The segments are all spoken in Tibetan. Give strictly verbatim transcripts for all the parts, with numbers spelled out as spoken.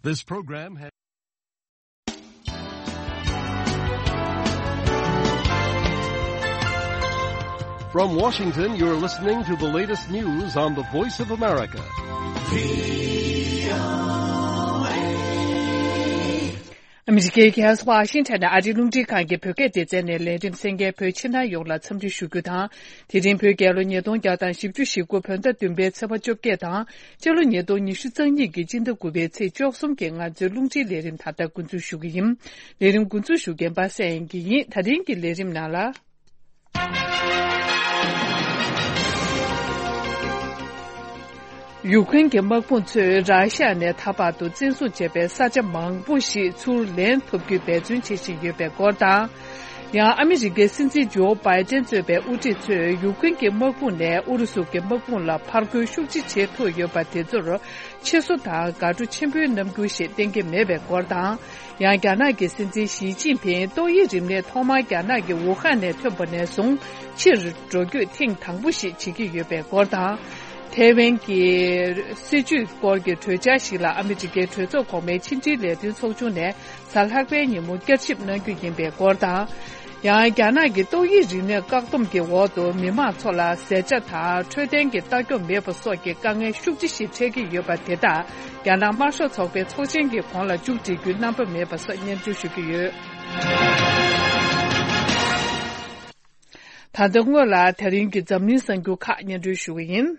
This program has From Washington, you're listening to the latest news on the Voice of America. ཨ་མི་རི་ཀའི་རྒྱལ་ས་ཝ་ཤིང་ཊོན་ནས་ཨ་རིའི་རླུང་འཕྲིན་ཁང་གི་བོད་སྐད་སྡེ་ཚན་ནས་ལས་རིམ་གསན་མཁན་བོད་ཕྱི་ནང་ཡོངས་ལ་འཚམས་འདྲི་ཞུ་རྒྱུ་དང་། དེ་རིང་བོད་རྒྱལ་ལོ་ཉིས་སྟོང་བརྒྱ་དང་བཞི་བཅུ་ཞེ་དགུ་བོད་ཟླ་བདུན་པའི་ཚེས་པ་བཅོ་བརྒྱད་དང་། སྤྱི་ལོ་ཉིས་སྟོང་ཉི་ཤུ་རྩ་གཉིས་ཀྱི་སྤྱི་ཟླ་དགུ་པའི་ཚེས་བཅུ་གསུམ་གྱི་ང་ཚོའི་རླུང་འཕྲིན་ལས་རིམ་ད་ལྟ་འགོ་འཛུགས་ཞུ་གི་ཡིན། ལས་རིམ་འགོ་འཛུགས་ཞུ་མཁན་པ་སངས་དབྱངས་སྐྱིད་ཡིན། ད་རིང་གི་ལས་རིམ་ནང་ལ། ཡུཀ་རེན་གྱི་དམག་དཔུང་ཚོས་ར་ཤ་ནས་ད་བར་དུ་བཙན་བཟུང་བྱས་པའི་ས་ཆ་མང་པོ་ཞིག་ཚུར་ལེན་ཐུབ་རྒྱུའི་འབད་བརྩོན་བྱེད་བཞིན་ཡོད་པའི་སྐོར་དང་། ཡང་ཨ་མི་རི་ཀའི་སྲིད་འཛིན་ཇོ་བྷའི་ཏན་གཙོས་པའི་དབུ་ཁྲིད་ཚོས་ཡུཀ་རེན་གྱི་དམག་དཔུང་ནས་ཨུ་རུ་སུ་གྱི་དམག་དཔུང་ལ་ཕར་རྒོལ་ཤུགས་ཆེ་བྱེད་ཐུབ་ཡོད་པ་དེ་ཚོར་ཕྱི་བསོ་དང་དགའ་སྤྲོ་ཆེན་པོའི་རྣམ་འགྱུར་ཞིག་བསྟན་གྱི་མེད་པའི་སྐོར་དང་། ཡང་རྒྱ་ནག་གི་སྲིད་འཛིན་ཞི་ཅིན་ཕིང་ཏོག་དབྱིབས་རིམས་ནད་ཐོག་མར་རྒྱ་ནག་གི་ཝུ་ཧན་ནས་ཐོན་པ་ནས་བཟུང་ཕྱིར་འགྲོ་སྐྱོད་ཐེངས་དང་པོ་ཞིག་བྱེད་ཀྱི་ཡོད་པའི་སྐོར་དང་། ཐའེ་ཝན་གྱི་སྲིད་བྱུས་སྐོར་གྱི་གྲོས་འཆར་ཞིག་ལ་ཨ་མི་རི་ཀའི་གྲོས་ཚོགས་གོང་མའི་ཕྱི་འབྲེལ་ལས་དོན་ཚོགས་ཆུང་ནས་གཟའ་ལྷག་པའི་ཉིན་མོ་བསྐྱར་ཞིབ་གནང་རྒྱུ་ཡིན་པའི་སྐོར་དང་། ཡང་རྒྱ་ནག་གི་ཏོག་དབྱིབས་རིམས་ནད་བཀག་སྡོམ་གྱི་འོག་ཏུ་མི་མང་ཚོ་ལ་ཟས་བཅའ་དང་འཕྲོད་བསྟེན་གྱི་ལྟ་སྐྱོང་མེད་པ་སོགས་ཀྱི་དཀའ་ངལ་ཤུགས་ཆེ་ཞིག་འཕྲད་ཀྱི་ཡོད་པ་དེ་དག་རྒྱ་ནག་དམར་ཤོག་ཚོགས་པའི་ཚོགས་ཆེན་གྱི་གོང་ལ་མཇུག་སྒྲིལ་རྒྱུའི་རྣམ་པ་མེད་པ་སོགས་སྙན་སྒྲོན་ཞུ་གི་ཡོད། ད་ལྟ་སྔོན་ལ་དེ་རིང་གི་འཛམ་གླིང་གསར་འགྱུར་ཁག་སྙན་སྒྲོན་ཞུ་གི་ཡིན།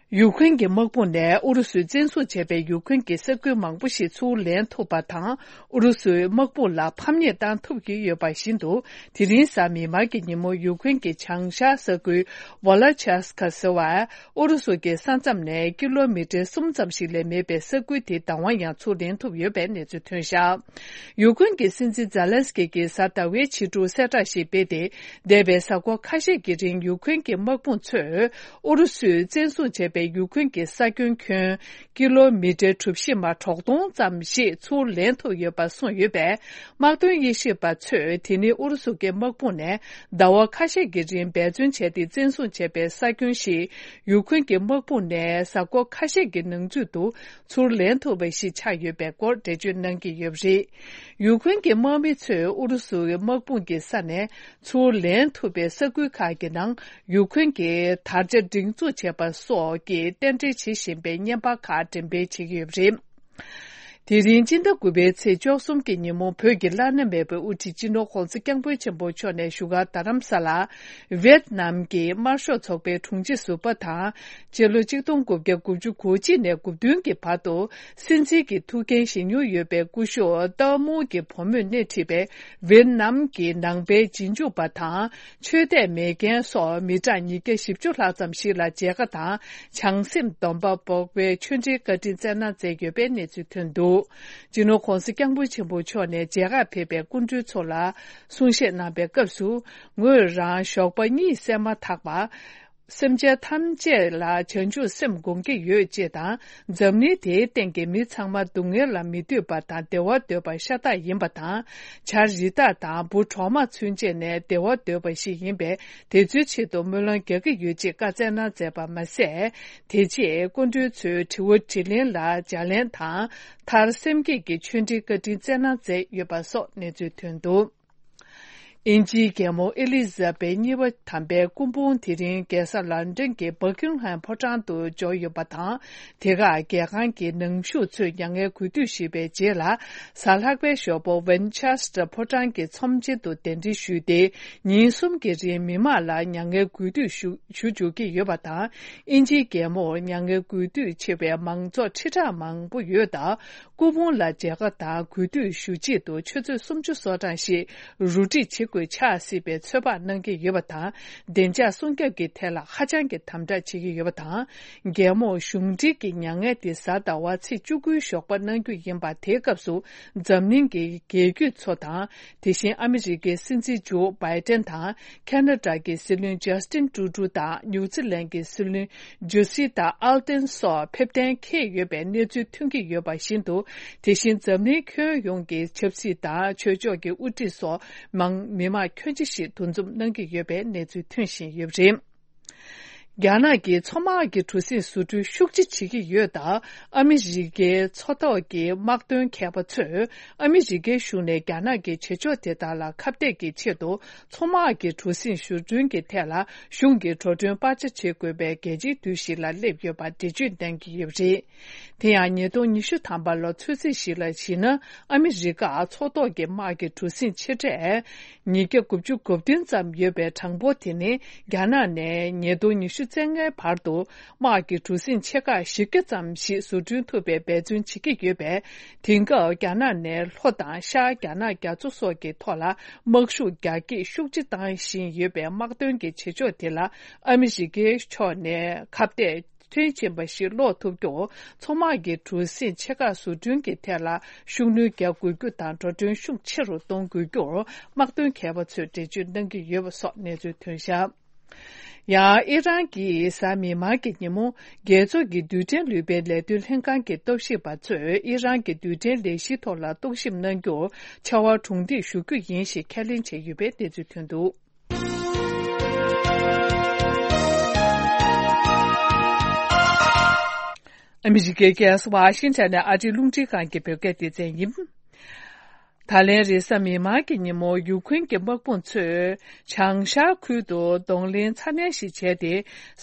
ཡུཀ་རེན་གྱི་དམག་དཔུང་ནས་ཨུ་རུ་སུས་བཙན་བཟུང་བྱས་པའི་ཡུཀ་རེན་གྱི་ས་ཁུལ་མང་པོ་ཞིག་ཚུར་ལེན་ཐུབ་པ་དང་། ཨུ་རུ་སུའི་དམག་དཔུང་ལ་ཕམ་ཉེས་བཏང་ཐུབ་ཀྱི་ཡོད་པ་བཞིན་དུ། དེ་རིང་གཟའ་མིག་དམར་གྱི་ཉིན་མོ་ཡུཀ་རེན་གྱི་བྱང་ཤར་ས་ཁུལ་ཝོ་ལ་ཆེ་སི་ཀ་ཟེར་བ། ཨུ་རུ་སུ་གྱི་ས་མཚམས་ནས་ཀི་ལོ་མི་ཊར་གསུམ་ཙམ་ཞིག་ལས་མེད་པའི་ས་ཁུལ་དེ་བདག་དབང་ཡང་ཚུར་ལེན་ཐུབ་ཡོད་པའི་གནས་ཚུལ་ཐོན་བཞག་ཡུཀ་རེན་གྱི་སྲིད་འཛིན་ཛེ་ལན་སི་ཀི་གིས་གཟའ་ཟླ་བའི་ཕྱི་དྲོ་གསལ་བསྒྲགས་ཤིག་སྤེལ་ཏེ། འདས་པའི་གཟའ་འཁོར་ཁ་ཤས་ཀྱི་རིང་ཡུཀ་རེན་གྱི་དམག་དཔུང་ཚོས་ཨུ་རུ་སུས་བཙན་བཟུང་བྱས་པའི་ཡུཀ་རེན་གྱི་ས་ཁྱོན་ཁྱོན་ཀི་ལོ་མི་ཊར་གྲུ་བཞི་མ་དྲུག་སྟོང་ཙམ་ཞིག་ཚུར་ལེན་ཐུབ་ཡོད་པ་གསུངས་ཡོད་པས། དམག་དོན་དབྱེ་ཞིབ་པ་ཚོས་དེ་ནི་ཨུ་རུ་སུ་གྱི་དམག་དཔུང་ནས་ཟླ་བ་ཁ་ཤས་ཀྱི་རིང་འབད་བརྩོན་བྱས་ཏེ་བཙན་བཟུང་བྱས་པའི་ས་ཁྱོན་ཞིག་ཡུཀ་རེན་གྱི་དམག་དཔུང་ནས་གཟའ་འཁོར་ཁ་ཤས་ཀྱི་ནང་ཚུད་དུ་ཚུར་ལེན་ཐུབ་པ་ཞིག་ཆགས་ཡོད་པའི་སྐོར་འགྲེལ་བརྗོད་གནང་གི་ཡོད་པ་རེད། ཡུཀ་རེན་གྱི་དམག་མི་ཚོས་ཨུ་རུ་སུའི་དམག་དཔུང་གི་ས་ནས་ཚུར་ལེན་ཐུབ་པའི་ས་ཁུལ་ཁག་གི་ནང་ཡུཀ་རེན་གྱིས་དར་ཆ་སྒྲེང་འཛུགས་བྱས་པ་སོགས་ཀྱི་རྟེན་འབྲེལ་བྱེད་བཞིན་པའི་བརྙན་པར་ཁག་འགྲེམས་སྤེལ་བྱེད་ཀྱི་ཡོད་པ་རེད། དེ་རིང་སྤྱི་ཟླ་དགུ་པའི་ཚེས་བཅུ་གསུམ་གྱི་ཉིན་མོ་བོད་ཀྱི་བླ་ན་མེད་པའི་དབུ་ཁྲིད་སྤྱི་ནོར་༧གོང་ས་༧སྐྱབས་མགོན་ཆེན་པོ་མཆོག་ནས་བཞུགས་སྒར་རྡ་རམ་ས་ལ་ཝེད་ནམ་གྱི་དམར་ཤོག་ཚོགས་པའི་དྲུང་ཆེ་ཟུར་པ་དང་། སྤྱི་ལོ་གཅིག་སྟོང་དགུ་བརྒྱ་དགུ་བཅུ་གོ་གཅིག་ནས་དགུ་བདུན་གྱི་བར་དུ་སྲིད་འཛིན་གྱི་ཐུགས་འགན་བཞེས་མྱོང་ཡོད་པའི་སྐུ་ཞབས་ཏར་མུར་གྱི་བུ་མོས་སྣེ་ཁྲིད་པའི་ཝེད་ནམ་གྱི་ནང་པའི་རྗེས་འཇུག་པ་དང་། ཆོས་དད་མེད་མཁན་སོགས་མི་གྲངས་ཉིས་བརྒྱ་བཞི་བཅུ་ལྷག་ཙམ་ཞིག་ལ་མཇལ་ཁ་དང་། བྱང་སེམས་སྡོམ་པ་འབོག་པའི་ཆོས་འབྲེལ་བཀའ་དྲིན་སྩལ་གནང་མཛད་ཡོད་པའི་གནས་ཚུལ་ཐོན་འདུག་སྤྱི་ནོར་༧གོང་ས་༧སྐྱབས་མགོན་ཆེན་པོ་མཆོག་ནས་མཇལ་ཁ་ཕེབས་པའི་སྐུ་མགྲོན་ཚོ་ལ་གསུང་བཤད་གནང་པའི་སྐབས་སུ། ངོས་རང་ཞོགས་པ་གཉིད་སད་མ་ཐག་པ། སེམས་ཅན་ཐམས་ཅད་ལ་བྱང་ཆུབ་སེམས་སྒོམ་གྱི་ཡོད་ཅེས་དང་། འཛམ་གླིང་དེའི་སྟེང་གི་མི་ཚང་མ་སྡུག་བསྔལ་ལ་མི་འདོད་པ་དང་བདེ་བ་འདོད་པ་ཤ་སྟག་ཡིན་པ་དང་། བྱ་རི་དྭགས་དང་འབུ་གྲོག་མ་ཚུན་ཆད་ནས་བདེ་བ་འདོད་པ་ཞིག་ཡིན་པས། དེ་ཚོའི་ཆེད་དུ་སྨོན་ལམ་རྒྱག་གི་ཡོད་ཅེས་བཀའ་སྩལ་གནང་མཛད་པ་མ་ཟད། དེ་རྗེས་སྐུ་མགྲོན་ཚོས་དྲི་བ་དྲིས་ལན་ལ་ལྗགས་ལན་དང་། མཐར་སེམས་བསྐྱེད་ཀྱི་ཆོས་འབྲེལ་བཀའ་དྲིན་སྩལ་གནང་མཛད་ཡོད་པ་སོགས་གནས་ཚུལ་ཐོན་འདུག་དབྱིན་ཇིའི་རྒྱལ་མོ་ཨེ་ལི་ཛ་བེད་གཉིས་པ་དམ་པའི་སྐུ་ཕུང་དེ་རིང་རྒྱལ་ས་ལན་ཀྲན་གྱི་བྷ་ཀིང་ཧམ་ཕོ་བྲང་དུ་འབྱོར་ཡོད་པ་དང་། དེ་ཁར་རྒྱལ་ཁང་གི་ནང་ཞུགས་ཚོས་མྱ་ངན་གུས་འདུད་ཞུས་པའི་རྗེས་ལ། གཟའ་ལྷག་པའི་ཞོགས་པ་ཝིན་ཆེ་སི་ཊར་ཕོ་བྲང་གི་ཚོམས་ཆེན་དུ་གདན་འདྲེན་ཞུས་ཏེ། ཉིན་གསུམ་གྱི་རིང་མི་མང་ལ་མྱ་ངན་གུས་འདུད་ཞུ་ཞུ་འཇུག་གི་ཡོད་པ་དང་། དབྱིན་ཇིའི་རྒྱལ་མོར་མྱ་ངན་གུས་འདུད་ཆེ་བའི་མང་ཚོགས་ཁྲི་ཕྲག་མང་པོ་ཡོད་སྟབས། སྐུ་ཕུང་ལ་མཇལ་ཁ་དང་གུས་འདུད་ཞུ་ཆེད་དུ་ཆུ་ཚོད་སུམ་ཅུ་སོ་གྲངས་ཤིག་རུ་སྒྲིག་བྱེད་དགོས་ཆགས་སྲིད་པའི་ཚོད་དཔག་གནང་གི་ཡོད་པ་དང་། བདེ་འཇགས་སྲུང་སྐྱོབ་ཀྱི་ཐད་ལ་ཧ་ཅང་གི་དམ་དྲག་བྱེད་ཀྱི་ཡོད་པ་དང་། རྒྱལ་མོར་གཞུང་འབྲེལ་གྱི་མྱ་ངན་དེ་གཟའ་ཟླ་བ་ཚེས་བཅུ་དགུའི་ཞོགས་པ་གནང་རྒྱུ་ཡིན་པ་དེའི་སྐབས་སུ། འཛམ་གླིང་གི་རྒྱལ་རྒྱུད་ཚོ་དང་། དེ་བཞིན་ཨ་མི་རི་ཀའི་སྲིད་འཛིན་ཇོ་བྷའི་ཏན་དང་། ཁ་ན་ཌ་གི་སྲིད་བློན་ཇ་སི་ཏིན་ཀྲུ་ཌོ་དང་ནིའུ་ཛི་ལན་གྱི་སྲིད་བློན་ཇོ་སི་ཏཱ་ཨལ་ཏན་སོགས་ཕེབས་གཏན་འཁེལ་ཡོད་པའི་གནས་ཚུལ་ཐོན་གྱི་ཡོད་པ་བཞིན་དུ། དེ་བཞིན་འཛམ་གླིང་ཁྱོན་ཡོངས་ཀྱི་ཆབ་སྲིད་དང་ཆོས་ཕྱོགས་ཀྱི་དབུ་ཁྲིད་སོགས་མང་མི་མང་ཁྱོན་ཆེ་ཞིག་འདུ་འཛོམས་གནང་གི་ཡོད་པའི་གནས་ཚུལ་ཐོན་བཞིན་ཡོད་པ་རེད། རྒྱ་ནག་གིས་མཚོ་དམག་གི་གྲུ་གཟིངས་བཟོ་སྐྲུན་ཤུགས་ཆེ་བྱེད་ཀྱི་ཡོད་སྟབས། ཨ་མི་རི་ཀའི་མཚོ་ཐོག་གི་དམག་དོན་མཁས་པ་ཚོས་ཨ་མི་རི་ཀའི་གཞུང་ནས་རྒྱ་ནག་གི་བྱེད་ཕྱོགས་དེ་དག་ལ་ཁ་གཏད་ཀྱི་ཆེད་དུ། མཚོ་དམག་གི་གྲུ་གཟིངས་བཟོ་སྐྲུན་གྱི་ཐད་ལ་གཞུང་གིས་འགྲོ་གྲོན་སྤར་ཆ་བྱེད་དགོས་པའི་གལ་ཆེའི་དུས་ཤིག་ལ་སླེབས་ཡོད་པར་འགྲེལ་བརྗོད་གནང་གི་ཡོད་པ་རེད། དེ་ཡང་ཉིས་སྟོང་ཉི་ཤུ་ཐམ་པ་ལོ་ཚུན་ཚོད་ཞིག་ལ་གཞིགས་ན། ཨ་མི་རི་ཀ་མཚོ་ཐོག་གི་དམག་གི་གྲུ་གཟིངས་ཆེ་གྲས་ཉིས་བརྒྱ་དགུ་བཅུ་གོ་བདུན་ཙམ་ཡོད་པའི་གྲངས་འབོར་དེ་ནི། རྒྱ་ནག་ནས་ཉིས་སྟོང་ཉི་ཤུ་རྩ་ལྔའི་བར་དུ་དམག་གི་གྲུ་གཟིངས་ཆེ་ཁག་བཞི་བརྒྱ་ཙམ་ཞིག་བཟོ་སྐྲུན་ཐུབ་པའི་འབད་བརྩོན་བྱེད་ཀྱི་ཡོད་པས། དེང་སྐབས་རྒྱ་ནག་ནས་ལྷོ་དང་ཤར་རྒྱ་ནག་རྒྱ་མཚོ་སོགས་ཀྱི་ཐོག་ལ་དམག་ཤུགས་རྒྱ་སྐྱེད་ཤུགས་ཆེ་བཏང་བཞིན་ཡོད་པའི་དམག་དོན་གྱི་བྱེད་ཕྱོགས་དེ་ལ་ཨ་མི་རི་ཀའི་ཕྱོགས་ནས་ཁ་གཏད་མཐོན་ཕྱིན་པ་ཞིག་སློག་ཐུབ་རྒྱུར། མཚོ་དམག་གི་གྲུ་གཟིངས་ཆེ་ཁག་བཟོ་སྐྲུན་གྱི་ཐད་ལ་ཤུགས་སྣོན་རྒྱག་དགོས་རྒྱུ་དང་། འགྲོ་གྲོན་ཤུགས་ཆེ་རུ་གཏོང་དགོས་རྒྱུར་དམག་དོན་མཁས་པ་ཚོས་འགྲེལ་བརྗོད་གནང་གི་ཡོད་པ་སོགས་གནས་ཚུལ་ཐོན་བཞག་ཡང་ཨི་རན་གྱིས་གཟའ་མིག་དམར་གྱི་ཉིན་མོ། རྒྱལ་ཚོགས་ཀྱི་རྡུལ་ཕྲན་ལུས་པའི་ལས་དོན་ལྷན་ཁང་གི་རྟོག་ཞིབ་པ་ཚོས་ཨི་རན་གྱི་རྡུལ་ཕྲན་ལས་གཞིའི་ཐོག་ལ་རྟོག་ཞིབ་གནང་རྒྱུར་ཕྱར་བ་གྲུ་འདེགས་ཞུ་རྒྱུ་ཡིན་ཞེས་ཁས་ལེན་བྱས་ཡོད་པའི་གནས་ཚུལ་ཐོན་འདུག་ཨ་མི་རི་ཀའི་རྒྱལ་ས་ཝ་ཤིང་ཊོན་ནས་ཨ་རིའི་རླུང་འཕྲིན་ཁང་གི་བོད་སྐད་སྡེ་ཚན་ཡིན། ད་ལན་རེས་གཟའ་མིག་དམར་གྱི་ཉིན་མོ་ཡུ་ཁུན་གྱི་དམག་དཔུང་ཚོས་བྱང་ཤར་ཁུལ་དུ་གདོང་ལེན་ཚ་ནན་ཞིག་བྱས་ཏེ།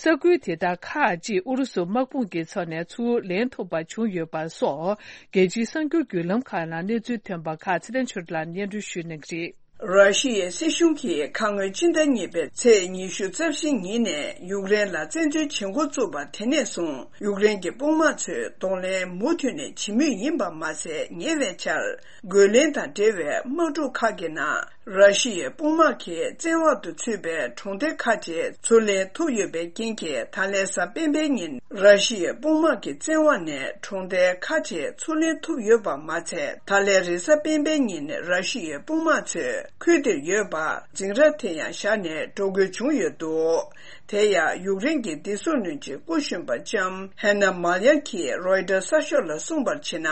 ས་ཁུལ་དེ་དག་ཁག་ཅིག་ཨུ་རུ་སུ་དམག་དཔུང་གི་ཚབ་ནས་ཚུར་ལེན་ཐུབ་པ་བྱུང་ཡོད་པ་སོགས། རྒྱལ་སྤྱིའི་གསར་འགྱུར་བརྒྱུད་ལམ་ཁག་ནང་གནས་ཚུལ་ཐོན་པ་ཁག་ཚེ་བརྟན་ཆོས་སྒྲོན་ལགས་སྙན་སྒྲོན་ཞུ་གནང་གི་རེད། ར་ཤི་ཡའི་སྲིད་གཞུང་གིས་ཁ་སྔོན་སྤྱི་ཟླ་གཉིས་པའི་ཚེས་ཉི་ཤུ་རྩ་བཞི་ཉིན་ནས་ཡུཀ་རེན་ལ་བཙན་འཛུལ་བྱེད་འགོ་བཙུགས་པ་དེ་ནས་བཟུང་ཡུཀ་རེན་གྱི་དཔུང་དམག་ཚོས་གདོང་ལེན་མུ་མཐུད་ནས་བྱེད་མུས་ཡིན་པ་མ་ཟད། ཉེ་བའི་ཆར་རྒོལ་ལན་དང་འབྲེལ་བའི་དམག་འཁྲུག་ཁག་གི་ནང་ར་ཤི་ཡའི་དཔུང་དམག་གི་བཙན་འོག་ཏུ་ཚུད་པའི་གྲོང་སྡེ་ཁག་ཅིག་ཚུར་ལེན་ཐུབ་ཡོད་པའི་རྐྱེན་གྱིས། ད་ལན་གཟའ་སྤེན་པའི་ཉིན་ར་ཤི་ཡའི་དཔུང་དམག་གི་བཙན་འོག་ནས་གྲོང་སྡེ་ཁག་ཅིག་ཚུར་ལེན་ཐུབ་ཡོད་པ་མ་ཚད། ད་ལན་རེས་གཟའ་སྤེན་པའི་ཉིན་ར་ཤི་ཡའི་དཔུང་དམག་ཚོས་ཁུལ་དེར་ཡོད་པ་འཛིང་རགས་དེ་ཡང་བཞག་ནས་འགྲོ་དགོས་བྱུང་ཡོད་འདུག་དེ་ཡང་ཡུཀ་རེན་གྱི་བདེ་སྲུང་བློན་ཆེན་སྐུ་གཞོན་པ་ལྕམ་ཧེ་ན་མཱལ་ཡ་གིས་རོའི་ཊར་གསར་ཤོག་ལ་གསུངས་པར་བྱས་ན།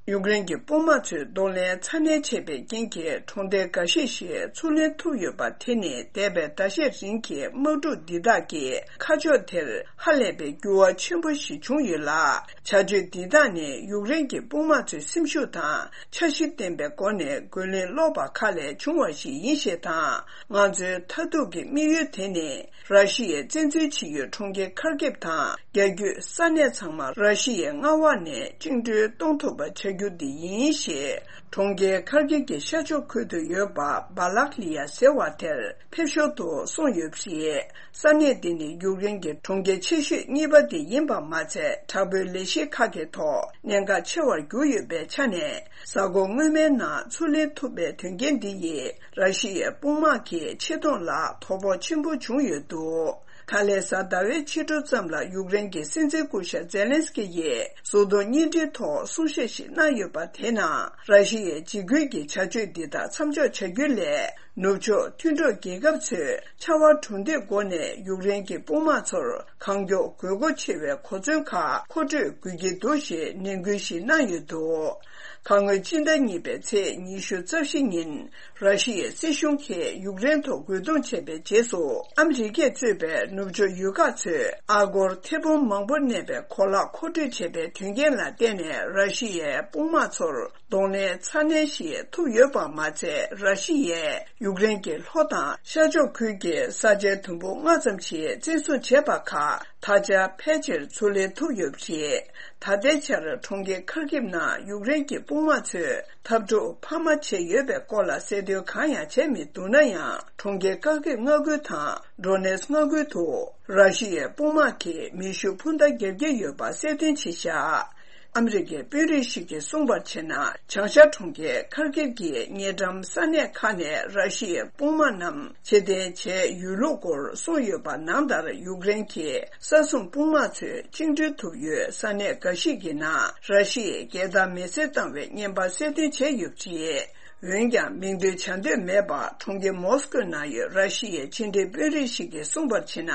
ཡུཀ་རེན་གྱི་དཔུང་དམག་ཚོས་གདོང་ལེན་ཚ་ནན་བྱས་པའི་རྐྱེན་གྱིས་གྲོང་སྡེ་འགའ་ཤས་ཤིག་ཚུར་ལེན་ཐུབ་ཡོད་པ་དེ་ནི་འདས་པའི་ཟླ་ཤས་རིང་གི་དམག་འཁྲུག་འདི་དག་གི་ཁ་ཕྱོགས་དེར་ཧ་ལས་པའི་འགྱུར་བ་ཆེན་པོ་ཞིག་བྱུང་ཡོད་ལ། བྱ་སྤྱོད་འདི་དག་ནི་ཡུཀ་རེན་གྱི་དཔུང་དམག་ཚོའི་སེམས་ཤུགས་དང་འཆར་གཞི་ལྡན་པའི་སྒོ་ནས་རྒོལ་ལན་སློག་པ་ཁག་ལས་བྱུང་བ་ཞིག་ཡིན་ཞེས་དང་། ང་ཚོའི་མཐར་ཐུག་གི་དམིགས་ཡུལ་དེ་ནི། ར་ཤི་ཡས་བཙན་འཛུལ་བྱེད་ཡུལ་གྲོང་ཁྱེར་ཁར་ཀིབ་དང་རྒྱ་རྒྱུད་ས་གནས་ཚང་མ་ར་ཤི་ཡའི་མངའ་འོག་ནས་བཅིངས་འགྲོལ་གཏོང་ཐུབ་པ་བྱ་རྒྱུ་འདི་ཡིན་ཞེས། གྲོང་ཁྱེར་ཁར་ཀིབ་ཀྱི་ཤར་ཕྱོགས་ཁུལ་དུ་ཡོད་པ་སྦ་ལག་ལི་ཡ་ཟེར་བ་དེར་ཕེབས་ཞོར་དུ་གསུངས་ཡོད་པ་རེད། ས་གནས་འདི་ནི་ཡུཀ་རེན་གྱི་གྲོང་ཁྱེར་ཆེ་ཤོས་གཉིས་པ་དེ་ཡིན་པ་མ་ཚད། དྲག་པོའི་ལས་གཞི་ཁག་གི་ཐོག་གནད་འགག་ཆེ་བར་གྱུར་ཡོད་པའི་ཆ་ནས། གཟའ་འཁོར་སྔོན་མའི་ནང་ཚུར་ལེན་ཐུབ་པའི་དོན་རྐྱེན་འདི་ཡིས། ར་ཤི་ཡའི་དཔུང་དམག་གི་ཆེ་མཐོང་ལ་དོ་ཕོག་ཆེན་པོ་བྱུང་ཡོད་འདུག་ད་ལན་གཟའ་ཟླ་བའི་ཕྱི་དྲོ་ཙམ་ལ་ཡུཀ་རེན་གྱི་སྲིད་འཛིན་སྐུ་ཞབས་ཛེ་ལན་སི་ཀི་ཡིས་གཟུགས་མཐོང་བརྙན་འཕྲིན་ཐོག་གསུང་བཤད་ཞིག་གནང་ཡོད་པ་དེའི་ནང་། ར་ཤི་ཡའི་འཇིགས་སྐུལ་གྱི་བྱ་སྤྱོད་འདི་དག་མཚམས་འཇོག་བྱ་རྒྱུ་ལས། ནུབ་ཕྱོགས་མཐུན་གྲོགས་རྒྱལ་ཁབ་ཚོས་ཕྱར་བ་གྲུ་འདེགས་སྒོ་ནས་ཡུཀ་རེན་གྱི་དཔུང་དམག་ཚོར་གང་མགྱོགས་དགོས་མཁོ་ཆེ་བའི་གོ་མཚོན་ཁག་མཁོ་སྤྲོད་དགོས་ཀྱི་འདུག་ཞེས་ནན་སྐུལ་ཞིག་གནང་ཡོད་འདུག་ཁ་སྔོན་སྤྱི་ཟླ་གཉིས་པའི་ཚེས་ཉི་ཤུ་རྩ་བཞི་ཉིན། ར་ཤི་ཡའི་སྲིད་གཞུང་གིས་ཡུཀ་རེན་ཐོག་རྒོལ་རྡུང་བྱས་པའི་རྗེས་སུ། ཨ་མི་རི་ཀས་གཙོས་པའི་ནུབ་ཕྱོགས་ཡུལ་ཁག་ཚོས་ཨ་སྒོར་ཐེར་འབུམ་མང་པོ་གནས་པའི་གོ་ལག་མཁོ་སྤྲོད་བྱས་པའི་དོན་རྐྱེན་ལ་བརྟེན་ནས། ར་ཤི་ཡའི་དཔུང་དམག་ཚོར་གདོང་ལེན་ཚ་ནན་ཞིག་ཐུབ་ཡོད་པ་མ་ཚད། ར་ཤི་ཡས་ཡུཀ་རེན་གྱི་ལྷོ་དང་ཤར་ཕྱོགས་ཁུལ་གྱི་ས་ཆའི་དུམ་བུ་ལྔ་ཙམ་ཞིག་བཙན་བཟུང་བྱས་པ་ཁག་ད་ཆ་ཕལ་ཆེར་ཚུར་ལེན་ཐུབ་ཡོད་པ་རེད། ད་ལྟའི་ཆར་གྲོང་ཁྱེར་ཁར་ཀིབ་ནང་ཡུཀ་རེན་གྱི་དཔུང་དམག་ཚོས་འཐབ་འཁྲུག་འཕར་མ་བྱས་ཡོད་པའི་སྐོར་ལ་གསལ་སྟོན་གང་ཡང་བྱས་མི་འདུག་ན་ཡང་། གྲོང་ཁྱེར་ཁར་ཀིབ་མངའ་ཁུལ་དང་ཌོ་ནེ་སི་མངའ་ཁུལ་དུ་ར་ཤི་ཡའི་དཔུང་དམག་གིས་མེ་ཤུགས་འཕུར་མདའ་བརྒྱབ་ཀྱི་ཡོད་པ་གསལ་སྟོན་བྱས་བཞག་ཨ་མི་རི་ཀའི་དཔོན་རིགས་ཤིག་གིས་གསུངས་པར་བྱས་ན། བྱང་ཤར་གྲོང་ཁྱེར་ཁར་ཀིབ་ཀྱི་ཉེ་འགྲམ་ས་གནས་ཁག་ནས་ར་ཤི་ཡའི་དཔུང་དམག་རྣམས་ཕྱིར་འཐེན་བྱས་ཡོད་ལུགས་སྐོར་གསུངས་ཡོད་པ་ནང་ལྟར། ཡུཀ་རེན་གྱི་ས་སྲུང་དཔུང་དམག་ཚོས་བཅིངས་འགྲོལ་ཐུབ་ཡོད་ས་གནས་འགའ་ཞིག་གི་ནང་ར་ཤི་ཡའི་རྒྱལ་དར་མེ་སྲེག་བཏང་བའི་བརྙན་པར་གསལ་སྟོན་བྱས་ཡོད་པ་རེད། འོན་ཀྱང་མིང་འདོན་བྱ་འདོད་མེད་པར་གྲོང་ཁྱེར་མོ་སི་ཀོའི་ནང་ཡོད་ར་ཤི་ཡའི་ཕྱི་འབྲེལ་དཔོན་རིགས་ཤིག་གིས་གསུངས་པར་བྱས་ན།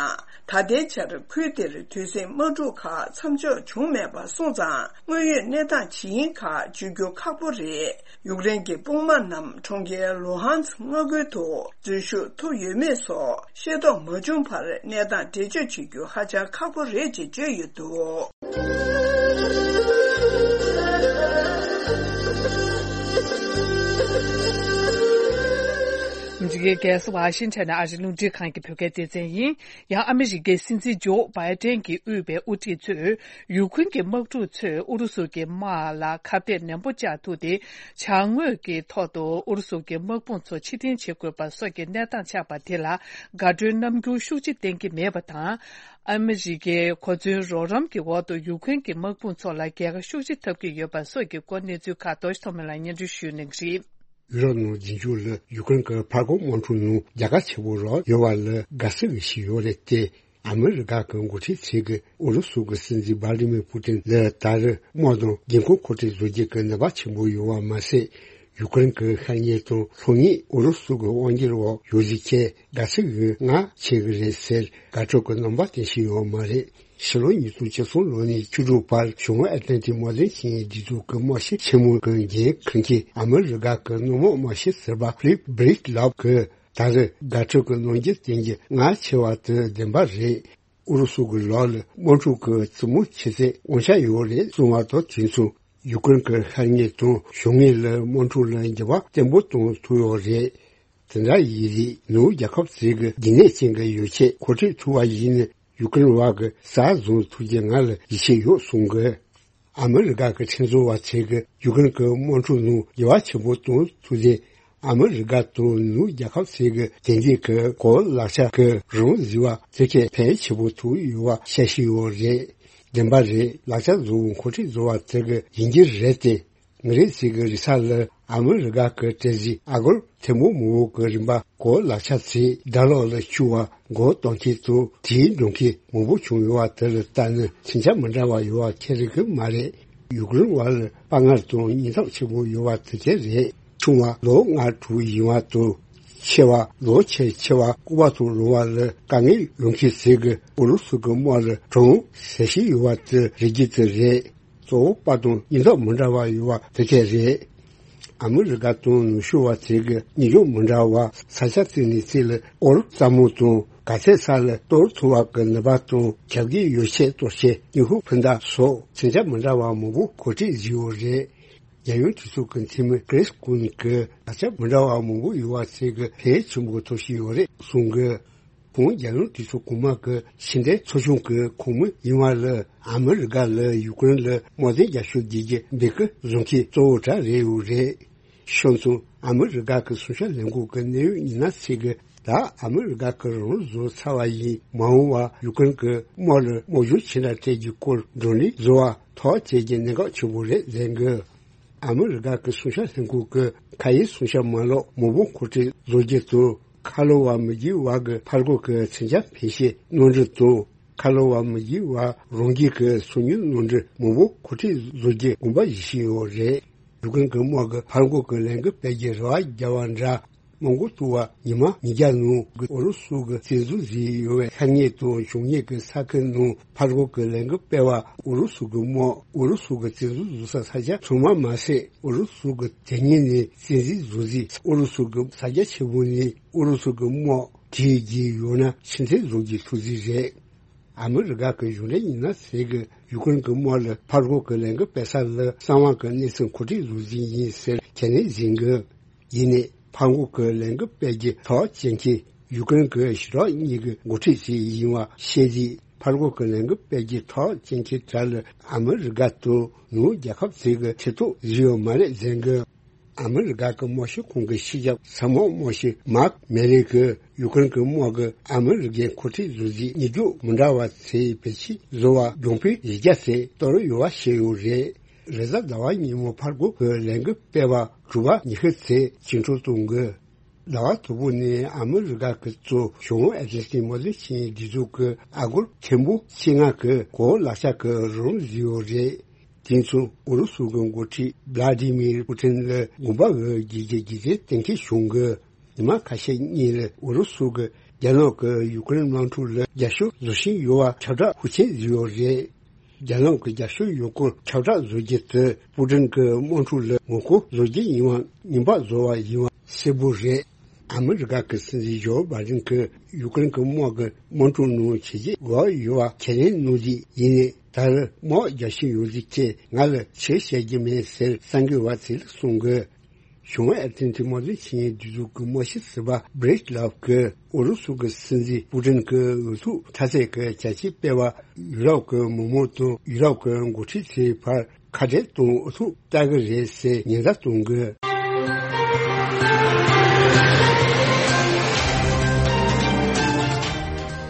ད་ལྟའི་ཆར་ཁུལ་དེར་དུས་ཟིང་དམག་འཁྲུག་ཁག་མཚམས་འཇོག་བྱུང་མེད་པ་སོང་ཙང་། དངོས་ཡོད་གནས་སྟངས་ཇི་ཡིན་ཁག་བརྗོད་རྒྱུ་ཁག་པོ་རེད། ཡུཀ་རེན་གྱི་དཔུང་དམག་རྣམས་གྲོང་ཁྱེར་ལུ་ཧན་སི་མངའ་ཁུལ་དུ་འཛུལ་ཞུགས་ཐུབ་ཡོད་མེད་སོགས་ཤེས་རྟོགས་མ་བྱུང་བར་གནས་སྟངས་འགྲེལ་བརྗོད་བྱེད་རྒྱུ་ཧ་ཅང་ཁག་པོ་རེད་ཅེས་བརྗོད་ཡོད་འདུག། ཨ་མི་རི་ཀའི་རྒྱལ་ས་ཝ་ཤིང་ཊོན་ནས་ཨ་རིའི་རླུང་འཕྲིན་ཁང་གི་བོད་སྐད་སྡེ་ཚན་ཡིན། ཡང་ཨ་མི་རི་ཀའི་སྲིད་འཛིན་ཇོ་བྷའི་ཏན་གྱིས་དབུས་པའི་དབུ་ཁྲིད་ཚོས་ཡུ་ཁུན་གྱི་དམག་འཁྲུག་ཚོས་ཨུ་རུ་སུ་གྱི་དམག་ལ་ཁ་གཏད་ནན་པོ་བཅག་ཐུབ་སྟེ། བྱ་དངོས་ཀྱི་ཐོག་ཏུ་ཨུ་རུ་སུ་གྱི་དམག་དཔུང་ཚོ་ཕྱིར་འཐེན་བྱེད་དགོས་པ་སོགས་ཀྱི་གནས་སྟངས་ཆགས་པ་དེ་ལ་དགའ་སྤྲོའི་རྣམ་འགྱུར་ཤུགས་ཆེ་བསྟན་གྱི་མེད་པ་དང་། ཨ་མི་རི་ཀའི་གོ་མཚོན་རོགས་རམ་གྱི་འོག་ཏུ་ཡུ་ཁུན་གྱི་དམག་དཔུང་ཚོ་ལ་རྒྱལ་ཁ་ཤུགས་ཆེ་ཐོབ་ཀྱི་ཡོད་པ་སོགས་ཀྱི་སྐོར་གནས་ཚུལ་ཁག་རྡོ་རྗེ་ཐོགས་མེད་ལགས་སྙན་སྒྲོན་ཞུ་གནང་གི་རེད། ཡུ་རོབ་ནང་རྗེས་འཇུག་ལ་ཡུ་ཀེ་རེན་གྱི་ཕར་རྒོལ་དམག་འཁྲུག་ནང་རྒྱལ་ཁ་ཆེ་པོ་རག་ཡོད་པ་ལ་དགའ་བསུ་ཞིག་ཡོད་རེད་དེ། ཨ་མི་རི་ཀ་གི་འགོ་ཁྲིད་ཚོས་ཀྱིས་ཨུ་རུ་སུ་གི་སྲིད་འཛིན་ཝ་ལི་མི་པུ་ཏིན་ལ་ད་རེས་དམག་དང་འགན་ཁུར་གོ་སྒྲིག་བཟོ་རྒྱུ་གི་ནུས་པ་ཆེན་པོ་ཡོད་པ་མ་ཟད། ཡུ་ཀེ་རེན་གྱི་ཤར་ཉེ་དང་ལྷོ་ཉེ་ཨུ་རུ་སུ་གི་དབང་སྒྱུར་འོག་ཡོད་ཟེར་ཆེད་དགའ་བསུ་ཡོད་ང་བྱེད་ཀྱི་རེད་ཟེར་དགའ་སྤྲོ་གི་རྣམ་པ་སྟོན་བཞིན་ཡོད་མ་རེད། ཕྱི་ལོ་ཉིས་སྟོང་བཅུ་གསུམ་ལོ་ནས་བཅུ་དྲུག་བར་བྱང་ཨེ་ཏན་ཏི་དམག་དོན་ཆིངས་ཡིག་སྒྲིག་འཛུགས་ཀྱི་དམག་ཤེད་ཆེན་མོ་གི་འགན་འཁུར་མཁན་ཨ་མི་རི་ཀ་གི་སྣུམ་འོག་དམག་ཤེད་ཟུར་པ་ཕི་ལིབ་བྷི་རིག་ལབ་ཀྱིས་ད་རེས་དགའ་སྤྲོ་གི་རྣམ་འགྱུར་བསྟན་རྒྱུ་ང་ཆེ་བ་དེ་བདེན་པ་རེད། ཨུ་རུ་སུ་གི་ལག་ལ་དམག་འཁྲུག་གི་རྩེད་མོ་ཆེ་ཚད་དབང་ཆ་ཡོད་རེད་གསུངས་པ་དང་དུས་མཚུངས། ཡུ་ཀེ་རེན་གྱི་ཤར་ཉེ་དང་བྱང་ཉེ་ལ་དམག་འཁྲུག་ལ་འགྱུར་བ་བརྟན་པོ་གཏོང་ཐུབ་ཡོད་རེད། དེ་འདྲ་ཡིན་དུས་ནུབ་རྒྱལ་ཁབ་ཚོས་ཀྱི་རྒྱུན་གནས་ཅན་གྱི་ཡོ་ཆས་མཁོ་སྤྲོད་ཐུབ་པ་ཡིན་ན་ཡུ་ཀེ་རེན་བ་གི་ས་བཟུང་ཐུབ་རྒྱུ་ང་ལ་ཡིད་ཆེས་ཡོད་གསུངས་གི། ཨ་མི་རི་ཀ་གི་ཁྲིམས་བཟོ་བ་ཚོས་ཀྱི་ཡུ་ཀེ་རེན་གྱི་དམག་འཁྲུག་ནང་འགྱུར་བ་ཆེན་པོ་གཏོང་ཐུབ་རྗེས། ཨ་མི་རི་ཀ་དང་ནུབ་རྒྱལ་ཁབ་ཚོས་ཀྱི་དེང་དུས་ཀྱི་གོ་ལག་ཆ་གི་རང་བཟོ་བ་དེ་གས་ཕལ་ཆེ་པོ་ཐུབ་ཡོད་པ་བཤད་བཞིན་ཡོད་རེད། བདེན་པ་རེད། ལག་ཆ་བཟོ་བའི་མཁོ་སྤྲོད་བཟོ་བ་དེ་གི་ཡིན་གྱི་རེད་དེ། ངེད་རང་ཚོ་གི་རེས་གཟའ་ལ་ཨ་མི་རི་ཀ་གི་གྲས་གཞི་ཨ་སྒོར་ཐེར་འབུམ་མང་པོ་གི་རིན་པ་གོ་ལག་ཆ་ཚོས་ཌ་ལར་ལ་བསྒྱུར་བ་སྒོར་གཏོང་མཁན་དང་དེའི་འགྲོ་མཁན་མང་པོ་བྱུང་ཡོད་པ་དེ་ལ་ལྟ་ན་མཚོན་ཆ་མི་འདྲ་བ་ཡོད་པ་ཁྱད་རིག་གི་མ་རེད། ཡུཀ་རེན་བ་ལ་དཔའ་ངར་དང་སྙིང་སྟོབས་ཆེན་པོ་ཡོད་པ་དེ་གས་རེད། ཆུང་བ་ལོ་ལྔ་དྲུག་ཡིན་པ་དང་། ཆེ་བ་ལོ་ཆེས་ཆེ་བ་སྐུ་པར་དང་རོལ་བ་ལ་དཀའ་ངལ་ཡོང་མཁན་ཚོས་ཀྱི་ཨུ་རུ་སུ་གི་དམག་ལ་གྲོངས་ཟེར་བཞིན་ཡོད་པ་དེ་རེད་རྒྱུ་དེ་རེད། གཙོ་བོ་དཔའ་དང་སྙིང་སྟོབས་མི་འདྲ་བ་ཡོད་པ་དེ་གས་རེད། ཨ་མི་རི་ཀ་དང་ནུབ་ཕྱོགས་པ་ཚོས་ཀྱི་སྙིང་སྟོབས་མི་འདྲ་བ་ས་ཆ་གཅིག་ནས་གཅིག་ལ་སྐོར་རྩེད་མོ་དང་ག་ཚད་ས་ལ་གཏོར་ཐུབ་པ་གི་ནུས་པ་དང་རྒྱབ་ཀྱི་ཡོ་བྱད་གཏོར་བྱེད་སྙིང་ཁུག་འཕུར་མདའ་སོགས་མཚོན་ཆ་མི་འདྲ་བ་མང་པོ་གོ་སྒྲིག་བཟོས་ཡོད་རེད། རྒྱལ་ཡོངས་གྲོས་ཚོགས་ཀྱི་འཐུས་མི་ཀྲིས་ཀུ་ནི་ཀི་ལག་ཆ་མི་འདྲ་བ་མང་པོ་ཡོད་པ་ཚོས་ཀྱི་ཕལ་ཆེན་པོ་ཐོབ་བཞིན་ཡོད་རེད་གསུངས་གི། ཁོང་རྒྱལ་ཡོངས་གྲོས་ཚོགས་གོང་མ་གི་ཕྱི་འབྲེལ་ཚོགས་ཆུང་གི་ཁོངས་མི་ཡིན་པ་ལ་ཨ་མི་རི་ཀ་ལ་ཡུཀ་རེན་ལ་དམག་དོན་རྒྱབ་སྐྱོར་བྱེད་རྒྱུ་འབོད་སྐུལ་བཟོ་མཁན་གཙོ་བོ་གྲས་རེད་ཡོད་རེད། ཤོང་ཙང་ཨ་མི་རི་ཀ་གི་གསུང་བཤད་ལས་ཁུངས་ཀྱི་གནད་ཡོད་ཉི་ན་ཚེ་གི་ད་ཨ་མི་རི་ཀ་གི་རང་བཟོ་ཚར་བ་ཡིན་མ་འོངས་པ་ཡུཀ་རེན་གི་དམག་ལ་དམག་སྦྱོང་ཇི་འདྲ་སྤྲད་རྒྱུའི་སྐོར་བགྲོ་གླེང་བཟོ་བ་ཐག་བཅད་རྒྱུ་གནད་འགག་ཆེན་པོ་རེད་ཟེར་གི། ཨ་མི་རི་ཀ་གི་གསུང་བཤད་ལྷན་ཁང་གི་ཁ་ཡི་གསུང་བཤད་མ་ལག་མང་པོ་མཁོ་སྤྲོད་བཟོ་རྒྱུ་དང་། ཁ་ལོ་བ་མི་རྒྱུ་བ་གི་ཕར་རྒོལ་གི་མཚོན་ཆ་འཕེན་བྱེད་གནམ་གྲུ་དང་། ཁ་ལོ་བ་མི་རྒྱུ་བ་རང་རྒྱལ་གི་སོ་ཉུལ་གནམ་གྲུ་མང་པོ་མཁོ་སྤྲོད་བཟོ་རྒྱུ་དགོངས་པ་བཞེས་བཞིན་ཡོད་རེད། ཡུཀ་རེན་གི་དམག་གི་ཕར་རྒོལ་གི་ལས་འགུལ་སྤེལ་རྒྱུ་རེ་བ་བརྒྱབ་པ་འདྲ། མོན་གྷོ་ཏུ་བ་ཉི་མ་ཉིས་བརྒྱ་ནང་གི་ཨུ་རུ་སུ་གི་བཙན་འཛུལ་བཟོས་ཡོད་པའི་ཤར་ཉེ་དང་བྱང་ཉེ་གི་ས་ཁུལ་ནང་ཕར་རྒོལ་གི་ལས་འགུལ་སྤེལ་བ་ཨུ་རུ་སུ་གི་དམག་ཨུ་རུ་སུ་གི་བཙན་འཛུལ་བཟོ་ས་ས་ཆ་ཚང་མ་མ་ཟད། ཨུ་རུ་སུ་གི་དེ་ཉིད་ནས་བཙན་འཛུལ་བཟོ་རྩིས། ཨུ་རུ་སུ་གི་ས་རྒྱ་ཆེན་པོ་ནས་ཨུ་རུ་སུ་གི་དམག་བྲོས་རྒྱུ་ཡོད་ན་ཕྱིར་འཐེན་བཟོ་རྒྱུའི་ཐུགས་རྩིས་རེད། ཨ་མི་རི་ཀ་གི་གཞུང་འབྲེལ་ཉི་ན་ཚེ་གི་ཡུཀ་རེན་གི་དམག་ལ་ཕར་རྒོལ་གི་ལས་འགུལ་སྤེལ་ས་ལ་གསང་བ་གི་གནས་ཚུལ་མཁོ་སྤྲོད་བཟོ་རྩིས་ཡིན་ཟེར་ཁས་ལེན་བྱེད་གི། ཡིན་ནའི་ཕར་རྒོལ་གྱི་ལས་འགུལ་སྤེལ་རྒྱུ་ཐག་བཅད་མཁན་ཡུཀ་རེན་གྱི་ཞི་དྲག་གཉིས་ཀྱི་འགོ་ཁྲིད་ཅིག་ཡིན་པ་ཤེས་རྗེས། ཕར་རྒོལ་གྱི་ལས་འགུལ་སྤེལ་རྒྱུ་ཐག་བཅད་མཁན་དག་ལ་ཨ་མི་རི་ཀ་དང་ནུབ་རྒྱལ་ཁབ་ཚོས་ཀྱི་ཐེ་གཏོགས་བཟོས་ཡོད་མ་རེད་ཟེར་གི། ཨ་མི་རི་ཀ་གི་དམག་ཤེད་ཁང་གི་སྤྱི་ཁྱབ་ཚབ་དམག་དམག་སྤྱི་མཱག་མེ་རི་གིས་ཡུཀ་རེན་གྱི་དམག་གིས་ཨ་མི་རི་ཀའི་འགོ་ཁྲིད་བཟོ་རྩིས་གཉིས་ཀྱང་མི་འདྲ་བ་ཚོས་བེད་སྤྱོད་བཟོ་བ་རྒྱང་འཕེན་བཞི་བརྒྱ་ཚོད་གཏོར་ཡོད་པ་བཤད་ཡོད་རེད། རེས་གཟའ་ཟླ་བ་ཉིན་མོ་ཕར་རྒོལ་གྱི་ལས་འགུལ་སྤེལ་བ་དྲུག་པ་ཉི་ཤུ་ཚོད་བཅིངས་འགྲོལ་གཏོང་དགོས། ཟླ་བ་དང་པོ་ནས་ཨ་མི་རི་ཀ་གི་གཙོ་བྱང་ཨེ་ཏི་སི་མོ་ལི་ཆིན་སྒྲིག་འཛུགས་ཀྱི་ཨ་སྒོར་ཐེར་འབུམ་བཅོ་ལྔ་གི་གོ་ལག་ཆ་གི་རང་བཟོས་ཡོད་རེད། དེ་མཚུངས་ཨུ་རུ་སུ་གི་འགོ་ཁྲིད་བླ་ཏི་མིར་པུ་ཏིན་ལ་དགོངས་པ་འོས་རྒྱུ་གི་རྒྱུ་མཚན་གཏན་འཁེལ་བྱུང་གི། ཉི་མ་ཁ་ཤས་གཉིས་ལ་ཨུ་རུ་སུ་གི་རྒྱ་ནག་གི་ཡུ་ཀེ་རེན་དམག་འཁྲུག་ལ་རྒྱབ་སྐྱོར་བཟོ་བཞིན་ཡོད་པ་ཁྱབ་བསྒྲགས་ཤུགས་ཆེན་བཟོས་ཡོད་རེད། རྒྱ་ནག་གི་རྒྱབ་སྐྱོར་ཡོད་སྐོར་ཁྱབ་བསྒྲགས་བཟོ་རྒྱུ་དེ་པུ་ཏིན་གྱི་དམག་འཁྲུག་ལ་ངོ་རྒོལ་བཟོ་རྒྱུ་ཡིན་པ་ངན་པ་བཟོ་བ་ཡིན་པ་གསལ་པོ་རེད། ཨ་མི་རི་ཀ་གི་སྲིད་འཛིན་ཇོ་བྷའི་ཌེན་གྱིས་ཡུ་ཀེ་རེན་གྱི་དམག་གི་དམག་འཁྲུག་ནང་བྱས་རྗེས་འགྲོ་ཡོད་པ་ཁས་ལེན་གནང་རྒྱུ་ཡིན་ནའི་ད་རེས་དམག་རྒྱག་བཞིན་ཡོད་ཟིག་ཁྱེད་ང་ལ་ཆེ་བཤད་རྒྱུ་མེད་ཟེར་གསར་འགོད་པ་ཚོ་ལ་གསུངས་གི། བྱུང་བའི་ཨར་ཏན་ཏི་དམག་དོན་ཆེད་གཉེར་སྒྲིག་འཛུགས་ཀྱི་དམག་སྤྱི་ཟུར་པ་བྷི་རེད་ལབ་ཀྱིས་ཨུ་རུ་སུ་གི་སྲིད་འཛིན་པུ་ཏིན་གྱིས་འུ་ཐུག་མཐའ་ཚད་ཀྱི་བྱ་སྤྱོད་སྤེལ་བ་ཡུ་རོབ་ཀྱི་མི་མང་དང་ཡུ་རོབ་ཀྱི་འགོ་ཁྲིད་ཚོའི་བར་ཁ་བྲལ་གཏོང་འུ་ཐུག་ལྟ་གི་རེད་ཟེར་ཉེན་བརྡ་གཏོང་གི།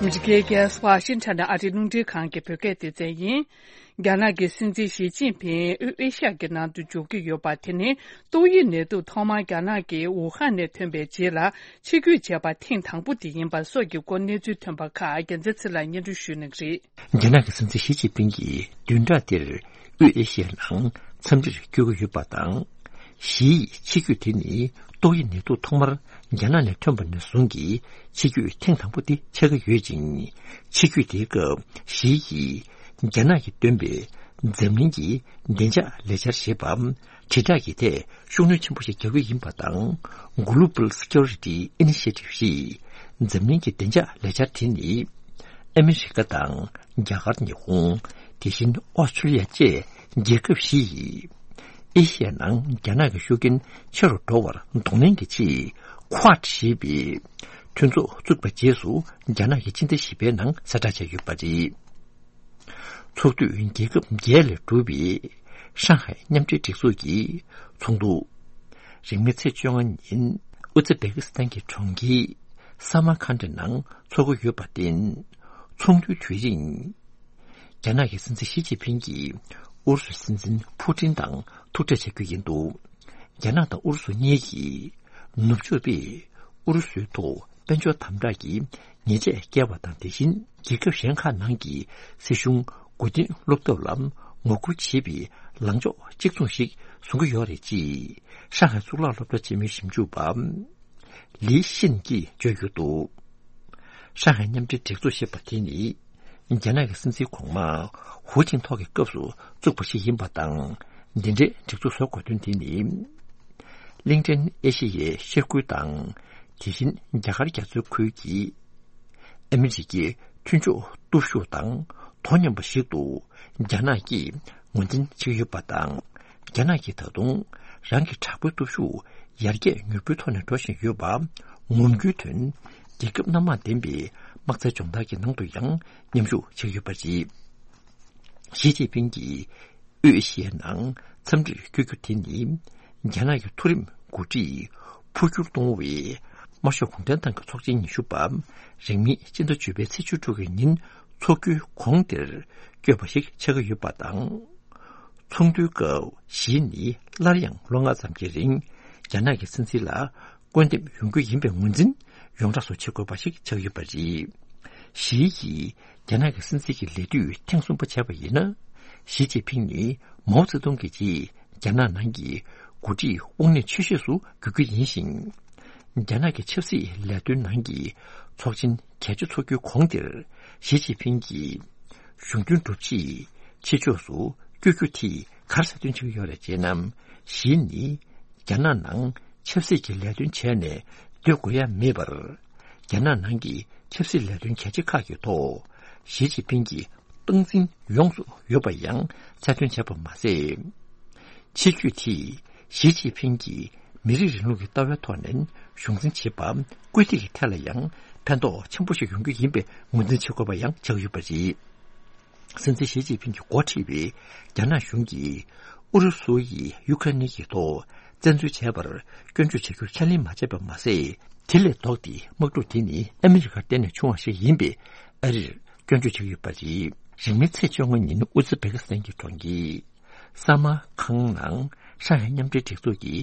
ཨ་མི་རི་ཀའི་རྒྱལ་ས་ཝ་ཤིང་ཊོན་ནས་ཨ་རིའི་རླུང་འཕྲིན་ཁང་གི་བོད་སྐད་སྡེ་ཚན་ཡིན། རྒྱ་ནག་གི་སྲིད་འཛིན་ཞི་ཅིན་ཕིང་དབུས་ཨེ་ཤི་ཡ་གི་ནང་དུ་འབྱོར་གྱི་ཡོད་པ་དེ་ནི་ཏོག་དབྱིབས་ནད་དུག་ཐོག་མར་རྒྱ་ནག་གི་ཝུ་ཧན་ནས་ཐོན་པའི་རྗེས་ལ་ཆིབས་བསྒྱུར་བྱས་པ་ཐེངས་དང་པོ་དེ་ཡིན་པ་སོགས་ཀྱི་སྐོར་གནས་ཚུལ་ཐོན་པ་ཁག་རྒྱལ་མཚན་ཚེ་ལགས་སྙན་སྒྲོན་ཞུ་གནང་གི་རེད། རྒྱ་ནག་གི་སྲིད་འཛིན་ཞི་ཅིན་ཕིང་གིས་བདུན་ཕྲག་འདིར་དབུས་ཨེ་ཤི་ཡའི་ནང་འཚམས་འདྲིར་བསྐྱོད་ཀྱི་ཡོད་པ་དང་། ཞི་ཡི་ཆིབས་བསྒྱུར་དེ་ནི་ཏོག་དབྱིབས་ནད་དུག་ཐོག་མར་རྒྱ་ནག་ནས་ཐོན་པ་ནས་བཟུང་གི་ཆིབས་བསྒྱུར་ཐེངས་དང་པོ་དེ་ཆགས་ཀྱི་ཡོད་ཅིང་། ཆིབས་བསྒྱུར་དེའི་སྐབས་ཞི་ཡིས་རྒྱ་ནག་གིས་བཏོན་པའི་འཛམ་གླིང་གི་བདེ་འཇགས་ལས་འཆར་ཞེས་པ་དྲིལ་བསྒྲགས་ཀྱི་ཐད་ཤུགས་སྣོན་ཆེན་པོ་ཞིག་རྒྱག་གི་ཡིན་པ་དང་། Global Security Initiative ཞེས་འཛམ་གླིང་གི་བདེ་འཇགས་ལས་འཆར་དེ་ནི་ཨ་མི་རི་ཀ་དང་རྒྱ་གར། ཉི་ཧོང་། དེ་བཞིན་ཨོ་སི་ཀྲི་ལི་ཡ་བཅས་རྒྱལ་ཁབ་བཞི་ཡིས་ཨེ་ཤི་ཡའི་ནང་རྒྱ་ནག་གི་ཤུགས་རྐྱེན་ཆེ་རུ་འགྲོ་བར་གདོང་ལེན་གྱི་ཆེད་Quad ཞེས་པའི་མཐུན་ཚོགས་བཙུགས་པའི་རྗེས་སུ་རྒྱ་ནག་གི་སྤྱི་ཟླ་བཞི་པའི་ནང་གསལ་བསྒྲགས་བྱས་ཡོད་པ་རེད། ཚོགས་འཐུས་རྒྱལ་ཁབ་བརྒྱད་ལས་གྲུབ་པའི་ཧྲང་ཧའེ་མཉམ་འབྲེལ་སྒྲིག་འཛུགས་ཀྱི་ཚོགས་འདུ། རིང་མིན་ཚེས་བཅོ་ལྔ་ཉིན་ཨུ་ཛི་བེ་ཀི་སི་ཐན་གྱི་གྲོང་ཁྱེར་སཱ་མར་ཁཱན་ཌི་ནང་འཚོགས་ཀྱི་ཡོད་པར་བརྟེན། ཚོགས་འདུའི་དུས་རིང་། རྒྱ་ནག་གི་སྲིད་འཛིན་ཞི་ཅིན་ཕིང་གིས་ཨུ་རུ་སུའི་སྲིད་འཛིན་ཕུ་ཏིན་དང་ཐུག་འཕྲད་བྱ་རྒྱུ་ཡིན་འདུག་རྒྱ་ནག་དང་ཨུ་རུ་སུ་གཉིས་ཀྱིས་ནུབ་ཕྱོགས་པས་ཨུ་རུ་སུའི་ཐོག་དཔལ་འབྱོར་དམ་དྲག་གི་ཉེས་ཆད་བཀལ་བ་དང་། དེ་བཞིན་རྒྱལ་ཁབ་གཞན་ཁག་ནང་གི་སྲིད་གཞུང་མགོ་རྟིང་སློག་ཐབས་ལ་ངོ་རྒོལ་བྱེད་པའི་ལངས་ཕྱོགས་གཅིག་མཚུངས་ཤིག་བཟུང་གི་ཡོད་རེད་ཅེས་ཧྲང་ཧའེ་གཙུག་ལག་སློབ་གྲྭ་ཆེན་མོའི་ཞིབ་འཇུག་པ་ལི་ཤིན་གྱིས་བརྗོད་ཡོད་འདུག་ཧྲང་ཧའེ་མཉམ་འབྲེལ་སྒྲིག་འཛུགས་ཞེས་པ་དེ་ནི། རྒྱ་ནག་གི་སྲིད་འཛིན་གོང་མ་ཧུའུ་ཅིན་ཐོ་གི་སྐབས་སུ་བཙུགས་པ་ཞིག་ཡིན་པ་དང་། འདི་འདྲའི་སྒྲིག་འཛུགས་བཟོ་དགོས་དོན་དེ་ནི། གླིང་ཕྲན་ཨེ་ཤི་ཡའི་ཤར་ཁུལ་དང་། དེ་བཞིན་རྒྱ་གར་རྒྱ་མཚོའི་ཁུལ་གྱི་ཨ་མི་རི་ཀའི་མཐུན་ཕྱོགས་སྟོབས་ཤུགས་དང་དོ་མཉམ་པ་ཞིག་ཏུ་རྒྱ་ནག་གིས་ངོས་འཛིན་བྱེད་ཀྱི་ཡོད་པ་དང་། རྒྱ་ནག་གིས་ད་དུང་རང་གི་དྲག་པོའི་སྟོབས་ཤུགས་ཡར་རྒྱས་མྱུར་པོའི་ཐོག་ནས་འགྲོ་བཞིན་ཡོད་པ་ངོམ་རྒྱུའི་དོན། རྒྱལ་ཁབ་སྣ་མང་ལྡན་པའི་དམག་རྩལ་སྦྱོང་བརྡར་གྱི་ནང་དུ་ཡང་མཉམ་ཞུགས་བྱེད་ཀྱི་ཡོད་པ་རེད། ཞི་ཅིན་ཕིང་གིས་དབུས་ཨེ་ཤི་ཡའི་ནང་འཚམས་འདྲིར་བསྐྱོད་རྒྱུ་དེ་ནི། རྒྱ་ནག་གི་མཐོ་རིམ་འགོ་ཁྲིད་འཕོ་འགྱུར་གཏོང་བའི་དམར་ཤོག་གུང་ཁྲན་ཏང་གི་ཚོགས་ཆེན་ཉི་ཤུ་པ་རིང་མིན་སྤྱི་ཟླ་བཅུ་པའི་ཚེས་བཅུ་དྲུག་གི་ཉིན་འཚོགས་རྒྱུའི་གོང་དེར་བསྐྱོད་པ་ཞིག་ཆགས་ཀྱི་ཡོད་པ་དང་། ཚོགས་འདུའི་སྐབས་ཞི་ནི་སླར་ཡང་ལོ་ལྔ་ཙམ་གྱི་རིང་རྒྱ་ནག་གི་སྲིད་འཛིན་ལ་བསྐོ་འདེམས་ཡོང་རྒྱུ་ཡིན་པའི་ངོས་འཛིན་ཡོངས་གྲགས་སུ་བྱེད་དགོས་པ་ཞིག་ཆགས་ཡོད་པ་རེད། ཞི་ཡིས་རྒྱ་ནག་གི་སྲིད་འཛིན་གྱི་ལས་དུས་ཐེངས་གསུམ་པ་བྱས་པ་ཡིན་ན། ཞི་ཅིན་ཕིང་ནི་མའོ་ཙེ་ཏུང་གི་རྗེས་རྒྱ་ནག་ནང་གི་འགོ་ཁྲིད་དབང་གནས་ཆེ་ཤོས་སུ་འགྱུར་རྒྱུ་ཡིན་ཞིང་། རྒྱ་ནག་གི་ཆབ་སྲིད་ལས་དོན་ནང་གི་ཚོགས་ཆེན་གལ་ཆེ་ཚོགས་རྒྱུའི་གོང་དེར་ཞི་ཅིན་ཕིང་གིས་གཞུང་དོན་སྒྲུབ་ཆེད་ཕྱི་ཕྱོགས་སུ་བསྐྱོད་རྒྱུ་དེས་ག་རེ་ཟེར་སྟོན་བྱེད་ཀྱི་ཡོད་རེད་ཅེ་ན། ཞི་ནི་རྒྱ་ནག་ནང་ཆབ་སྲིད་ཀྱི་ལས་དོན་བྱས་ནས་སྡོད་དགོས་ཡ་མེད་པར། རྒྱ་ནག་ནང་གི་ཆབ་སྲིད་ལས་དོན་གལ་ཆེ་ཁག་གི་ཐོག་ཞི་ཅིན་ཕིང་གི་སྟངས་འཛིན་ཡོངས་སུ་ཡོད་པ་ཡང་གསལ་སྟོན་བྱས་པ་མ་ཟད། ཆེད་བསྐྱོད་དེས་ཞི་ཅིན་ཕིང་གིས་མི་རིགས་རིང་ལུགས་ཀྱི་ལྟ་བའི་ཐོག་ནས་གཞུང་འཛིན་བྱེད་པ་བཀོད་སྒྲིག་གི་ཐད་ལ་ཡང་ཕན་ཐོགས་ཆེན་པོ་ཞིག་ཡོང་རྒྱུ་ཡིན་པའི་ངོས་འཛིན་བྱེད་དགོས་པ་ཡང་ཆགས་ཡོད་པ་རེད། སྲིད་འཛིན་ཞི་ཅིན་ཕིང་གིས་འགོ་ཁྲིད་པའི་རྒྱ་ནག་གཞུང་གིས་ཨུ་རུ་སུ་ཡིས་ཡུ་ཁ་རེན་གྱི་ཐོག་བཙན་འཛུལ་བྱས་པར་སྐྱོན་བརྗོད་བྱ་རྒྱུར་ཁས་ལེན་མ་བྱས་པ་མ་ཟད། དེ་ལས་ལྡོག་སྟེ་དམག་འཁྲུག་དེ་ནི་ཨ་མི་རི་ཀར་བརྟེན་ནས་བྱུང་བ་ཞིག་ཡིན་པའི་ཨ་རིར་སྐྱོན་བརྗོད་བྱས་ཡོད་པ་རེད། རིང་མིན་ཚེས་བཅོ་ལྔ་ཉིན་ཨུ་ཛི་བེ་ཀི་སི་ཐན་གྱི་གྲོང་ཁྱེར་ས་མར་ཁང་ནང་ཧྲང་ཧའེ་མཉམ་འབྲེལ་སྒྲིག་འཛུགས་ཀྱི་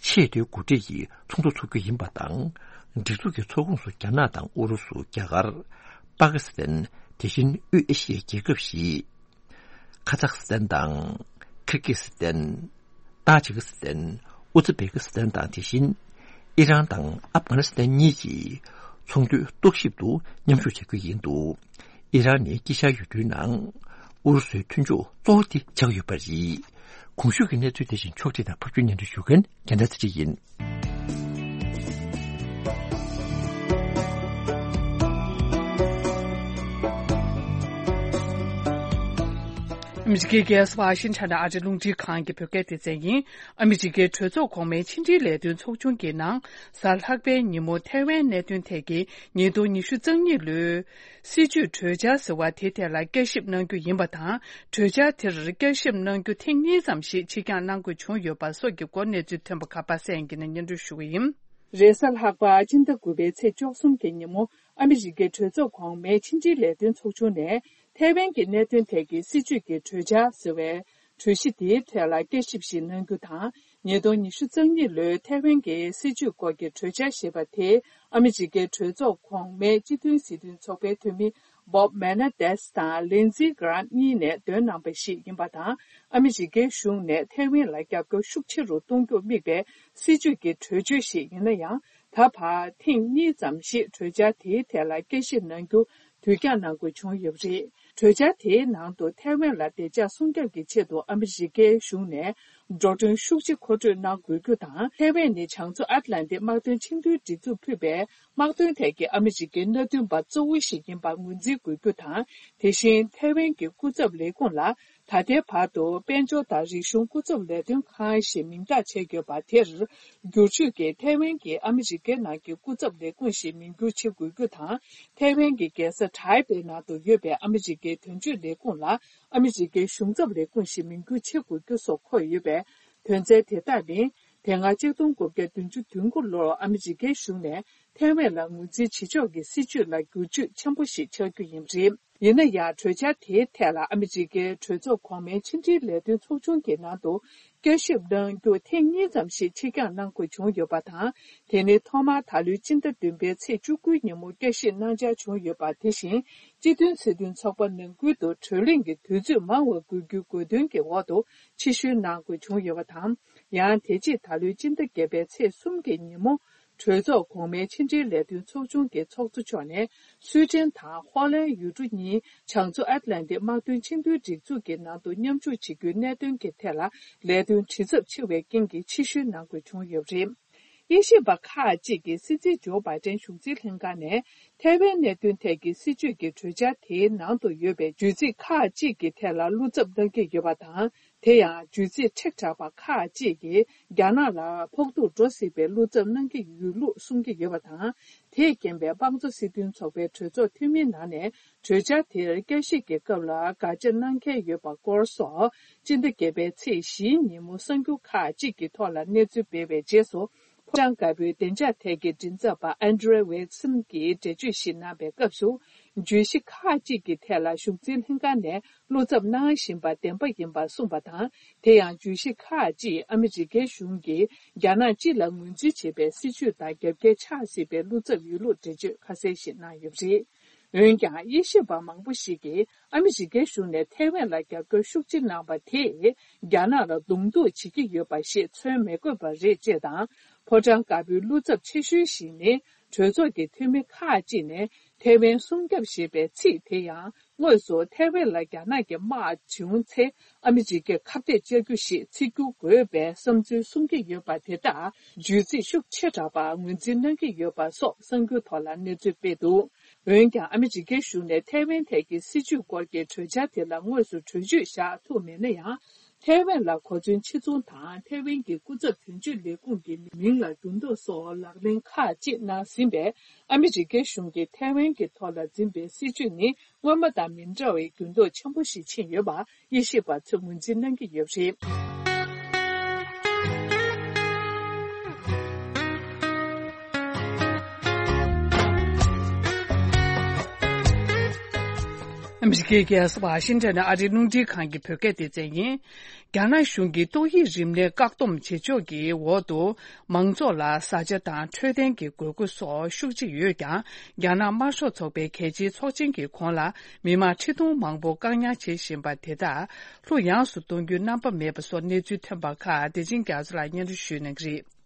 ཆེས་མཐོའི་འགོ་ཁྲིད་ཀྱི་ཚོགས་འདུ་འཚོགས་རྒྱུ་ཡིན་པ་དང་། སྒྲིག་འཛུགས་ཀྱི་ཚོགས་ཁོངས་སུ་རྒྱ་ནག་དང་ཨུ་རུ་སུ། རྒྱ་གར། པ་ཀི་སི་ཐན། དེ་བཞིན་དབུས་ཨེ་ཤི་ཡའི་རྒྱལ་ཁབ་བཞི། ཁ་ཛག་སི་ཐན་དང་། ཁིར་ཀི་སི་ཐན། ཏཱ་ཇི་ཀི་སི་ཐན། ཨུ་ཛི་བེ་ཀི་སི་ཐན་དང་། དེ་བཞིན་ཨི་རན་དང་ཨབ་གྷ་ནི་སི་ཐན་གཉིས་ཀྱིས་ཚོང་དོན་རྟོག་ཞིབ་ཏུ་མཉམ་ཞུགས་བྱ་རྒྱུ་ཡིན་འདུག་ཨི་རན་ནི་དཀྱིལ་ཤར་ཡུལ་གྲུའི་ནང་ཨུ་རུ་སུའི་མཐུན་ཕྱོགས་གཙོ་བོ་དེ་ཆགས་ཡོད་པ་རེད། གོང་ཞུས་ཀྱི་གནས་ཚུལ་དེ་བཞིན་ཕྱོགས་སྒྲིག་དང་ཕབ་སྒྱུར་སྙན་སྒྲོན་ཞུ་མཁན་རྒྱལ་མཚན་ཚེ་རིང་ཡིན། ཨ་མི་རི་ཀའི་རྒྱལ་ས་ཝ་ཤིང་ཊོན་ནས་ཨ་རིའི་རླུང་འཕྲིན་ཁང་གི་བོད་སྐད་སྡེ་ཚན་ཡིན། ཨ་མི་རི་ཀའི་གྲོས་ཚོགས་གོང་མའི་ཕྱི་འབྲེལ་ལས་དོན་ཚོགས་ཆུང་གི་ནང་གཟའ་ལྷག་པའི་ཉིན་མོ་ཐའེ་ཝན་གནད་དོན་ཐད་ཀྱི་ཉིས་སྟོང་ཉི་ཤུ་རྩ་གཉིས་ལོའི་སྲིད་ཇུས་གྲོས་འཆར་ཟེར་བ་དེ་ཐད་ལ་བསྐྱར་ཞིབ་གནང་རྒྱུ་ཡིན་པ་དང་། གྲོས་འཆར་དེར་བསྐྱར་ཞིབ་གནང་རྒྱུ་ཐེངས་གཉིས་ཙམ་ཞིག་ཕྱིར་འགྱངས་གནང་དགོས་བྱུང་ཡོད་པ་སོགས་ཀྱི་སྐོར་གནས་ཚུལ་ཐོན་པ་ཁག་པ་གསན་གྱི་ནས་སྙན་སྒྲོན་ཞུ་གི་ཡིན། རེས་གཟའ་ལྷག་པ་སྤྱི་ཟླ་དགུ་པའི་ཚེས་བཅུ་གསུམ་གྱི་ཉིན་མོ་ཨ་མི་རི་ཀའི་གྲོས་ཚོགས་གོང་མའི་ཕྱི་འབྲེལ་ལས་དོན་ཚོགས་ཆུང་ནས་ཐའེ་ཝན་གྱི་གནད་དོན་ཐད་ཀྱི་སྲིད་ཇུས་ཀྱི་གྲོས་འཆར་ཟེར་བའི་གྲོས་གཞི་དེའི་ཐད་ལ་བསྐྱར་ཞིབ་ཞིག་གནང་རྒྱུ་དང་། ཉིས་སྟོང་ཉི་ཤུ་རྩ་གཉིས་ལོའི་ཐའེ་ཝན་གྱི་སྲིད་ཇུས་སྐོར་གྱི་གྲོས་འཆར་ཞེས་པ་དེ་ཨ་མི་རི་ཀའི་གྲོས་ཚོགས་གོང་མའི་སྤྱི་མཐུན་སྲིད་དོན་ཚོགས་པའི་འཐུས་མི་Bob Menendez དང་Lindsey Graham གཉིས་ནས་འདོན་གནང་པ་ཞིག་ཡིན་པ་དང་། ཨ་མི་རི་ཀའི་གཞུང་ནས་ཐའེ་ཝན་ལ་རྒྱབ་སྐྱོར་ཤུགས་ཆེ་རུ་གཏོང་རྒྱུར་དམིགས་པའི་སྲིད་ཇུས་ཀྱི་གྲོས་ཆོད་ཞིག་ཡིན་ན་ཡང་། ད་བར་ཐེངས་གཉིས་ཙམ་ཞིག་གྲོས་འཆར་དེའི་ཐད་ལ་བསྐྱར་ཞིབ་གནང་རྒྱུ་དུས་འགྱངས་གནང་དགོས་བྱུང་ཡོད་པ་རེད། གྲོས་འཆར་དེའི་ནང་དུ་ཐའེ་ཝན་ལ་བདེ་འཇགས་སྲུང་སྐྱོབ་ཀྱི་ཆེད་དུ་ཨ་མི་རི་ཀའི་གཞུང་ནས་འགྲོ་གྲོན་ཤུགས་ཆེ་མཁོ་སྤྲོད་གནང་དགོས་རྒྱུ་དང་། ཐའེ་ཝན་ནི་བྱང་མཚོ་ཨཊ་ལན་ཏིག་དམག་དོན་ཆིངས་དོན་སྒྲིག་འཛུགས་ཕུད་པའི་དམག་དོན་ཐད་ཀྱི་ཨ་མི་རི་ཀའི་མནའ་མཐུན་པ་གཙོ་བོ་ཞིག་ཡིན་པར་ངོས་འཛིན་དགོས་རྒྱུ་དང་། དེ་བཞིན་ཐའེ་ཝན་གྱི་སྐུ་ཚབ་ལས་ཁུངས་ལ་ད་ལྟའི་བར་དུ་དཔལ་འབྱོར་དང་རིག་གཞུང་སྐུ་ཚབ་ལས་དོན་ཁང་ཞེས་མིང་རྟགས་བྱས་ཡོད་པ་དེར་བསྒྱུར་བཅོས་ཀྱིས་ཐའེ་ཝན་གྱི་ཨ་མི་རི་ཀའི་ནང་གི་སྐུ་ཚབ་ལས་ཁུངས་ཞེས་མིང་བསྒྱུར་བྱེད་དགོས་རྒྱུ་དང་། ཐའེ་ཝན་གྱི་རྒྱལ་ས་ཏའེ་པེ་ནང་དུ་ཡོད་པའི་ཨ་མི་རི་ཀའི་དོན་གཅོད་ལས་ཁུངས་ལ་ཨ་མི་རི་ཀའི་གཞུང་ཚབ་ལས་ཁུངས་ཞེས་མིང་བསྒྱུར་བྱེད་དགོས་རྒྱུ་སོགས་འཁོད་ཡོད་པས། དོན་ཚན་དེ་དག་ནི་དེ་སྔ་གཅིག་སྟོང་དགུ་བརྒྱ་བདུན་ཅུ་དོན་དགུ་ལོར་ཨ་མི་རི་ཀའི་གཞུང་ནས་ཐའེ་ཝན་ལ་ངོས་འཛིན་བྱེད་ཕྱོགས་ཀྱི་སྲིད་ཇུས་ལ་བསྒྱུར་བཅོས་ཆེན་པོ་ཞིག་ཆགས་རྒྱུ་ཡིན་པ་རེད། ཡིན་ན་ཡང་། གྲོས་འཆར་དེའི་ཐད་ལ་ཨ་མི་རི་ཀའི་གྲོས་ཚོགས་གོང་མའི་ཕྱི་འབྲེལ་ལས་དོན་ཚོགས་ཆུང་གི་ནང་དུ་བསྐྱར་ཞིབ་གནང་རྒྱུ་ཐེངས་གཉིས་ཙམ་ཞིག་ཕྱིར་འགྱངས་གནང་དགོས་བྱུང་ཡོད་པ་དང་། དེ་ནི་ཐོག་མར་ད་ལོའི་སྤྱི་ཟླ་བདུན་པའི་ཚེས་བཅུ་དགུའི་ཉིན་མོ་བསྐྱར་ཞིབ་གནང་འཆར་བྱུང་ཡོད་པ། དེ་བཞིན་སྤྱི་མཐུན་སྲིད་དོན་ཚོགས་པ་ནང་ཁུལ་དུ་གྲོས་གླེང་གི་དུས་ཚོད་མང་བ་དགོས་རྒྱུའི་དགོས་འདུན་གྱི་འོག་ཏུ་ཕྱིར་བཤོལ་གནང་དགོས་བྱུང་ཡོད་པ་དང་། ཡང་དེ་རྗེས་ད་ལོའི་སྤྱི་ཟླ་བརྒྱད་པའི་ཚེས་གསུམ་གྱི་ཉིན་མོ། གྲོས་ཚོགས་གོང་མའི་ཕྱི་འབྲེལ་ལས་དོན་ཚོགས་ཆུང་གི་ཚོགས་གཙོ་མཆོག་ནས་སུའེ་ཏེན་དང་ཧོ་ལན་ཡུལ་གྲུ་གཉིས་བྱང་མཚོ་ཨཊ་ལན་ཏིག་དམག་དོན་ཆིངས་དོན་སྒྲིག་འཛུགས་ཀྱི་ནང་དུ་མཉམ་ཞུགས་བྱེད་རྒྱུའི་གནད་དོན་གྱི་ཐད་ལ་ལས་དོན་དྲི་ཚབས་ཆེ་བའི་རྐྱེན་གྱིས་ཕྱིར་བཤོལ་གནང་དགོས་བྱུང་ཡོད་པ་རེད། དབྱེ་ཞིབ་པ་ཁག་ཅིག་གིས་སྲིད་འཛིན་ཇོ་བྷའི་ཏན་གཞུང་འཛིན་ལྷན་ཁང་ནས་ཐའེ་ཝན་གནད་དོན་ཐད་ཀྱི་སྲིད་ཇུས་ཀྱི་གྲོས་འཆར་དེའི་ནང་དུ་ཡོད་པའི་བརྗོད་ཚིག་ཁག་ཅིག་གི་ཐད་ལ་བློ་འཚབ་གནང་གི་ཡོད་པ་དང་། དེ་ཡང་བརྗོད་ཚིག་ཁྲིག་ཕྲ་བ་ཁག་ཅིག་གིས་རྒྱ་ནག་ལ་ཕོག་ཐུག་འགྲོ་སྲིད་པའི་བློ་འཚབ་གནང་གི་ཡོད་ལུགས་གསུང་གི་ཡོད་པ་དང་། དེས་རྐྱེན་པས་དམངས་གཙོ་སྲིད་དོན་ཚོགས་པའི་གྲོས་ཚོགས་འཐུས་མིའི་ནང་ནས་གྲོས་འཆར་དེར་བསྐྱར་ཞིབ་ཀྱི་སྐབས་ལ་དགག་བྱ་གནང་མཁན་ཡོད་པ་སྐོར་སོགས། སྤྱི་ཟླ་བརྒྱད་པའི་ཚེས་བཞིའི་ཉིན་མོ་གསར་འགྱུར་ཁག་ཅིག་གི་ཐོག་ལ་གནས་ཚུལ་སྤེལ་བའི་རྗེས་སུ། ཕོ་བྲང་དཀར་པོའི་བདེ་འཇགས་ཐད་ཀྱི་མགྲིན་ཚབ་པ་ཨན་ཌྲེ་ཝེ་སིན་གྱིས་འགྲེལ་བརྗོད་ཞིག་གནང་བའི་སྐབས་སུ། བརྗོད་གཞི་ཁག་ཅིག་གི་ཐད་ལ་གཞུང་འཛིན་ལྷན་ཁང་ནས་བློ་འཚབ་གནང་བཞིན་པ་བདེན་པ་ཡིན་པ་གསུངས་པ་དང་། དེ་ཡང་བརྗོད་གཞི་ཁག་ཅིག་ཨ་མི་རི་ཀའི་གཞུང་གིས་རྒྱ་ནག་སྤྱི་ལ་ངོས་འཛིན་བྱེད་པའི་སྲིད་བྱུས་དང་རྒྱབ་འགལ་ཆགས་སྲིད་པའི་བློ་འཚབ་ཡོད་ལུགས་འགྲེལ་བརྗོད་ཁ་གསལ་ཞིག་གནང་ཡོད་པ་རེད། འོན་ཀྱང་། དབྱེ་ཞིབ་པ་མང་པོ་ཞིག་གིས་ཨ་མི་རི་ཀའི་གཞུང་ནས་ཐའེ་ཝན་ལ་རྒྱབ་སྐྱོར་ཤུགས་ཆེ་གནང་བ་དེས་རྒྱ་ནག་ལ་གདོང་གཏུག་བྱེད་ཀྱི་ཡོད་པ་ཞེས་མཚོན་མི་དགོས་པ་རེད་ཅེས་དང་། ཕོ་བྲང་དཀར་པོའི་བློ་འཚབ་ཆེ་ཤོས་ཤིག་ནི། གྲོས་ཚོགས་ཀྱི་འཐུས་མི་ཁག་ཅིག་ནས་ཐའེ་ཝན་སྲུང་སྐྱོབ་ཞེས་པའི་ཚིག་དེ་ཡང་དངོས་སུ་ཐའེ་ཝན་ལ་རྒྱ་ནག་གིས་དམག་བྱུང་ཚེ་ཨ་མི་རི་ཀས་ཁ་གཏད་གཅོག་རྒྱུ་ཞིག་བརྩི་རྒྱུ་དགོས་པའི་བསམ་ཚུལ་གསུང་གི་ཡོད་པ་དེ་དག་བརྗོད་ཚིག་ཤུགས་ཆེ་དྲགས་པ་ངོས་འཛིན་གནང་གི་ཡོད་པ་སོགས་གསར་འགྱུར་ཐོག་ལ་གནས་ཚུལ་སྤེལ་འདུག་འོན་ཀྱང་། ཨ་མི་རི་ཀའི་གཞུང་ནས་ཐའེ་ཝན་ཐད་ཀྱི་སྲིད་བྱུས་སྐོར་གྱི་གྲོས་འཆར་དེ་ལ་དངོས་སུ་གྲོས་ཆོད་བཞག་ཐུབ་མེད་ན་ཡང་། ཐའེ་ཝན་ལ་གོ་མཚོན་ཕྱིར་ཚོང་དང་། ཐའེ་ཝན་གྱི་སྐུ་ཚབ་དོན་གཅོད་ལས་ཁུངས་ཀྱི་མིང་ལ་འགྱུར་ལྡོག་སོགས་ལག་ལེན་ཁག་ཅིག་གནང་ཟིན་པས། ཨ་མི་རི་ཀའི་གཞུང་གིས་ཐའེ་ཝན་གྱི་ཐོག་ལ་འཛིན་པའི་སྲིད་བྱུས་ནི། སྔོན་མ་དང་མི་འདྲ་བའི་འགྱུར་ལྡོག་ཆེན་པོ་ཞིག་ཕྱིན་ཡོད་པ། དབྱེ་ཞིབ་པ་ཚོས་ངོས་འཛིན་གནང་གི་ཡོད་པ་རེད། ཨ་མི་རི་ཀའི་རྒྱལ་ས་ཝ་ཤིང་ཊོན་ནས་ཨ་རིའི་རླུང་འཕྲིན་ཁང་གི་བོད་སྐད་སྡེ་ཚན་ཡིན། རྒྱ་ནག་གཞུང་གིས་ཏོག་དབྱིབས་རིམས་ནད་བཀག་སྡོམ་བྱེད་ཕྱོགས་ཀྱི་འོག་ཏུ། མང་ཚོགས་ལ་བཟའ་བཅའ་དང་འཕྲོད་བསྟེན་གྱི་དགོས་མཁོ་སོགས་ཤུགས་ཆེ་ཡོད་ཀྱང་། རྒྱ་ནག་དམར་ཤོག་ཚོགས་པའི་གལ་ཆེའི་ཚོགས་ཆེན་གྱི་གོང་ལ། མི་མང་ཁྲི་སྟོང་མང་པོ་བཀག་ཉར་བྱེད་བཞིན་པ་དེ་དག་ལྷུག་ཡངས་སུ་གཏོང་རྒྱུའི་རྣམ་པ་མེད་པ་སོགས་གནས་ཚུལ་ཐོན་པ་ཁག་བདེ་ཆེན་རྒྱ་མཚོ་ལགས་སྙན་སྒྲོན་ཞུ་གནང་གི་རེད།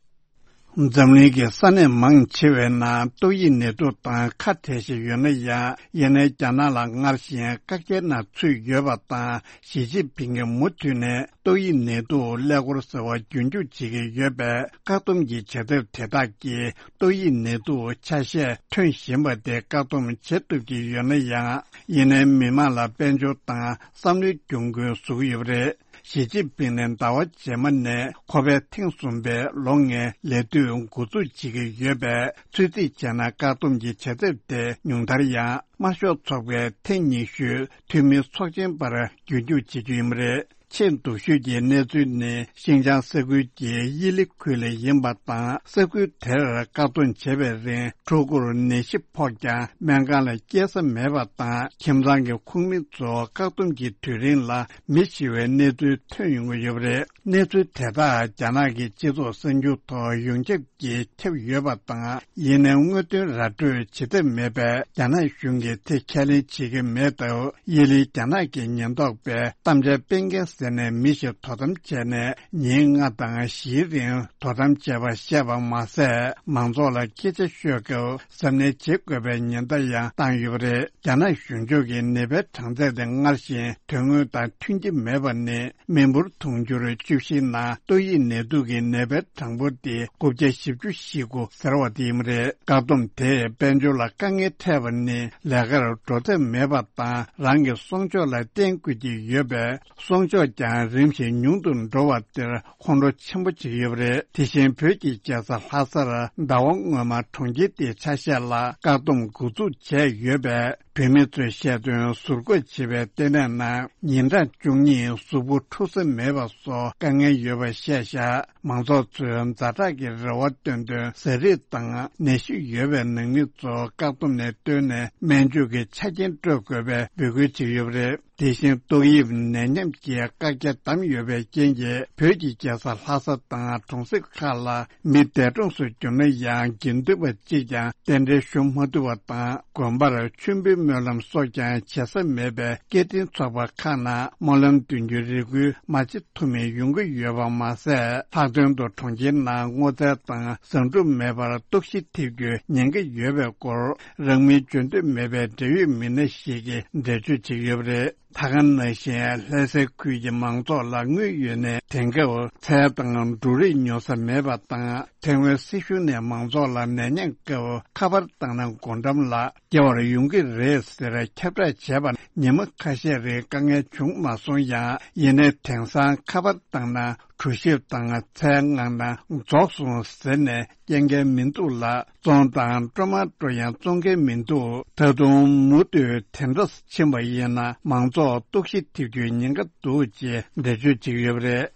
འཛམ་གླིང་གི་ས་གནས་མང་ཆེ་བའི་ནང་ཏོག་དབྱིབས་ནད་དུག་དང་ཁ་བྲལ་བཞིན་ཡོད་ན་ཡང་། ཡིན་ནའི་རྒྱ་ནག་ལ་སྔར་བཞིན་བཀག་རྒྱའི་ནང་ཚུད་ཡོད་པ་དང་། ཞི་ཅིན་ཕིང་གིས་མུ་མཐུད་ནས་ཏོག་དབྱིབས་ནད་དུག་ཀླད་ཀོར་ཟེར་བ་རྒྱུན་འཇུག་བྱེད་ཀྱི་ཡོད་པས། བཀག་སྡོམ་གྱི་བྱ་ཐབས་དེ་དག་གིས་ཏོག་དབྱིབས་ནད་དུག་ཆ་ཤས་ཐོན་བཞིན་པ་དེ་བཀག་སྡོམ་བྱེད་ཐུབ་ཀྱི་ཡོད་ན་ཡང་། ཡིན་ནའི་མི་མང་ལ་དཔལ་འབྱོར་དང་བསམ་བློའི་གྱོང་གུན་བཟོ་གི་ཡོད་པ་རེད། ཞི་ཅིན་ཕིང་ནས་ཟླ་བ་རྗེས་མ་ནས་ཁོ་པས་ཐེངས་གསུམ་པའི་ལོ་ལྔའི་ལས་དུས་འགོ་འཛུགས་བྱེད་ཀྱི་ཡོད་པས། ཚོད་རྩིས་བྱས་ན་བཀག་སྡོམ་གྱི་བྱ་ཐབས་དེ་ཉུང་མཐར་ཡང་དམར་ཤོག་ཚོགས་པའི་ཐེངས་ཉི་ཤུའི་འཐུས་མི་ཚོགས་ཆེན་པར་རྒྱུན་འཇུག་བྱེད་རྒྱུ་ཡིན་པ་རེད། ཆེས་སྡུག་ཤོས་ཀྱི་གནས་ཚུལ་ནི་ཤིན་ཅང་ས་ཁུལ་གྱི་དབྱི་ལི་ཁུལ་ལ་ཡིན་པ་དང་། ས་ཁུལ་དེར་བཀག་སྡོམ་བྱས་པའི་རིང་ཕྲུ་གུར་ནད་གཞི་ཕོག་ཀྱང་སྨན་ཁང་ལ་སྐྱེལ་ས་མེད་པ་དང་། ཁྱིམ་ཚང་གི་ཁོངས་མི་ཚོ་བཀག་སྡོམ་གྱི་དུས་རིང་ལ་མི་ཤི་བའི་གནས་ཚུལ་ཐོན་ཡོང་གི་ཡོད་པ་རེད། གནས་ཚུལ་དེ་དག་རྒྱ་ནག་གི་སྤྱི་ཚོགས་གསར་འགྱུར་ཐོག་ཡོངས་ཁྱབ་ཀྱིས་ཁྱབ་ཡོད་པ་དང་། ཡིན་ནའི་དངོས་དོན་ར་སྤྲོད་བྱེད་ཐབས་མེད་པས། རྒྱ་ནག་གཞུང་གིས་དེ་ཁས་ལེན་བྱེད་ཀྱི་མེད་སྟབས། དབྱི་ལི་རྒྱ་ནག་གི་ཉེན་རྟོག་པས་གཏམ་འཆལ་སྤེལ་མཁན་ཟེར་ནས་མི་ཞིག་དོ་དམ་བྱས་ནས་ཉིན་ལྔ་དང་བཞིའི་རིང་དོ་དམ་བྱས་པ་བཤད་པ་མ་ཟད། མང་ཚོགས་ལ་སྐད་ཆ་ཤོད་སྐབས་གཟབ་ནན་བྱེད་དགོས་པའི་ཉེན་བརྡ་ཡང་བཏང་ཡོད་པ་རེད། རྒྱ་ནག་གཞུང་ཕྱོགས་ཀྱི་ནད་པའི་གྲངས་ཚད་དེ་སྔར་བཞིན་དོན་དངོས་དང་མཐུན་གྱི་མེད་པ་ནི། མི་འབོར་དུང་ཕྱུར་བཅུ་བཞི་ནང་ཏོག་དབྱིབས་ནད་དུག་གི་ནད་པའི་གྲངས་འབོར་དེ་དགུ་བརྒྱ་བཞི་བཅུ་ཞེ་དགུ་ཟེར་བ་དེ་ཡིན་པ་རེད། བཀག་སྡོམ་དེས་དཔལ་འབྱོར་ལ་དཀའ་ངལ་འཕྲད་པ་ནི་ལས་ཀར་འགྲོ་ཐབས་མེད་པ་དང་། རང་གི་གསོག་འཇོག་ལ་བརྟེན་དགོས་ཀྱི་ཡོད་པས། གསོག་འཇོག་ཀྱང་རིམ་བཞིན་ཉུང་དུ་འགྲོ་བ་དེར་ཁོང་ཁྲོ་ཆེན་པོ་བྱེད་ཀྱི་ཡོད་པ་རེད། དེ་བཞིན་བོད་ཀྱི་རྒྱལ་ས་ལྷ་སར་ཟླ་བ་སྔོན་མ་གྲོང་ཁྱེར་དེའི་ཆ་ཤས་ལ་བཀག་སྡོམ་འགོ་འཛུགས་བྱས་ཡོད་པས། བོད་མི་ཚོས་བཤད་དོན། ཟུར་འགོད་བྱེད་པའི་ལྟེ་གནས་ནང་ཉིན་གྲངས་བཅུ་གཉིས་གཟུགས་པོ་འཁྲུ་ས་མེད་པ་སོགས་དཀའ་ངལ་ཡོད་པ་བཤད་བཞག་མང་ཚོགས་ཚོས་ཛ་དྲག་གི་རེ་བ་བཏོན་དོན། ཟས་རིགས་དང་ནད་གཞི་ཡོད་པའི་ནང་མི་ཚོ་བཀག་སྡོམ་ནས་བཏོན་ནས་སྨན་བཅོས་ཀྱི་ཆ་རྐྱེན་སྤྲོད་དགོས་པའི་འབོད་སྐུལ་བྱས་ཡོད་པ་རེད། དེ་བཞིན་ཏོག་དབྱིབས་ནད་ཉམས་ཀྱི་བཀག་རྒྱ་བསྡམས་ཡོད་པའི་རྐྱེན་གྱིས། བོད་ཀྱི་རྒྱལ་ས་ལྷ་ས་དང་གྲོང་གསེབ་ཁག་ལ་མི་འདས་གྲོངས་སུ་གྱུར་ན་ཡང་། དགེ་འདུན་པ་གཅིག་ཀྱང་རྟེན་འབྲེལ་ཞུ་མ་ཐུབ་པ་དང་། དགོན་པར་མཆོད་འབུལ་སྨོན་ལམ་སོགས་ཀྱང་བྱེད་ས་མེད་པས། སྐད་འཕྲིན་ཚོགས་པ་ཁག་ནང་སྨོན་ལམ་འདོན་རྒྱུའི་རེ་སྐུལ་མ་བྱེད་ཐུབ་མིན་ཡོང་གི་ཡོད་པ་མ་ཟད། ལྷག་དོན་དུ་གྲོང་ཁྱེར་ནང་སྔོ་ཚལ་དང་བཟང་སྒྲུབ་མེད་པར་ལྟོགས་ཤི་ཐེབས་རྒྱུའི་ཉེན་ཁ་ཡོད་པའི་སྐོར། རང་མིང་བརྗོད་འདོད་མེད་པའི་འབྲེལ་ཡོད་མི་སྣ་ཞིག་གིས་འགྲེལ་བརྗོད་བྱེད་ཀྱི་ཡོད་པ་རེད། ད་ག་ནང་བཞིན་ལྷ་སའི་ཁུལ་གྱི་མང་ཚོགས་ལ་དངུལ་ཡོད་ནའི་དེང་སྐབས་ཚལ་དང་འབྲུ་རིགས་ཉོ་ས་མེད་པ་དང་། ཐའེ་ཝན་སྲིད་གཞུང་ནས་མང་ཚོགས་ལ་ནད་ཉེན་སྐབས་ཁ་པར་བཏང་ན་སྒོ་འགྲམ་ལ་སྐྱེལ་བར་ཡོང་གི་རེད་ཟེར་ཁྱབ་བསྒྲགས་བྱས་པ། ཉི་མ་ཁ་ཤས་རིང་དཀའ་ངལ་བྱུང་མ་སོང་ཡང་། ཡིན་ནའི་དེང་སང་ཁ་པར་བཏང་ན་གྲོ་ཞིབ་དང་ཚལ་མངགས་ན་རྫོགས་སོང་ཟེར་ནས་སྐྱེལ་མཁན་མི་འདུག་ལ། བཙོང་དང་སྤྲོ་མ་སྤྲོ་ཡང་བཙོང་མཁན་མི་འདུག་ད་དུང་མུ་མཐུད་དེ་འདྲ་ཕྱིན་པ་ཡིན་ན། མང་ཚོགས་ལྟོགས་ཤི་ཐེབས་རྒྱུའི་ཉེན་ཁ་འདུག་ཅེས་འགྲེལ་བརྗོད་བྱེད་ཀྱི་ཡོད་པ་རེད།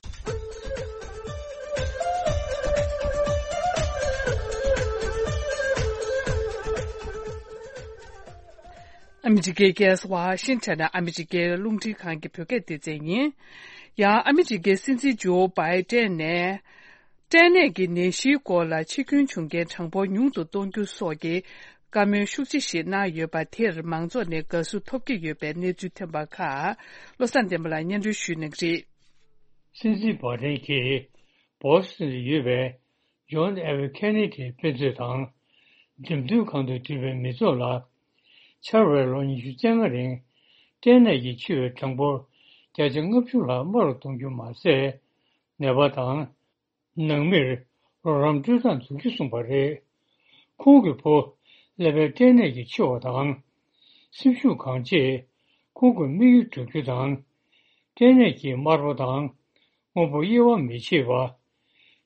ཨ་མི་རི་ཀའི་རྒྱལ་ས་ཝ་ཤིང་ཊོན་ནས་ཨ་མི་རི་ཀའི་རླུང་འཕྲིན་ཁང་གི་བོད་སྐད་སྡེ་ཚན་ཡིན། ཡང་ཨ་མི་རི་ཀའི་སྲིད་འཛིན་ཇོ་བྷའི་ཏན་ནས། སྐྲན་ནད་ཀྱི་ནད་གཞིའི་སྐོར་ལ་འཆི་སྐྱོན་བྱུང་རྐྱེན་གྲངས་འབོར་ཉུང་དུ་གཏོང་རྒྱུ་སོགས་ཀྱི་བཀའ་མོལ་ཤུགས་ཆེ་ཞིག་གནང་ཡོད་པ་དེར་མང་ཚོགས་ནས་དགའ་བསུ་ཐོབ་ཀྱི་ཡོད་པའི་གནས་ཚུལ་ཐོན་པ་ཁག་བློ་བཟང་བསྟན་པ་ལགས་སྙན་སྒྲོན་ཞུ་གནང་གི་རེད། སྲིད་འཛིན་བྷའི་ཏན་གྱིས་བོ་སི་ཊོན་དུ་ཡོད་པའི་ཇོན་ཨེཕ་ཁེ་ནེ་ཌིའི་དཔེ་མཛོད་དང་། འགྲེམས་སྟོན་ཁང་དུ་འདུས་པའི་མི་ཚོགས་ལ། འཆར་བའི་ལོ་ཉི་ཤུ་རྩ་ལྔ་རིང་སྐྲན་ནད་ཀྱིས་འཆི་བའི་གྲངས་འབོར་བརྒྱ་ཆ་ལྔ་བཅུ་ལྷག་དམའ་རུ་གཏོང་རྒྱུ་མ་ཟད། ནད་པ་དང་། ནང་མིར་རོགས་རམ་སྤྲོད་སྟངས་འཛུགས་རྒྱུ་གསུངས་པ་རེད། ཁོང་གི་བུ་ཀླད་པའི་སྐྲན་ནད་ཀྱིས་འཆི་བ་དང་། སེམས་ཤུགས་གང་ཆེས་ཁོང་གི་དམིགས་ཡུལ་བསྒྲུབ་རྒྱུ་དང་། སྐྲན་ནད་ཀྱིས་དམར་པོ་དང་། སྔོན་པོ་དབྱེ་བ་མི་ཕྱེ་བ།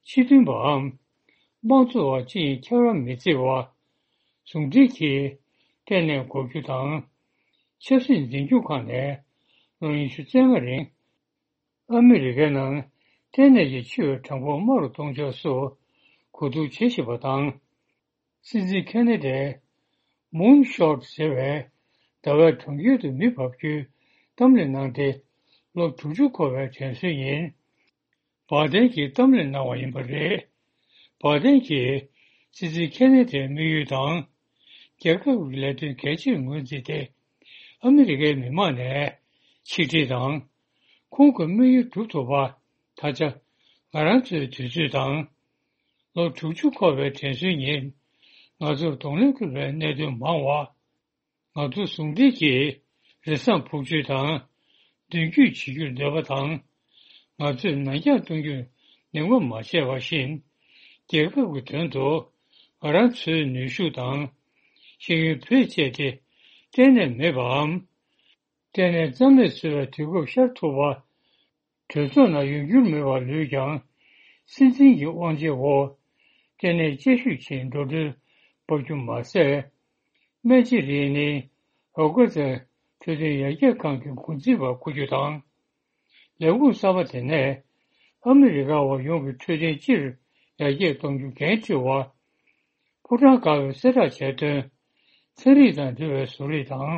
ཕྱི་མཐུན་པའམ། དམངས་གཙོ་བ་ཅི་ཡིན་ཁྱད་པར་མི་བརྩི་བ། ཟུང་འབྲེལ་གྱིས་སྐྲན་ནད་འགོག་རྒྱུ་དང་། ཆབ་སྲིད་འཛིན་སྐྱོང་ཁག་ནས་ལོ་ཉི་ཤུ་རྩ་ལྔ་རིང་། ཨ་མི་རི་ཀའི་ནང་སྐྲན་ནད་ཀྱིས་འཆི་བའི་གྲངས་འབོར་དམའ་རུ་གཏོང་ཕྱོགས་སུ་གོ་བསྡུར་བྱེད་བཞིན་པ་དང་། སྲིད་འཛིན་ཁེ་ནེ་ཌིས་མུན་ཤོཊ་ཟེར་བའི་ ཟླ་བའི་གྲོང་ཁྱེར་དུ་མི་འབབ་རྒྱུའི་གཏམ་གླེང་གནང་སྟེ། ལོ་དྲུག་ཅུ་འཁོར་བའི་དྲན་གསོའི་ཉིན། བ་དན་གྱིས་གཏམ་གླེང་གནང་བ་ཡིན་པ་རེད། བ་དན་གྱིས་སྲིད་འཛིན་ཁེ་ནེ་ཐིའི་དམིགས་ཡུལ་དང་། རྒྱལ་ཁབ་ཀྱི་ལས་དོན་གལ་ཆེར་ངོས་འཛིན་ཏེ། ཨ་མི་རི་ཀའི་མི་མང་ནས་ཆིག་སྒྲིལ་དང་། ཁོང་གི་དམིགས་ཡུལ་སྒྲུབ་ཐུབ་པ། ད་ཆ་ང་རང་ཚོའི་དུས་ཚོད་དང་། ལོ་དྲུག་ཅུ་འཁོར་བའི་དྲན་གསོའི་ཉིན། ང་ཚོར་གདོང་ལེན་དགོས་པའི་གནད་དོན་མང་བ། ང་ཚོ་ཟུང་འབྲེལ་གྱིས་རེ་ཟུང་འབུལ་རྒྱུ་དང་། མདུན་སྐྱོད་བྱེད་རྒྱུར་འདོད་པ་དང་། ང་ཚོས་ནན་རྐྱང་གཏོང་རྒྱུར་གདེང་འཇོག་མ་བྱས་པ་བཞིན། རྒྱལ་ཁབ་ཀྱི་དོན་དུ་ང་རང་ཚོའི་ནུས་ཤུགས་དང་། ཤེས་ཡོན་བེད་སྤྱད་དེ་གཏན་ནས་མེད་པའམ། གཏན་ནས་རྩ་མེད་བཟོ་བའི་དུས་སྐབས་ཤར་ཐུབ་པ། གྲོས་ཚོགས་ནང་ཡོང་རྒྱུར་མོས་པ་ལོས་ཀྱང་། སྲིད་འཛིན་གྱི་དབང་ཆའི་འོག་གཏན་ནས་དཔྱད་ཞིབ་ཆེད་འགྲོ་གྲོན་འབབ་རྒྱུ་མ་ཟད། སྨན་དཔྱད་རིག་ནི། རོགས་ཀ་ཙེ་འཕྲོད་བསྟེན་ཡར་རྒྱས་ཁང་གི་འགོ་འཛིན་པ་བསྐོ་རྒྱུ་དང་། ལས་ཁུངས་གསར་པ་དེ་ནས་ཨ་མི་རི་ཀ་བ་ཡོངས་ཀྱི་འཕྲོད་བསྟེན་སྤྱིར་ཡར་རྒྱས་གཏོང་རྒྱུ་འགན་འཁྲི་བ། ཕོ་བྲང་དཀར་པོའི་གསལ་བསྒྲགས་བྱས་དོན། ཚན་རིག་དང་འབྲེལ་བའི་བཟོ་རིག་དང་།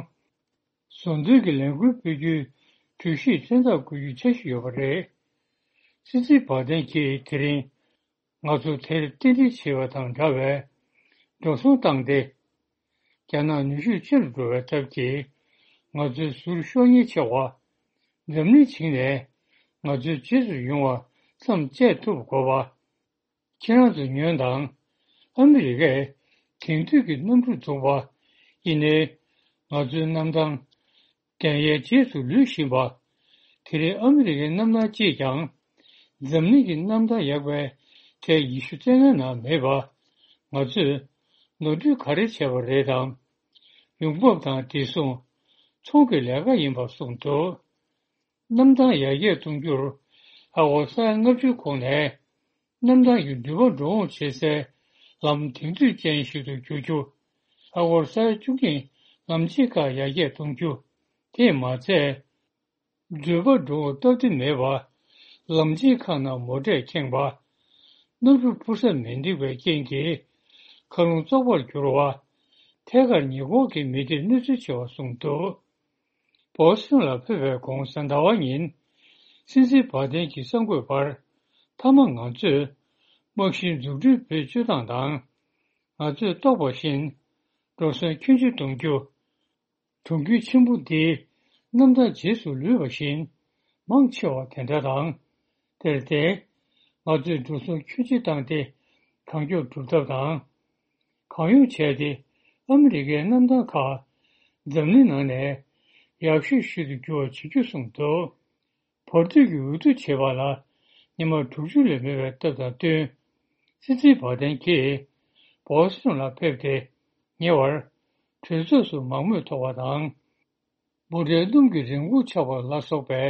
བཟོ་འདོད་ཀྱི་ལས་འགུལ་སྤེལ་རྒྱུའི་གྲོས་གཞིའི་མཚན་རྟགས་བཀོད་རྒྱུའི་འཆར་གཞི་ཡོད་པ་རེད། སྲིད་འཛིན་བ་དན་གྱིས་དེ་རིང་ང་ཚོ་དེར་རྟེན་འབྲེལ་བྱེད་པ་དང་འདྲ་བའི་འགྲོ་སོང་བཏང་སྟེ། རྒྱ་ནག་ནུས་ཤུགས་ཆེ་རུ་འགྲོ་བའི་སྟབས་ཀྱིས་ང་ཚོའི་ཟུར་ཤོག་ཉེན་ཆེ་བ། འཛམ་གླིང་བྱིངས་ནས་ང་ཚོའི་རྗེས་སུ་ཡོང་བ་མཚམས་བཅད་ཐུབ་དགོས་པ། ཁྱེད་རང་ཚོ་ཉོན་དང་། ཨ་མི་རི་ཀས་དེང་དུས་ཀྱི་གནམ་གྲུ་འཛུགས་པ་ཡིན་ནའི། ང་ཚོའི་གནམ་ཐང་གན་ཡའི་རྗེས་སུ་ལུས་བཞིན་པ། དེ་རིང་ཨ་མི་རི་ཀའི་གནམ་ཐང་གཅིག་ཀྱང་། འཛམ་གླིང་གི་གནམ་ཐང་ཡག་པའི་གྲས་ཉི་ཤུ་རྩ་ལྔའི་ནང་མེད་པ། ང་ཚོས་ནོར་འཁྲུལ་ག་རེ་བྱས་པ་རེད་དམ། ཡོང་འབབ་དང་བདེ་སྲུང་། ཚོང་གི་ལས་ཀ་ཡིན་པ་གསུངས་འདུག་གནམ་ཐང་ཡར་རྒྱས་གཏོང་རྒྱུར་ཨ་སྒོར་ས་ཡ་ལྔ་བཅུའི་གོང་ནས། གནམ་ཐང་གི་འགྲུལ་པ་འགྲོ་འོང་བྱེད་སའི་ལམ་དེང་དུས་ཅན་ཞིག་ཏུ་བསྒྱུར་རྒྱུ། ཨ་སྒོར་ས་ཡ་བཅུ་གཉིས་ལམ་ཆེན་ཁག་ཡར་རྒྱས་གཏོང་རྒྱུ། དེས་མ་ཚད། འགྲུལ་པ་འགྲོ་འོང་སྟབས་བདེ་མེད་པ། ལམ་ཆེན་ཁག་ནང་མོ་ཊས་ཁེངས་པ། གནམ་གྲུ་འཕུར་ས་མི་འགྲིག་པའི་རྐྱེན་གྱིས་མཁའ་རླུང་བཙོག་པར་གྱུར་བ། ཐད་ཀར་ཉེ་འཁོར་གྱི་མི་སྡེར་གནོད་འཚེ་ཆེ་བ་གསུངས་འདུག་བོ་སི་ཊོན་ལ་ཕེབས་པའི་གོང་གཟའ་ཟླ་བ་ཉིན། སྲིད་འཛིན་བ་དན་གྱིས་གསར་འགོད་པར། མཐའ་མ་ང་ཚོས་རྨང་གཞིའི་འཛུགས་སྐྲུན་བེད་སྤྱོད་སྟངས་དང་། ང་ཚོས་རྟོགས་པ་བཞིན། འགྲོ་སོང་ཁྱོན་ཆེ་གཏོང་རྒྱུ། གྲོང་ཁྱེར་ཆེན་པོ་འདིའི་གནམ་ཐང་རྗེས་སུ་ལུས་པ་བཞིན་མང་ཆེ་བ་དེ་འདྲ་དང་། དེར་བརྟེན། ང་ཚོས་འགྲོ་སོང་ཁྱོན་ཆེ་བཏང་སྟེ་གང་མགྱོགས་སྒྲུབ་ཐབས་དང་། གང་ཡོང་བྱས་ཏེ་ཨ་མི་རི་ཀའི་གནམ་ཐང་ཁག་འཛམ་གླིང་ནང་ནས་ཡག་ཤོས་ཤིག་ཏུ་འགྱུར་བ་བྱེད་རྒྱུ་གསུངས་འདུག་བར་དོ་གི་འོས་བསྡུ་བྱེད་པ་ལ་ཉི་མ་དྲུག་ཅུ་ལས་མེད་པའི་སྟབས་དང་བསྟུན། སྲིད་འཛིན་བ་དན་གྱིས་བོ་སི་ཊོན་ལ་ཕེབས་ཏེ། ཉེ་བར་གྲོས་ཚོགས་སུ་མང་མོས་ཐོབ་པ་དང་། འབོད་སྒྲའི་སྣུམ་གྱི་རིན་གོང་ཆག་པ་ལ་སོགས་པའི་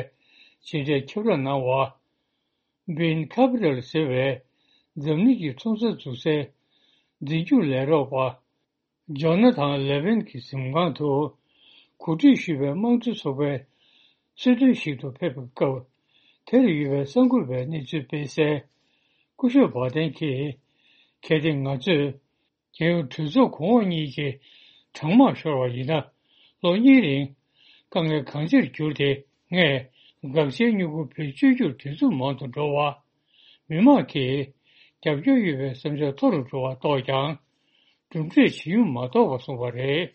ཇི་འདྲའི་ཁྱབ་བསྒྲགས་གནང་བ། Bain Capital ཟེར་བའི་འཛམ་གླིང་གི་ཚོང་རྩ་འཛུགས་སའི་འཛིན་སྐྱོང་ལས་རོགས་པ། ཇོ་ན་ཐན་ལེ་ཝིན་གྱི་གཟིམ་ཁང་དུ་གོ་སྒྲིག་ཞུས་པའི་དམངས་གཙོ་ཚོགས་པའི་གསོལ་སྟོན་ཞིག་ཏུ་ཕེབས་པའི་སྐབས། དེར་ཡོད་པའི་གསར་འགོད་པས་གནས་ཚུལ་སྤེལ་གསལ། སྐུ་ཞབས་བྷ་དན་གྱིས། གལ་ཏེ་ང་ཚོས་རྒྱལ་ཡོངས་གྲོས་ཚོགས་གོང་འོག་གཉིས་ཀྱི་གྲང་དམག་ཤོར་བ་ཡིན་ན། ལོ་གཉིས་རིང་དཀའ་ངལ་གང་ཆེར་གྱུར་ཏེ། ངས་དགག་བྱའི་སྨྱུ་གུ་བེད་སྤྱོད་རྒྱུར་དུས་ཚོད་མང་དུ་འགྲོ་བ། མི་མང་གིས་རྒྱབ་སྐྱོར་ཡོད་པའི་བསམ་འཆར་མཐོ་རུ་འགྲོ་བ་རྟོགས་ཀྱང་། གྲུབ་འབྲས་ཇི་ཡོང་མ་རྟོགས་པ་གསུངས་པ་རེད།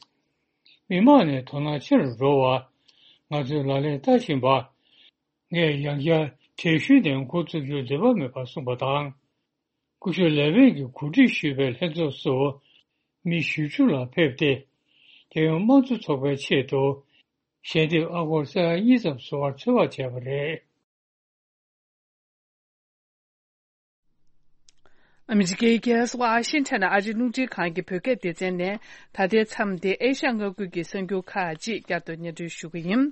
མི་མང་ནས་དོ་སྣང་ཆེ་རུ་འགྲོ་བ། ང་ཚོས་ལག་ལེན་བསྟར་བཞིན་པ། ངས་ཡང་བསྐྱར་གྲོས་གཞི་ནས་འགོ་བཙུགས་རྒྱུར་འདོད་པ་མེད་པ་གསུངས་པ་དང་། སྐུ་ཞབས་ལེ་ཝིན་གྱིས་གོ་སྒྲིག་ཞུས་པའི་ལྷན་ཚོགས་སུ་མི་བཞི་བཅུ་ལ་ཕེབས་ཏེ། རྒྱལ་ཡོངས་དམངས་གཙོ་ཚོགས་པའི་ཆེད་དུ་ཞལ་འདེབས་ཨ་སྒོར་ས་ཡ་གཉིས་ཙམ་བཟོ་བར་ཚོད་དཔག་བྱས་པ་རེད། ཨ་མི་རི་ཀའི་རྒྱལ་ས་ཝ་ཤིང་ཊོན་ཨ་རིའི་རླུང་འཕྲིན་ཁང་གི་བོད་སྐད་སྡེ་ཚན་ནས། ད་ལྟའི་མཚམས་འདིར་ཨེ་ཤ་ཡ་མངའ་ཁུལ་གྱི་གསར་འགྱུར་ཁག་ཅིག་བསྐྱར་དུ་སྙན་སྒྲོན་ཞུ་གི་ཡིན།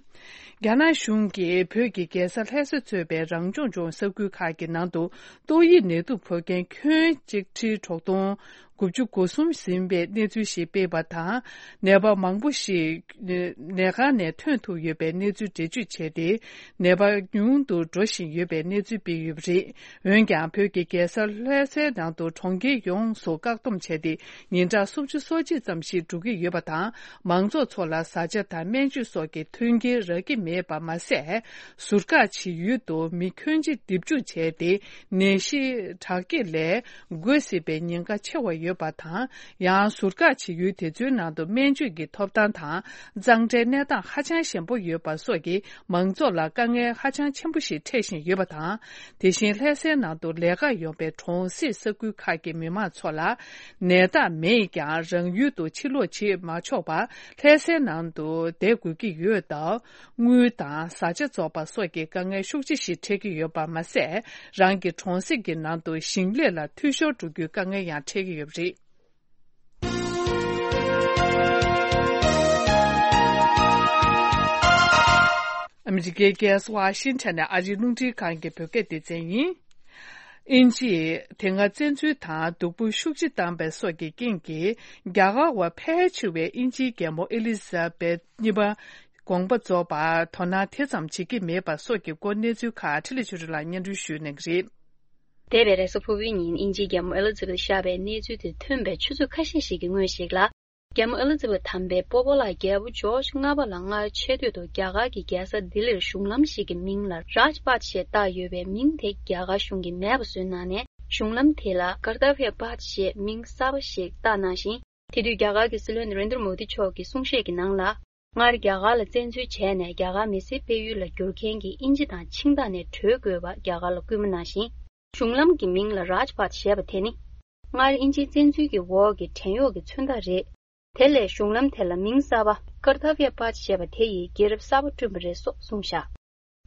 རྒྱ་ནག་གཞུང་གིས་བོད་ཀྱི་རྒྱལ་ས་ལྷ་ས་གཙོས་པའི་རང་སྐྱོང་ལྗོངས་ས་ཁུལ་ཁག་གི་ནང་དུ་ཏོག་དབྱིབས་ནད་དུག་ཕོག་མཁན་ཁྱོན་གཅིག་ཁྲིའི་དྲུག་སྟོང་ དགུ་བཅུ་གོ་གསུམ་ཟིན་པའི་གནས་ཚུལ་ཞིག་སྤེལ་བ་དང་། ནད་པ་མང་པོ་ཞིག་ནད་ཁང་ནས་ཐོན་ཐུབ་ཡོད་པའི་གནས་ཚུལ་འགྲེལ་བརྗོད་བྱས་ཏེ། ནད་པ་ཉུང་དུ་འགྲོ་བཞིན་ཡོད་པའི་གནས་ཚུལ་སྤེལ་ཡོད་པ་རེད། འོན་ཀྱང་། བོད་ཀྱི་རྒྱལ་ས་ལྷ་སའི་ནང་དུ་གྲོང་ཁྱེར་ཡོངས་སུ་བཀག་སྡོམ་བྱས་ཏེ། ཉིན་གྲངས་སུམ་ཅུ་སོ་གཅིག་ཙམ་ཞིག་འགྲོ་གི་ཡོད་པ་དང་། མང་ཚོགས་ཚོ་ལ་བཟའ་བཅའ་དང་སྨན་བཅོས་སོགས་ཀྱི་མཐུན་རྐྱེན་རག་གི་མེད་པ་མ་ཟད། ཟུར་བཀག་བྱེད་ཡུལ་དུ་མི་ཁྱོན་ཆེ་འདེབས་འཇུག་བྱས་ཏེ། ནད་གཞི་དྲག་སྐྱེད་ལས་འགོས་སྲིད་པའི་ཉེན་ཁ་ཆེ་བ་ཡོད་པ་དང་། ཡང་ཟུར་བཀག་བྱེད་ཡུལ་དེ་ཚོའི་ནང་དུ་སྨན་བཅོས་ཀྱི་ཐོབ་ཐང་དང་། གཙང་སྦྲའི་གནས་སྟངས་ཧ་ཅང་ཞན་པོ་ཡོད་པ་སོགས་ཀྱིས་མང་ཚོགས་ལ་དཀའ་ངལ་ཧ་ཅང་ཆེན་པོ་ཞིག་འཕྲད་བཞིན་ཡོད་པ་དང་། དེ་བཞིན་ལྷ་སའི་ནང་དུ་ལས་ཀར་ཡོང་པའི་གྲོང་གསེབ་ས་ཁུལ་ཁག་གི་མི་མང་ཚོ་ལ། ནད་རྟགས་མེད་ཀྱང་རང་ཡུལ་དུ་ཕྱིར་ལོག་བྱེད་མ་ཆོག་པར། ལྷ་སའི་ནང་དུ་བསྡད་དགོས་ཀྱི་ཡོད་སྟབས། དངུལ་དང་བཟའ་བཅའ་རྫོགས་པ་སོགས་ཀྱི་དཀའ་ངལ་ཤུགས་ཆེ་ཞིག་འཕྲད་ཀྱི་ཡོད་པ་མ་ཟད། རང་གི་གྲོང་གསེབ་ཀྱི་ནང་དུ་ཞིང་ལས་ལ་འཐུས་ཤོར་འགྲོ་རྒྱུའི་དཀའ་ངལ་ཡང་འཕྲད་ཀྱི་ཡོད་པ་རེད། ཨ་མི་རི་ཀའི་རྒྱལ་ས་ཝ་ཤིང་ཊོན་ནས་ཨ་རིའི་རླུང་འཕྲིན་ཁང་གི་བོད་སྐད་སྡེ་ཚན་ཡིན། དབྱིན་ཇིས་དེ་སྔ་བཙན་འཛུལ་དང་སྡུག་པོ་ཤུགས་ཆེ་བཏང་པའི་སོགས་ཀྱི་རྐྱེན་གྱིས། རྒྱ་གར་བ་ཕལ་ཆེ་བས་དབྱིན་ཇིའི་རྒྱལ་མོ་ཨེ་ལི་ཛ་བེད་གཉིས་པ་དགོངས་པ་རྫོགས་པར་དོ་སྣང་དེ་ཙམ་བྱེད་ཀྱི་མེད་པ་སོགས་ཀྱི་སྐོར་གནས་ཚུལ་ཁག་འཕྲིན་ལས་ཆོས་སྒྲོན་ལགས་སྙན་སྒྲོན་ཞུ་གནང་གི་རེད། འདས་པའི་རེས་གཟའ་ཕུར་བུའི་ཉིན་དབྱིན་ཇིའི་རྒྱལ་མོ་ཨེ་ལི་ཛ་བེད་གཤེགས་པའི་གནས་ཚུལ་དེ་ཐོན་པའི་ཆུ་ཚོད་ཁ་ཤས་ཤིག་གི་སྔོན་ཞིག་ལ། རྒྱལ་མོ་ཨེ་ལི་ཛ་བེད་དམ་པའི་སྤོ་བོ་ལགས་རྒྱལ་པོ་ཇོརྗ་ལྔ་པ་ལ་སྔར་ཆེ་བསྟོད་དུ་རྒྱ་གར་གྱི་རྒྱལ་ས་ལྡི་ལིར་གཞུང་ལམ་ཞིག་གི་མིང་ལ་རཱཇ་པཱཐ་ཞེས་བཏགས་ཡོད་པའི་མིང་དེ་རྒྱ་གར་གཞུང་གིས་མེད་པ་བཟོས་གནང་ནས། གཞུང་ལམ་དེ་ལ་ཀར་ཏ་བྷྱ་པཱཐ་ཞེས་མིང་གསར་པ་ཞིག་བཏགས་གནང་ཞིང་། དེ་དུས་རྒྱ་གར་གྱི་སྲིད་བློན་ནེ་རེན་དྲ་མོ་དི་མཆོག་གིས་གསུང་བཤད་ཀྱི་ནང་ལ། སྔར་རྒྱ་གར་ལ་བཙན་འཛུལ་བྱས་ནས་རྒྱ་གར་མི་སེར་སྤེལ་ཡུལ་ལ་བསྒྱུར་མཁན་གྱི་དབྱིན་ཇི་དང་ཆིངས་ཐག་ནས་གྲོལ་དགོས་པ་རྒྱ་གར་ལ་སྐུལ་མ་གནང་ཞིང་། གཞུང་ལམ་གྱི་མིང་ལ་རཱཇ་པཱཐ་ཞེས་པ་དེ་ནི། སྔར་དབྱིན་ཇིའི་བཙན་འཛུལ་གྱི་འོག་གི་བྲན་གཡོག་གི་མཚོན་རྟགས་རེད། དེ་ལས་གཞུང་ལམ་དེ་ལ་མིང་གསར་པ་ཀར་ཐ་བྷྱ་པཱཐ་ཞེས་པ་དེ་ཡི་རྒྱལ་རབས་གསར་པ་བསྐྲུན་པ་རེད་སོགས་གསུངས་བཞག་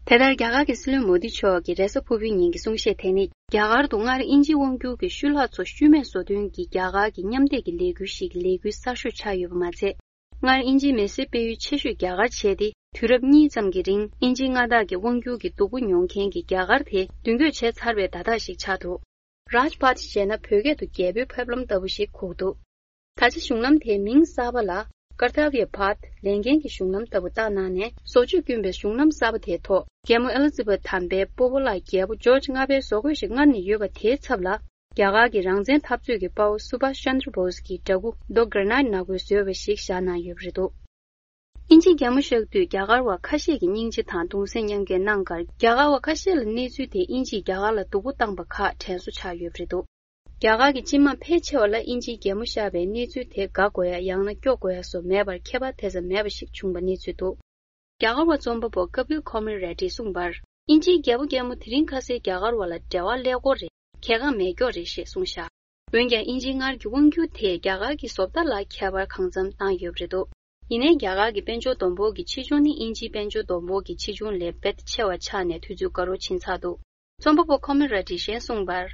དེ་ལྟར་རྒྱ་གར་གྱི་སྲིད་བློན་མོ་དི་མཆོག་གི་རེས་གཟའ་ཕུར་བུའི་ཉིན་གྱི་གསུང་བཤད་དེ་ནི། རྒྱ་གར་དུ་སྔར་དབྱིན་ཇིའི་དབང་བསྒྱུར་གྱི་ཤུལ་ལྷག་ཚོ་ཤུལ་མེད་བཟོ་དོན་གྱི་རྒྱ་གར་གྱི་མཉམ་སྡེབ་ཀྱི་ལས་འགུལ་ཞིག་གི་ལས་འགུལ་གསར་ཤོས་ཆགས་ཡོད་པ་མ་ཚད། སྔར་དབྱིན་ཇིའི་མི་སེར་སྤེལ་ཡུལ་ཆེ་ཤོས་རྒྱ་གར་བྱས་ཏེ། དུས་རབས་གཉིས་ཙམ་གྱི་རིང་དབྱིན་ཇིའི་མངའ་བདག་གི་དབང་བསྒྱུར་གྱི་སྡུག་པོ་མྱོང་མཁན་གྱི་རྒྱ་གར་དེ་མདུན་སྐྱོད་བྱས་ཚར་བའི་བརྡ་རྟགས་ཤིག་ཆགས་འདུག་རཱཇ་པཱཐ་ཞེས་ན་བོད་སྐད་དུ་རྒྱལ་པོའི་ཕེབས་ལམ་ལྟ་བུ་ཞིག་གོ་གི་འདུག་ད་ཆ་གཞུང་ལམ་དེའི་མིང་གསར་པ་ལ་ཀར་ཐ་བྷྱ་པཱཐ་ལས་འགན་གྱི་གཞུང་ལམ་ལྟ་བུ་བཏགས་གནང་ནས། བཟོ་བཅོས་བསྐུལ་བའི་གཞུང་ལམ་གསར་པ་དེའི་ཐོག་རྒྱལ་མོ་ཨེ་ལི་ཛ་བེད་དམ་པའི་སྤོ་བོ་ལགས་རྒྱལ་པོ་ཇོརྗ་ལྔ་པའི་བཟོ་བཀོད་ཞིག་སྔར་ནས་ཡོད་པ་དེའི་ཚབ་ལ། རྒྱ་གར་གྱི་རང་བཙན་འཐབ་རྩོད་ཀྱི་དཔའ་བོ་སུ་བྷཱཤ་ཅན་དྲ་བྷོ་སི་ཀྱི་འདྲ་སྐུ་རྡོ་གྷར་ནའིཊ་ནག་པོས་བཟོས་པ་ཞིག་བཞག་གནང་ཡོད་པ་རེད་འདུག་དབྱིན་ཇིའི་རྒྱལ་མོ་གཤེགས་དུས་རྒྱ་གར་བ་ཁ་ཤས་ཀྱིས་སྙིང་རྗེ་དང་གདུང་སེམས་མཉམ་སྐྱེད་གནང་ཁར། རྒྱ་གར་བ་ཁ་ཤས་ལ་གནས་ཚུལ་དེས་དབྱིན་ཇིས་རྒྱ་གར་ལ་སྡུག་པོ་བཏང་པ་ཁག་དྲན་གསོ་ཆགས་ཡོད་པ་རེད་འདུག་རྒྱ་གར་གྱི་སྤྱི་དམངས་ཕལ་ཆེ་བ་ལ་དབྱིན་ཇིའི་རྒྱལ་མོ་གཤེགས་པའི་གནས་ཚུལ་དེ་དགའ་དགོས་ཡ་ཡང་ན་སྐྱོ་དགོས་ཡ་སོགས་མེད་པར་ཁྱད་པར་དེ་ཙམ་མེད་པ་ཞིག་བྱུང་པ་གནས་ཚུལ་འདུག་རྒྱ་གར་བ་རྩོམ་པ་པོ་ཀ་པིལ་ཁོ་མི་རེ་ཏིས་གསུངས་པར། དབྱིན་ཇིའི་རྒྱལ་པོ་རྒྱལ་མོ་དེ་རིང་ཁ་སང་རྒྱ་གར་བ་ལ་འབྲེལ་བ་ཀླད་ཀོར་རེད། གལ་འགངས་མེད་སྐྱོ་རེད་ཞེས་གསུངས་བཞག་འོན་ཀྱང་དབྱིན་ཇིའི་སྔར་གྱི་དབང་བསྒྱུར་དེས་རྒྱ་གར་གྱི་བཟོ་ལྟ་ལ་ཁྱད་པར་གང་འཚམ་བཏང་ཡོད་པ་རེད་འདུག་ཡིན་ནའི་རྒྱ་གར་གྱི་དཔལ་འབྱོར་བསྡོམས་འབོར་གྱི་ཆེ་ཆུང་ནི་དབྱིན་ཇིའི་དཔལ་འབྱོར་བསྡོམས་འབོར་གྱི་ཆེ་ཆུང་ལས་རྦད་ཆེ་བ་ཆགས་ནས་དུས་ཚོད་དགའ་རབ་ཕྱིན་ཚར་འདུག་རྩོམ་པ་པོ་ཁོ་མི་ར་ཏིས་གཞན་གསུངས་པར།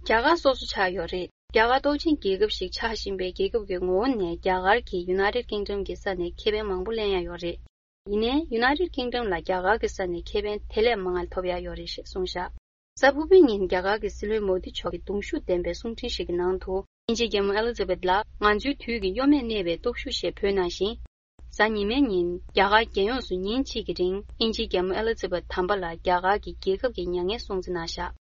རྒྱ་གར་སོ་སོ་ཆགས་ཡོད་རེད། རྒྱ་གར་སྟོབས་ཆེན་རྒྱལ་ཁབ་ཞིག་ཆགས་བཞིན་པའི་རྒྱལ་ཁབ་ཀྱི་ངོ་བོ་ནས་རྒྱ་གར་གྱིས་ཡུ་ནའི་ཊེཌ་ཀིང་ཌམ་གྱི་ས་ནས་ཁེ་ཕན་མང་པོ་ལེན་ཡ་ཡོད་རེད། ཡིན་ནའི་ཡུ་ནའི་ཊེཌ་ཀིང་ཌམ་ལ་རྒྱ་གར་གྱི་ས་ནས་ཁེ་ཕན་དེ་ལས་མང་བ་ཐོབ་ཡ་ཡོད་རེད་ཞེས་གསུངས་བཞག་གཟའ་ཕུར་བུའི་ཉིན་རྒྱ་གར་གྱི་སྲིད་བློན་མོ་དི་མཆོག་གིས་གདུང་ཤུགས་ལྡན་པའི་གསུང་འཕྲིན་ཞིག་གི་ནང་དུ། དབྱིན་ཇིའི་རྒྱལ་མོ་ཨེ་ལི་ཛ་བེད་ལ་ང་ཚོའི་དུས་ཀྱི་གཡོ་མེད་གནས་པའི་སྟོབས་ཤུགས་ཞེས་བོས་གནང་ཞིང་། གཟའ་ཉི་མའི་ཉིན་རྒྱ་གར་རྒྱལ་ཡོངས་སུ་ཉིན་གཅིག་གི་རིང་དབྱིན་ཇིའི་རྒྱལ་མོ་ཨེ་ལི་ཛ་བེད་དམ་པ་ལ་རྒྱ་གར་གྱི་རྒྱལ་ཁབ་ཀྱི་མྱ་ངན་སྲུང་བརྩི་གནང་བཞག་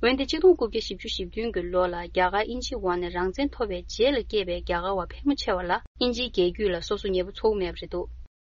འོན་ཏེ་ཆིག་སྟོང་དགུ་བརྒྱ་བཞི་བཅུ་ཞེ་བདུན་གྱི་ལོ་ལ་རྒྱ་གར་དབྱིན་ཇིའི་འོག་ནས་རང་བཙན་ཐོབ་པའི་རྗེས་ལ་སྐྱེས་པའི་རྒྱ་གར་བ་ཕལ་མོ་ཆེ་བ་ལ་དབྱིན་ཇིའི་རྒྱལ་རྒྱུད་ལ་སོ་སོ་ཉེ་པོ་ཚོར་མེད་པ་རེད་འདུག་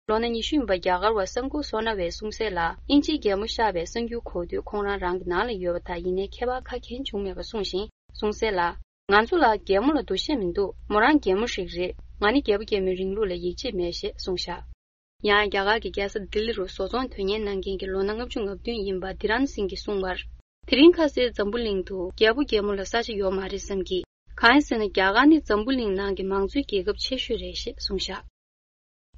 ལོ་ན་ཉི་ཤུ་ཡིན་པ་རྒྱ་གར་བ་སངས་ཀུ་སོ་ན་ཝས་གསུངས་གསལ་ལ། དབྱིན་ཇིའི་རྒྱལ་མོ་གཤེགས་པའི་གསར་འགྱུར་གོ་དུས་ཁོང་རང་རང་གི་ནང་ལ་ཡོད་པ་དང་། ཡིན་ནའི་ཁྱད་པར་ཁ་གྱེན་བྱུང་མེད་པ་གསུངས་ཤིང་། གསུངས་གསལ་ལ། ང་ཚོ་ལ་རྒྱལ་མོ་ལ་འདུ་ཤེས་མི་འདུག་མོ་རང་རྒྱལ་མོ་ཞིག་རེད། ང་ནི་རྒྱལ་པོ་རྒྱལ་མོའི་རིང་ལུགས་ལ་ཡིད་ཆེས་མེད་ཞེས་གསུངས་བཞག་ཡང་རྒྱ་གར་གྱི་རྒྱལ་ས་ལྡི་ལི་རུ་བཟོ་ཚོང་དོན་གཉེར་གནང་མཁན་གྱི་ལོ་ན་ལྔ་བཅུ་ང་བདུན་ཡིན་པ་དི་རན་སིང་གིས་གསུངས་པར། དེ་རིང་ཁ་སང་འཛམ་བུ་གླིང་དུ་རྒྱལ་པོ་རྒྱལ་མོ་ལ་ས་ཆ་ཡོད་མ་རེད་བསམ་གི། གང་ཡིན་ཟེར་ན་རྒྱ་གར་ནི་འཛམ་བུ་གླིང་ནང་གི་མང་གཙོའི་རྒྱལ་ཁབ་ཆེ་ཤོས་རེད་ཞེས་གསུངས་བཞག་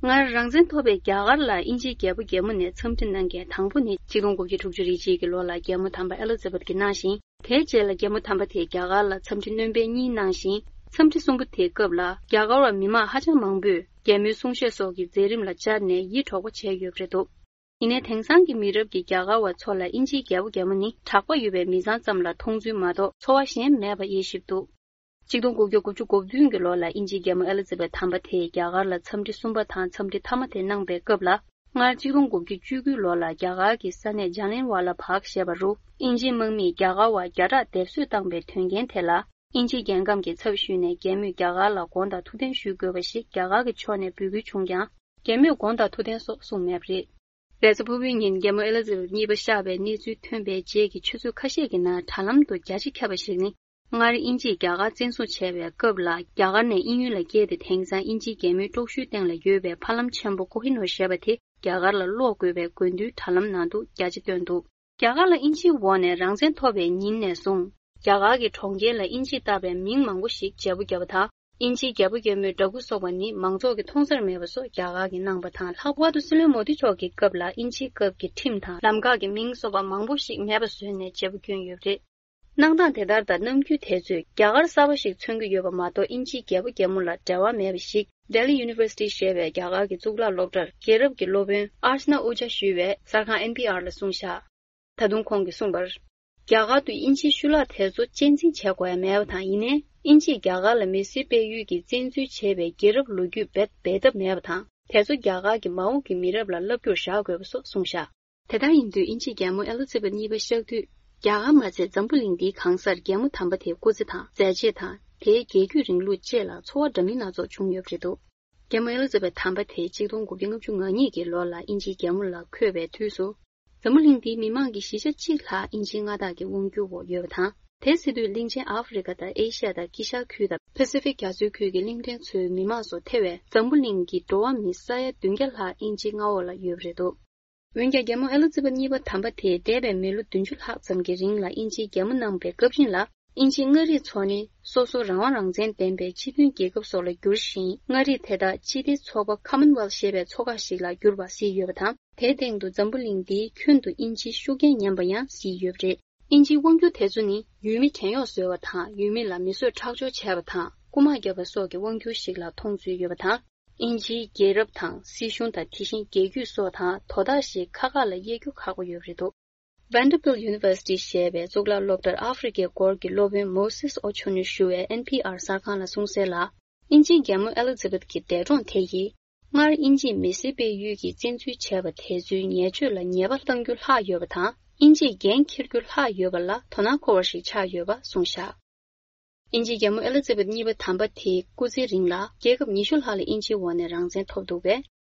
སྔར་རང་བཙན་ཐོབ་པའི་རྒྱ་གར་ལ་དབྱིན་ཇིའི་རྒྱལ་པོ་རྒྱལ་མོ་ནས་འཚམས་འདྲི་གནང་མཁན་དང་པོ་ནི་ཆིག་སྟོང་དགུ་བརྒྱ་དྲུག་ཅུ་རེ་གཅིག་གི་ལོ་ལ་རྒྱལ་མོ་དམ་པ་ཨེ་ལི་ཛ་བེད་ཀྱིས་གནང་ཞིང་། དེའི་རྗེས་ལ་རྒྱལ་མོ་དམ་པ་དེས་རྒྱ་གར་ལ་འཚམས་འདྲི་སྣོན་སྤེལ་གཉིས་གནང་ཞིང་། འཚམས་འདྲི་གསུམ་པ་དེའི་སྐབས་ལ་རྒྱ་གར་བ་མི་མང་ཧ་ཅང་མང་པོས་རྒྱལ་མོའི་གསུང་བཤད་སོགས་ཀྱི་མཛད་རིམ་ལ་བཅར་ནས་ཡིད་འཕྲོག་པ་བྱས་ཡོད་པ་རེད་འདུག་ཡིན་ནའི་དེང་སང་གི་མི་རབས་ཀྱི་རྒྱ་གར་བ་ཚོ་ལ་དབྱིན་ཇིའི་རྒྱལ་པོ་རྒྱལ་མོ་ནི་གྲགས་པ་ཡོད་པའི་མི་ཚང་ཙམ་ལ་མཐོང་ཚུལ་མ་གཏོགས་ཚོར་བ་གཞན་མེད་པ་དབྱེ་ཞིབ་འདུག་ཆིག་སྟོང་དགུ་བརྒྱ་དགུ་བཅུ་གོ་བདུན་གྱི་ལོ་ལ་དབྱིན་ཇིའི་རྒྱལ་མོ་ཨེ་ལི་ཛི་བེད་དམ་པ་དེས་རྒྱ་གར་ལ་འཚམས་འདྲི་གསུམ་པ་དང་འཚམས་འདྲི་མཐའ་མ་དེ་གནང་པའི་སྐབས་ལ། སྔར་ཆིག་སྟོང་དགུ་བརྒྱ་བཅུ་དགུ་ལོ་ལ་རྒྱ་གར་གྱི་ས་གནས་ཇཱ་ལིན་ཝ་ལ་བྷག་ཞེས་པ་རུ། དབྱིན་ཇིའི་དམག་མིས་རྒྱ་གར་བར་རྒྱ་ཁྲག་སྡེབ་གསོད་བཏང་པའི་དོན་རྐྱེན་དེ་ལ། དབྱིན་ཇིའི་རྒྱལ་ཁམས་ཀྱི་ཚབ་ཞུས་ནས་རྒྱལ་མོས་རྒྱ་གར་ལ་དགོངས་དག་ཐུགས་བདེན་ཞུ་དགོས་པ་ཞིག་རྒྱ་གར་གྱི་ཕྱོགས་ནས་འབོད་སྐུལ་བྱུང་ཀྱང་། རྒྱལ་མོས་དགོངས་དག་ཐུགས་བདེན་སོགས་གསུངས་མེད་པ་རེད། རེས་གཟའ་ཕུར་བུའི་ཉིན་རྒྱལ་མོ་ཨེ་ལི་ཛི་བེད་གཉིས་པ་གཤེགས་པའི་གནས་ཚུལ་ཐོན་པའི་རྗེས་ཀྱི་ཆུ་ཚོད་ཁ་ཤས་ཀྱི་ནང་དྲ་ལམ་དུ་རྒྱ་ཆེ་ཁྱབ་པ་ཞིག་ནི། སྔར་དབྱིན་ཇིས་རྒྱ་གར་བཙན་བཟུང་བྱས་པའི་སྐབས་ལ། རྒྱ་གར་ནས་དབྱིན་ཡུལ་ལ་བསྐྱལ་ཏེ། དེང་སང་དབྱིན་ཇིའི་རྒྱལ་མོའི་པྲོག་ཞུའི་སྟེང་ལ་ཡོད་པའི་ཕ་ལམ་ཆེན་པོ་ཀོ་ཧི་ནོར་ཞེས་པ་དེ་རྒྱ་གར་ལ་སློག་དགོས་པའི་དགོས་འདུན་དྲ་ལམ་ནང་དུ་རྒྱ་ཆེ་བཏོན་འདུག་རྒྱ་གར་ལ་དབྱིན་ཇིའི་འོག་ནས་རང་བཙན་ཐོབ་པའི་ཉིན་ནས་བཟུང་། རྒྱ་གར་གྱི་གྲོང་ཁྱེར་ལ་དབྱིན་ཇིས་བཏགས་པའི་མིང་མང་པོ་ཞིག་བརྗེ་པོ་བརྒྱབ་པ་དང་། དབྱིན་ཇིའི་རྒྱལ་པོ་རྒྱལ་མོའི་འདྲ་སྐུ་སོགས་པ་ནི་མང་ཚོགས་ཀྱིས་མཐོང་སར་མེད་པ་སོགས་རྒྱ་གར་གྱིས་གནང་པ་དང་། ལྷག་པར་དུ་སྲིད་བློན་མོ་དི་མཆོག་གི་སྐབས་ལ་དབྱིན་ཇིའི་སྐབས་ཀྱི་ཁྲིམས་དང་ལམ་ཁག་གི་མིང་སོགས་པ་མང་པོ་ཞིག་མེད་པ་བཟོས་ནས་བརྗེ་པོ་བསྐྱོན་ཡོད་པ་རེད། གནང་སྟངས་དེ་ལྟར་དང་། ནམ་རྒྱུན་དེ་ཚོས་རྒྱ་གར་གསར་པ་ཞིག་མཚོན་གྱི་ཡོད་པ་མ་གཏོགས། དབྱིན་ཇིའི་རྒྱལ་པོ་རྒྱལ་མོ་ལ་འབྲེལ་བ་མེད་པ་ཞིག་Delhi University ཞེས་པའི་རྒྱ་གར་གྱི་གཙུག་ལག་སློབ་གྲྭར་རྒྱལ་རབས་ཀྱི་སློབ་དཔོན་Archana Ahuja ཞུས་པས་གསར་ཁང་ཨེན་པི་ཨར་ལ་གསུངས་བཞག་ད་དུང་ཁོང་གིས་གསུངས་པར། རྒྱ་གར་དུ་དབྱིན་ཇིའི་ཤུལ་ལག་དེ་ཚོ་གཅེས་འཛིན་བྱེད་དགོས་ཡ་མེད་པ་དང་། ཡིན་ནའི་དབྱིན་ཇིས་རྒྱ་གར་ལ་མི་སེར་སྤེལ་ཡུལ་གྱི་བཙན་འཛུལ་བྱས་པའི་རྒྱལ་རབས་ལོ་རྒྱུས་རྦད་འབད་ཐབས་མེད་པ་དང་། དེ་ཚོ་རྒྱ་གར་གྱི་མ་འོངས་ཀྱི་མི་རབས་ལ་བསླབ་རྒྱུར་བཞག་དགོས་པ་སོགས་གསུངས་བཞག་དེ་ལྟར་ཡིན་དུས་དབྱིན་ཇིའི་རྒྱལ་མོ་ཨེ་ལི་ཛི་བེད་གཉིས་པ་གཤེགས་དུས། རྒྱ་གར་མ་ཚད་འཛམ་བུ་གླིང་འདིའི་གང་སར་རྒྱལ་མོ་དམ་པ་དེའི་སྐུ་ཚེ་དང་མཛད་རྗེས་དང་། དེའི་རྒྱལ་རྒྱུད་རིང་ལུགས་བཅས་ལ་ཚོར་བ་འདྲ་མིན་སྣ་ཚོགས་བྱུང་ཡོད་པ་རེད་འདུག་རྒྱལ་མོ་ཨེ་ལི་ཛི་བེད་དམ་པ་དེ་ཆིག་སྟོང་དགུ་བརྒྱ་ལྔ་བཅུ་ང་གཉིས་ཀྱི་ལོ་ལ་དབྱིན་ཇིའི་རྒྱལ་མོ་ལ་འཁོད་པའི་དུས་སུ། འཛམ་བུ་གླིང་འདིའི་མི་མང་གི་བཞི་ཆ་གཅིག་ལྷག་དབྱིན་ཇིའི་མངའ་བདག་གི་དབང་སྒྱུར་འོག་ཡོད་པ་དང་། དེ་སྲིད་དུས་གླིང་ཆེན་ཨ་ཧྥེ་རི་ཁ་དང་ཨེ་ཤི་ཡ་དང་དཀྱིལ་ཤར་ཁུལ་དང་པེ་སི་ཕིག་རྒྱ་མཚོའི་ཁུལ་གྱི་གླིང་ཕྲན་ཚོའི་མི་མང་སོགས་ཐེ་བའི་འཛམ་བུ་གླིང་གི་འགྲོ་བ་མི་ས་ཡ་བདུན་བརྒྱ་ལྷག་དབྱིན་ཇིའི་མངའ་འོག་ལ་ཡོད་པ་རེད་འདུག་འོན་ཀྱང་རྒྱལ་མོ་ཨེ་ལི་ཛི་བེད་གཉིས་པ་དམ་པ་དེས་འདས་པའི་མི་ལོ་བདུན་ཅུ་ལྷག་ཙམ་གྱི་རིང་ལ་དབྱིན་ཇིའི་རྒྱལ་མོ་གནང་བའི་སྐབས་རིང་ལ། དབྱིན་ཇིའི་མངའ་རིས་ཚོ་ནི་སོ་སོ་རང་དབང་རང་བཙན་ལྡན་པའི་སྤྱི་མཐུན་རྒྱལ་ཁབ་སོགས་ལ་བསྒྱུར་ཞིང་། མངའ་རིས་དེ་དག་སྤྱི་བདེའི་ཚོགས་པ་Commonwealth ཞེས་པའི་ཚོགས་ཁག་ཞིག་ལ་བསྒྱུར་བ་གཟིགས་ཡོད་པ་དང་། དེའི་སྟེང་དུ་འཛམ་བུ་གླིང་འདིའི་ཁྱོན་དུ་དབྱིན་ཇིའི་ཤུགས་རྐྱེན་ཉམས་པ་ཡང་གཟིགས་ཡོད་པ་རེད། དབྱིན་ཇིའི་དབང་སྒྱུར་དེ་ཚོ་ནི་ཡུལ་མི་བྲན་གཡོག་བཟོས་པ་དང་། ཡུལ་མི་ལ་མི་གསོད་ཁྲག་སྦྱོར་བྱས་པ་དང་། རྐུ་མ་བརྒྱབ་པ་སོགས་ཀྱི་དབང་སྒྱུར་ཞིག་ལ་མཐོང་ཚུལ་ཡོད་པ་དང་། དབྱིན་ཇིའི་རྒྱལ་རབས་དང་། སྲིད་གཞུང་དང་། དེ་བཞིན་རྒྱལ་རྒྱུད་སོགས་དང་དོ་བདག་ཞིག་ཁག་ཁག་ལ་དབྱེ་རྒྱུ་ཁག་པོ་ཡོད་པ་རེད་འདུག Vanderbilt University ཞེས་པའི་གཙུག་ལག་སློབ་གྲྭར་ཨ་ཧྥེ་རི་ཁའི་སྐོར་གྱི་སློབ་དཔོན་Moses Ochonu ཞུ་བས་ཨེན་པི་ཨར་གསར་ཁང་ལ་གསུངས་གསལ་ལ། དབྱིན་ཇིའི་རྒྱལ་མོ་ཨེ་ལི་ཛི་བེད་ཀྱི་འདས་གྲོངས་དེ་ཡིས། སྔར་དབྱིན་ཇིས་མི་སེར་སྤེལ་ཡུལ་གྱི་བཙན་འཛུལ་བྱས་པ་དེ་ཚོའི་ཉེས་སྤྱོད་ལ་ཉེས་པ་གཏང་རྒྱུ་ལྷག་ཡོད་པ་དང་། དབྱིན་ཇིས་འགན་འཁྱེར་རྒྱུ་ལྷག་ཡོད་པ་ལ་དོ་སྣང་འཁོར་བ་ཞིག་ཆགས་ཡོད་པ་གསུངས་བཞག་དབྱིན་ཇིའི་རྒྱལ་མོ་ཨེ་ལི་ཛི་བེད་གཉིས་པ་དམ་པ་དེའི་སྐུ་ཚེའི་རིང་ལ་རྒྱལ་ཁབ་ཉི་ཤུ་ལྷག་ལ་དབྱིན་ཇིའི་འོག་ནས་རང་བཙན་ཐོབ་འདུག་པས།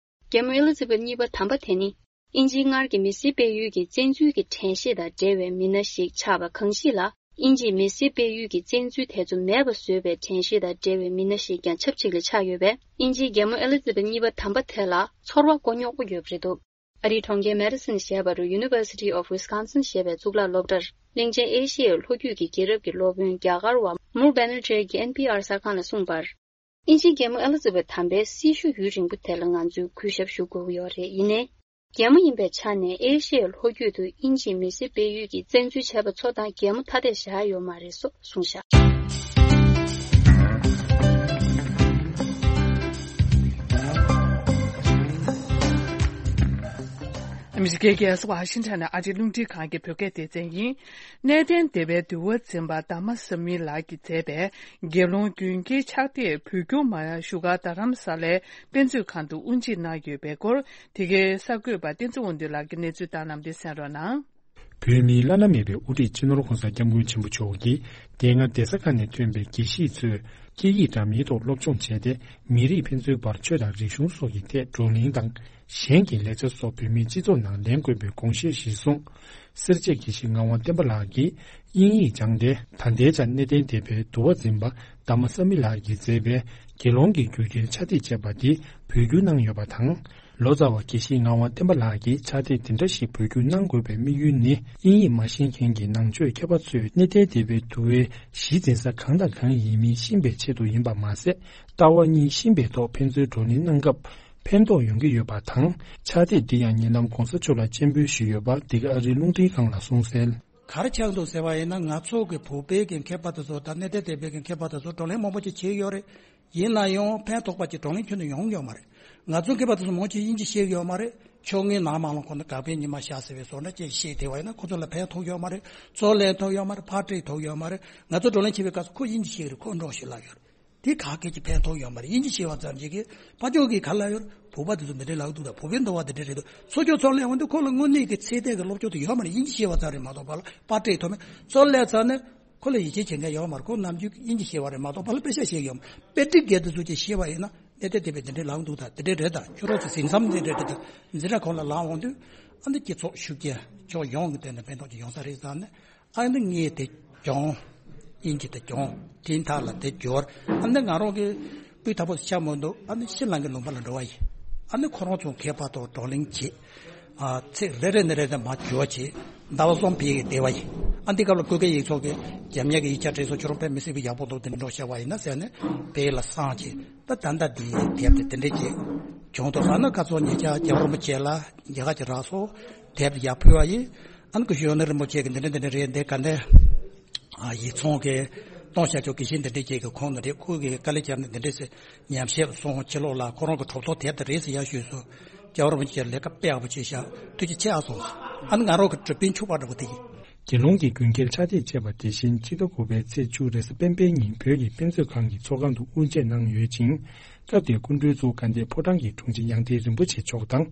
རྒྱལ་མོ་ཨེ་ལི་ཛི་བེད་གཉིས་པ་དམ་པ་དེ་ནི། དབྱིན་ཇིའི་སྔར་གྱི་མི་སེར་སྤེལ་ཡུལ་གྱི་བཙན་འཛུལ་གྱི་དྲན་ཤེས་དང་འབྲེལ་བའི་མི་སྣ་ཞིག་ཆགས་པ་གང་ཞིག་ལ། དབྱིན་ཇིས་མི་སེར་སྤེལ་ཡུལ་གྱི་བཙན་འཛུལ་དེ་ཚོ་མེད་པ་བཟོས་པའི་དྲན་ཤེས་དང་འབྲེལ་བའི་མི་སྣ་ཞིག་ཀྱང་ཆབས་ཅིག་ལ་ཆགས་ཡོད་པས། དབྱིན་ཇིའི་རྒྱལ་མོ་ཨེ་ལི་ཛི་བེད་གཉིས་པ་དམ་པ་དེ་ལ་ཚོར་བ་མགོ་རྙོག་པོ་ཡོད་པ་རེད་འདུག་ཨ་རིའི་གྲོང་ཁྱེར་Madison ཞེས་པ་རུ་University of Wisconsin ཞེས་པའི་གཙུག་ལག་སློབ་གྲྭར་གླིང་ཆེན་ཨེ་ཤི་ཡའི་ལྷོ་རྒྱུད་ཀྱི་རྒྱལ་རབས་ཀྱི་སློབ་དཔོན་རྒྱ་གར་བ་Moore Banerjee གྱིས་ཨེན་པི་ཨར་གསར་ཁང་ལ་གསུངས་པར། དབྱིན་ཇིའི་རྒྱལ་མོ་ཨེ་ལི་ཛི་བེད་དམ་པའི་སྲི་ཞུ་ཡུན་རིང་པོ་དེ་ལ་ང་ཚོས་གུས་ཞབས་ཞུ་དགོས་ཀྱི་ཡོད་རེད། ཡིན་ནའི། རྒྱལ་མོ་ཡིན་པའི་ཆ་ནས་ཨེ་ཤི་ཡའི་ལྷོ་རྒྱུད་དུ་དབྱིན་ཇིས་མི་སེར་སྤེལ་ཡུལ་གྱི་བཙན་འཛུལ་བྱས་པ་ཚོ་དང་གད་མོ་ཐ་དད་བཞག་ཡོད་མ་རེད་སོགས་གསུངས་བཞག་ཨ་མི་རི་ཀའི་རྒྱལ་ས་ཝ་ཤིང་ཊོན་ནས་ཨ་རིའི་རླུང་འཕྲིན་ཁང་གི་བོད་སྐད་སྡེ་ཚན་ཡིན། གནས་བརྟན་སྡེ་པའི་འདུལ་བ་འཛིན་པ་དྷ་རྨ་ས་མི་ལགས་ཀྱིས་མཛད་པའི་དགེ་སློང་རྒྱུན་གྱི་ཕྱག་དེབ་བོད་བསྒྱུར་མ་བཞུགས་སྒར་རྡ་རམ་ས་ལའི་དཔེ་མཛོད་ཁང་དུ་དབུ་འབྱེད་གནང་ཡོད་པའི་སྐོར། དེ་གའི་གསར་འགོད་པ་བསྟན་འཛིན་དབང་འདུས་ལགས་ཀྱིས་གནས་ཚུལ་བཏང་གནང་བ་དེ་གསན་རོགས་གནང་། བོད་མིའི་བླ་ན་མེད་པའི་དབུ་ཁྲིད་སྤྱི་ནོར་༸གོང་ས་༸སྐྱབས་མགོན་ཆེན་པོ་མཆོག་གིས་དེ་སྔ་གདན་ས་ཁག་ནས་ཐོན་པའི་དགེ་བཤེས་ཚོས་སྐད་ཡིག་འདྲ་མིན་ཐོག་སློབ་སྦྱོང་བྱས་ཏེ། མི་རིགས་ཕན་ཚུན་བར་ཆོས་དང་རིག་གཞུང་སོགས་ཀྱི་ཐད་བགྲོ་གླེང་དང་། གཞན་གྱི་ལེགས་ཆ་སོགས་བོད་མིའི་སྤྱི་ཚོགས་ནང་ལེན་དགོས་པའི་དགོངས་བཞེས་གཞིར་བཟུང་། སེར་བྱེས་དགེ་བཤེས་ངག་དབང་བསྟན་པ་ལགས་ཀྱིས་དབྱིན་ཡིག་སྦྱངས་ཏེ། ད་ལྟའི་ཆར་གནས་བརྟན་སྡེ་པའི་འདུལ་བ་འཛིན་པ་དྷ་རྨ་ས་མི་ལགས་ཀྱིས་མཛད་པའི་དགེ་སློང་གི་རྒྱུད་ཁྱེར་ཕྱག་དེབ་ཅེས་པ་འདི་བོད་བསྒྱུར་གནང་ཡོད་པ་དང་། ལོ་ཙཱ་བ་དགེ་བཤེས་ངག་དབང་བསྟན་པ་ལགས་ཀྱིས་ཕྱག་དེབ་འདི་འདྲ་ཞིག་བོད་བསྒྱུར་གནང་དགོས་པའི་དམིགས་ཡུལ་ནི། དབྱིན་ཡིག་མ་ཤེས་མཁན་གྱི་ནང་ཆོས་མཁས་པ་ཚོས་གནས་བརྟན་སྡེ་པའི་འདུལ་བའི་གཞི་འཛིན་ས་གང་དང་གང་ཡིན་མིན་ཤེས་པའི་ཆེད་དུ་ཡིན་པ་མ་ཟད། ལྟ་བ་གཉིས་ཤེས་པའི་ཐོག་ཕན་ཚུན་བགྲོ་གླེང་གནང་སྐབས་ཕན་ཐོགས་ཡོང་གི་ཡོད་པ་དང་། ཕྱག་དེབ་འདི་ཡང་ཉེ་ལམ་༸གོང་ས་མཆོག་ལ་སྤྱན་འབུལ་ཞུས་ཡོད་པ་འདི་ག་ཨ་རིའི་རླུང་འཕྲིན་ཁང་ལ་གསུངས་གསལ། ག་རེ་ཆགས་འདུག་ཟེར་བ་ཡིན་ན། ང་ཚོ་གི་བོད་པའི་གི་མཁས་པ་དེ་ཚོ་དང་གནས་བརྟན་སྡེ་པའི་གི་མཁས་པ་དེ་ཚོ་བགྲོ་གླེང་མང་པོ་ཅིག་བྱས་ཡོད་རེད། ཡིན་ན་ཡང་ཕན་ཐོགས་པ་ཅིག་བགྲོ་གླེང་ཁྱོན་ནས་ཡོང་ཡོད་མ་རེད། ང་ཚོ་མཁས་པ་དེ་ཚོ་མང་ཆེ་དབྱིན་ཇི་ཤེས་ཡོད་མ་རེད། ཕྱོགས་སྔའི་ནང་མ་ལོང་ཁོ་ན་དགག་པའི་ཉི་མ་ཤར་ཟེར་བའི་བཟོ་འདྲ་ཅིག་བཤད་བསྡད་པ་ཡིན་ན། ཁོ་ཚོ་ལ་ཕན་ཐོགས་ཡོད་མ་རེད། ཚོར་ལན་ཐོགས་ཡོད་མ་རེད། ཕར་སྤྲད་ཐུབ་ཡོད་མ་རེད། ང་ཚོ་བགྲོ་གླེང་བྱེད་པའི་སྐབས་སུ་ཁོ་དབྱིན་ཇི་ཤེས་ཀྱི་རེད། ཁོ་འབྲོག་ཤོད་ལབ་ཡོད་རེད། དེ་ག་གེ་ཅིག་ཕན་ཐོགས་ཡོད་མ་རེད། དབྱིན་ཇི་ཤེས་པ་ཙམ་ཞིག་གིས། ཕ་ཕྱོགས་ཀྱིས་ག་ལབ་ཡོད་རེད། བོད་པ་དེ་ཚོ་འདི་འདྲའི་ལབ་འདུག་ད་བོད་པའི་འདུལ་བ་འདི་འདྲའི་རེད་འདུག་ཚོ་ཅོག་ཚོར་ལན་འོང་དུས་ཁོ་ལ་དངོས་གནས་ཀྱི་ཚད་ལྡན་གྱི་སློབ་སྦྱོང་དེ་ཡོད་མ་རེད། དབྱིན་ཇི་ཤེས་པ་ཙམ་རེད་མ་གཏོགས་པ་ལ་པར་སྤྲད་ཐུབ་མེད། ཚོར་ལན་ཚར་ནས་ཁོ་ལ་ཡིད་ཆེས་བྱེད་མཁན་ཡོད་མ་རེད། ཁོ་ནམ་རྒྱུན་དབྱིན་ཇི་ཤེས་པ་རེད་མ་གཏོགས་པ་ལ་དཔེ་ཆ་ཤེས་ཀྱི་ཡོད་མ་རེད། དཔེ་ཁྲིད་དགེ་དེ་ཚོ་ཅིག་ཤེས་པ་ཡིན་ན། གནས་བརྟན་བདེ་བས་འདི་འདྲའི་ལངས་འདུག་ད་འདི་འདྲའི་རེད། ད་ཁྱོད་རང་ཚོ་ཟིན་མཚམས་འདི་འདྲའི་རེད། ད་འཛིན་གྲྭ་ཁོངས་ལ་ལངས་འོང་དུས། ཨ་ནི་སྤྱི་ཚོགས་ཤུགས་རྐྱེན་ཕྱོགས་ཡོངས་ཀྱི་སྟེང་ནས་ཕན་ཐོགས་ཅིག་ཡོང་ས་རེད་བསམ་ནས། ཨ་ནི་ངས་དེ་སྦྱོང་། དབྱིན་ཇི་དེ་སྦྱོང་། དེའི་མཐའ་ལ་དེ་སྦྱོར། ཨ་ནི་ང་རང་གི་སྤུས་དག་པོ་ཆགས་མི་འདུག་ཨ་ནི་ཕྱི་ནང་གི་ལུང་པ་ལ་འགྲོ་བ་ཡིན། ཨ་ནི་ཁོ་རང་ཚོ་མཁས་པ་དང་བགྲོ་གླེང་བྱེད། ཨ་ཚིག་རེ་རེ་ནས་རེ་རེ་མར་སྦྱོར་བྱེད། ཟླ་བ་གསུམ་ཕ་གིར་བསྡད་པ་ཡིན། ཨ་འདི་སྐབས་ལ་སྐུ་སྒེར་ཡིག་ཚོགས་ཀྱིས་རྒྱབ་གཉེར་གྱི་ཡིག་ཆ་བྲིས་སོང་། ཁྱོད་རང་དཔེ་མི་སྲིད་པའི་ཡག་པོ་འདུག་དེ་འདྲ་བཤད་པ་ཡིན་ན་ཟེར་ནས་ཕ་གི་ལ་བསམ་བྱས། ད་ད་ལྟ་འདི་དེབ་དེ་དེ་འདྲས་ཀྱི་བྱུང་འདུག་ཨ་ནི་ཁ་ཚོན་ཉེ་ཆར་རྒྱལ་བ་རིན་པོ་ཆེ་ལ་རྒྱ་གར་གྱི་རག་སོང་། དེབ་དེ་ཡར་ཕུལ་བ་ཡིན། ཨ་ནི་སྐུ་ཞབས་ཡོན་ཏན་རིན་པོ་ཆེ་གིས་འདི་འདྲ་འདི་འདྲ་རེད། འདི་ག་འདྲ། ཨ་ཡིག་ཚང་གི་གཏོང་བྱ་ཆོག་གི་ཤིང་འདི་འདྲས་ཀྱི་གི་ཁོང་འདི་འདྲས་ཁོ་གིས་དཀའ་ལས་བརྒྱབ་ནས་འདི་འདྲས་སེ་ཉམས་ཞིབ་སོང་། ཕྱི་ལོགས་ལ་ཁོ་རང་གི་གྲུབ་ཐོབ་དེབ་དེ་རེད་ཟེར་ཡར་ཞུས་སོང་། རྒྱལ་བ་རིན་པོ་ཆེ་ལས་ཀ་དཔེ་ཡག་པོ་བྱས་ཤག་ཐུགས་རྗེ་ཆེ་ཨ་སོང་། ཨ་ནི་ང་རང་གི་གྲུབ་པའི་ཕྱུ་པ་འདྲ་པོ་དེ་ཡིན། དགེ་སློང་གི་རྒྱུན་ཁྱེར་ཕྱག་དེབ་ཅེས་པ་དེ་བཞིན་ཕྱི་ཟླ་དགུ་པའི་ཚེས་བཅུ་རེས་གཟའ་སྤེན་པའི་ཉིན་བོད་ཀྱི་དཔེ་མཛོད་ཁང་གི་ཚོགས་ཁང་དུ་དབུ་འབྱེད་གནང་ཡོད་ཅིང་། སྐབས་དེར་སྐུ་མགྲོན་གཙོ་བོ་དགའ་ལྡན་ཕོ་བྲང་གི་དྲུང་ཆེ་ཡང་སྟེང་རིན་པོ་ཆེ་མཆོག་དང་།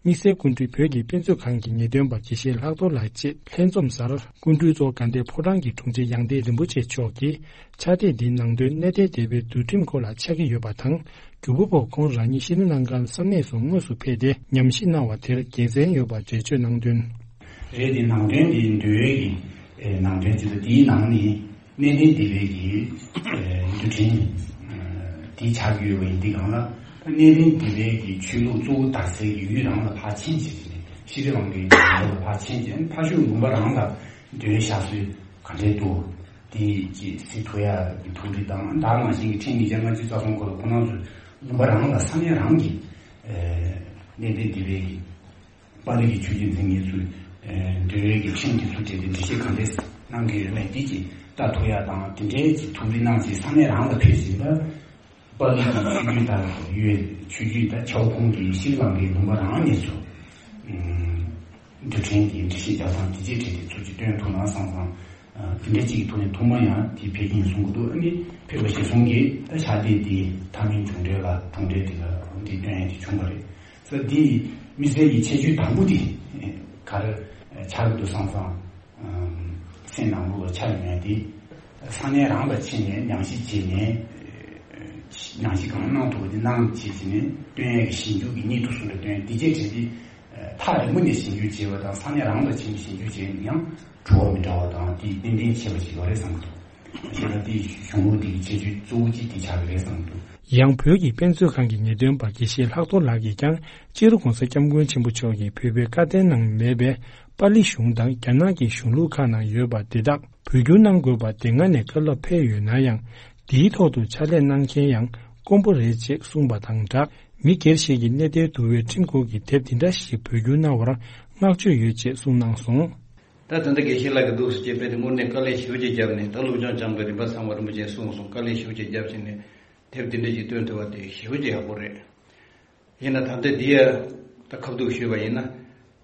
དམིགས་བསལ་སྐུ་མགྲོན་བོད་ཀྱི་དཔེ་མཛོད་ཁང་གི་ངེས་སྟོན་པ་དགེ་བཤེས་ལྷག་རྡོར་ལགས་བཅས་ལྷན་འཛོམས་སར་སྐུ་མགྲོན་གཙོ་བོ་དགའ་ལྡན་ཕོ་བྲང་གི་དྲུང་ཆེ་ཡང་སྟེང་རིན་པོ་ཆེ་མཆོག་གིས་ཕྱག་དེབ་འདིའི་ནང་དོན་གནས་བརྟན་སྡེ་པའི་འདུལ་ཁྲིམས་སྐོར་ལ་ཕྱག་གི་ཡོད་པ་དང་། གྱུར་པ་པོ་ཁོང་རང་ཉིད་ཤི་ནས་གནང་ཁང་བསམ་གནས་སུ་དངོས་སུ་ཕེབས་ཏེ་ཉམས་ཞིབ་གནང་བ་དེར་དགེ་མཚན་ཡོད་པ་འགྲེལ་བརྗོད་གནང་དོན། རེད་དེ་ནང་དོན་དེ་འདུལ་བའི་གི་ཨེ་ནང་དོན་ཅིག་ལ་དེའི་ནང་ནས་གནས་བརྟན་སྡེ་པའི་གི་ཨེ་འདུལ་ཁྲིམས་ཨེ་དེ་ཆགས་ཀྱི་ཡོད་པ་ཡིན། དེ་གང་ལ་གནས་བརྟན་སྡེ་པའི་གི་ཆོས་ལུགས་གཙོ་བོ་དར་སའི་གི་ཡུལ་རང་ལ་ཕར་ཕྱིན་བྱས་ནས་ཤི་རི་ལང་ཀའི་ཡུལ་ལ་ཕར་ཕྱིན་བྱས་ཕར་ཕྱོགས་ལུང་པ་རང་ལ་འདུལ་བའི་ཞག་སྲོལ་ག་འདྲས་འདུག་དེ་ཅིག་གཟིགས་ཐུབ་ཡ་གི་ཐུགས་རེ་དང་། ད་ནང་བཞིན་གྱི་ཁྲིམས་ཉིས་བརྒྱ་ལྔ་བཅུ་རྩ་གསུམ་སྐོར་ལ་ཁོང་རྣམ་ཚོས་ལུང་པ་རང་ལ་ས་གནས་རང་གི་ཨེ་གནས་བརྟན་སྡེ་པའི་གི་པཱ་ལི་གི་ཆོས་བརྒྱུད་འཛིན་མཁན་ཚོས་ཨེ་འདུལ་བའི་གི་ཁྲིམས་དེ་ཚོ་གྲས་དེ་འགྲེལ་བཤད་ག་འདྲས་གནང་གི་ཡོད་མེད་དེ་ཅིག་ལྟ་ཐུབ་ཡ་དང་། དེ་འདྲའི་ཅིག་ཐུགས་རེ་གནང་བྱས་ས་གནས་རང་ལ་ཕེབས་བྱས་ད་པཱ་ལི་གི་ཆོས་བརྒྱུད་དང་ཡོད་ཆོས་བརྒྱུད་དང་ཆའོ་ཁོང་གི་ཤྲི་ལང་ཀའི་ལུང་པ་རང་ནས་ཚུར་ཨུམ་འདུལ་ཁྲིམས་དེ་འགྲེལ་བཤད་རྒྱག་སྟངས་དེ་ཅིག་གྲས་དེ་ཚུར་ཅིག་སྟོན་ཐུབ་ན་བསམ་སོང་། ཨ་དེ་འདྲ་ཅིག་གི་ཐོག་ནས་ཐོག་མ་ཡང་དེ་ཕེབས་ཀྱིན་གསུང་གི་འདུག་ཨ་ནི་ཕེབས་པ་ཞེས་གསུང་གིས་ད་ཕྱག་དེབ་དེ་མཐའ་མའི་གྲུབ་འབྲས་ལ་གྲུབ་འབྲས་དེ་ལ་འདི་སྟོན་ཡ་དེ་བྱུང་བ་རེད། ས་འདི་དམིགས་བསལ་གྱི་ཁྱད་ཆོས་དང་པོ་དེ་ག་རེ་ཆགས་ཀྱི་འདུག་བསམ་སོང་། ཨམ་སེམས་ནང་ལོགས་ལ་འཆར་ཡོང་ཡ་དེ། ས་གནས་རང་ལ་ཕྱིན་ནས་ཉམས་ཞིབ་བྱས་ནས། ཉམས་ཞིབ་གང་གནང་ཐུབ་པ་དེ་གནང་བྱས་བྱས་ནས་སྟོན་ཡས་ཀྱི་ཞིབ་འཇུག་གི་སྙིང་སྟོབས་སུ་འདྲ་སྟོན་དེ་རྗེས་བྱས་ཏེ། ཐག་རིང་པོ་ནས་ཞིབ་འཇུག་བྱས་པ་དང་ས་གནས་རང་ལ་ཕྱིན་ནས་ཞིབ་འཇུག་བྱས་ན་ཡང་བྲོ་བ་མི་འདྲ་བ་དང་དེ་ཏན་ཏན་ཆེ་བ་ཞིག་ཡོད་རེད་བསམ་གྱི་འདུག་བྱས་ན་དེ་གཞུང་ལུགས་དེ་གི་ཁྱད་ཆོས་གཙོ་བོ་གཅིག་དེ་ཆགས་ཀྱི་རེད་བསམ་གྱི་འདུག་ཡང་བོད་ཀྱི་དཔེ་མཛོད་ཁང་གི་ངེས་སྟོན་པ་དགེ་བཤེས་ལྷག་རྡོར་ལགས་ཀྱིས་ཀྱང་སྤྱི་ནོར་༸གོང་ས་༸སྐྱབས་མགོན་ཆེན་པོ་མཆོག་གིས་བོད་པའི་བཀའ་བསྟན་ནང་མེད་པའི་པཱ་ལི་གཞུང་དང་རྒྱ་ནག་གི་གཞུང་ལུགས་ཁག་ནང་ཡོད་པ་དེ་དག་བོད་བསྒྱུར་གནང་དགོས་པ་དེ་སྔ་ནས་བཀའ་སློབ་ཕེབས་ཡོད་ན་ཡང་། འདིའི་ཐོག་ཏུ་ཕྱག་ལས་གནང་མཁན་ཡང་དཀོན་པོ་རེད་ཅེས་གསུངས་པ་དང་སྦྲགས། མི་སྒེར་ཞིག་གིས་གནས་བརྟན་འདུལ་བའི་ཁྲིམས་སྐོར་གྱི་དེབ་འདི་འདྲ་ཞིག་བོད་བསྒྱུར་གནང་བར་བསྔགས་བརྗོད་ཡོད་ཅེས་གསུངས་གནང་སོང་། ད་ད་ལྟ་དགེ་བཤེས་ལགས་ཀྱིས་འདུག་སེ་བྱས་པས་དེ་དངོས་གནས་དཀའ་ལས་ཞེ་པོ་ཅིག་བརྒྱབ་ནས། ད་སློབ་སྦྱོང་སྦྱང་དགོས་རིམ་པ་ཚང་མ་རིན་པོ་ཆེས་གསུངས་སོང་། དཀའ་ལས་ཞེ་པོ་ཅིག་བརྒྱབ་བྱས་ནས་དེབ་འདི་འདྲ་ཅིག་བཏོན་ཐུབ་པ་དེ་ཞེ་པོ་ཅིག་ཡག་པོ་རེད། ཡིན་ན་ད་ལྟ་འདི་ཡ་ད་ཁ་ཐུག་ཞུས་པ་ཡིན་ན།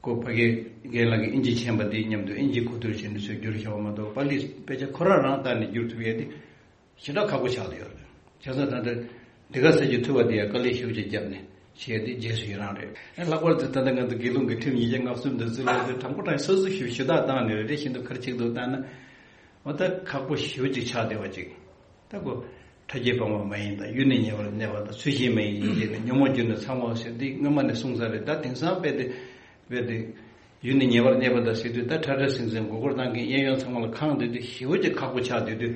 ཁོ་ཕ་གི་རྒན་ལགས་ཀྱིས་ཨིན་ཇི་མཁྱེན་པ་འདི་མཉམ་དུ་ཨིན་ཇི་གོ་བསྡུར་བྱས་ནས་ཚུར་བསྒྱུར་བཞག་པ་མ་གཏོགས། པཱ་ལི་དཔེ་ཆ་ཁོ་རང་རང་ལྟ་ནས་བསྒྱུར་ཐུབ་ཡས་དེ་ཞེ་དྲག་ཁག་པོ་ཆགས་བསྡད་ཡོད་རེད། བྱས་ཙང་ད་ལྟ་འདི་ག་ས་ཅིག་ཐུབ་པ་དེ་ཡ་དཀའ་ལས་ཞེ་པོ་ཅིག་བརྒྱབ་ནས་བྱས་ཏེ་རྗེས་སུ་ཡི་རང་རེད། ལྷག་པར་དུ་ད་ལྟ་ང་ཚོ་དགེ་སློང་གི་ཁྲིམས་ཉིས་བརྒྱ་ལྔ་བཅུ་འདི་ཚོ་ལ་དྲང་པོ་དྲང་སོ་སོ་ཞིབ་ཞུ་དག་བཏང་ནས་རེ་བཞིན་དུ་ཁར་ཆིག་ཏུ་བཏང་ན། འོ་ད་ཁག་པོ་ཞེ་པོ་ཅིག་ཆགས་བསྡད་པ་ཅིག་ད་ཁོ་ཕྲ་རྒྱས་སྤང་བ་མ་ཡིན་དང་། ཡུལ་ནི་ཉེ་བར་གནས་པ་དང་། ཚུལ་བཞིན་མ་ཡིན་ཡིན་ཞེས་ནས། ཉོན་མོངས་རྒྱུ་ནི་ཚང་བའོ་ཟེར་འདི་སྔོན་མ་ནས་གསུངས་ས་རེད། ད་དེང་སང་དཔེ་དེ་དཔེ་དེ་ཡུལ་ནི་ཉེ་བར་གནས་པ་དང་ཟེར་དུས། ད་ཁྲ་ཁྲ་ཟིང་ཟིང་མགོ་སྐོར་བཏང་མཁན་གཡས་གཡོན་ཚང་མ་ལ་གང་སྡོད་དུས་ཞེ་པོ་ཅིག་ཁག་པོ་ཆགས་སྡོད་དུས།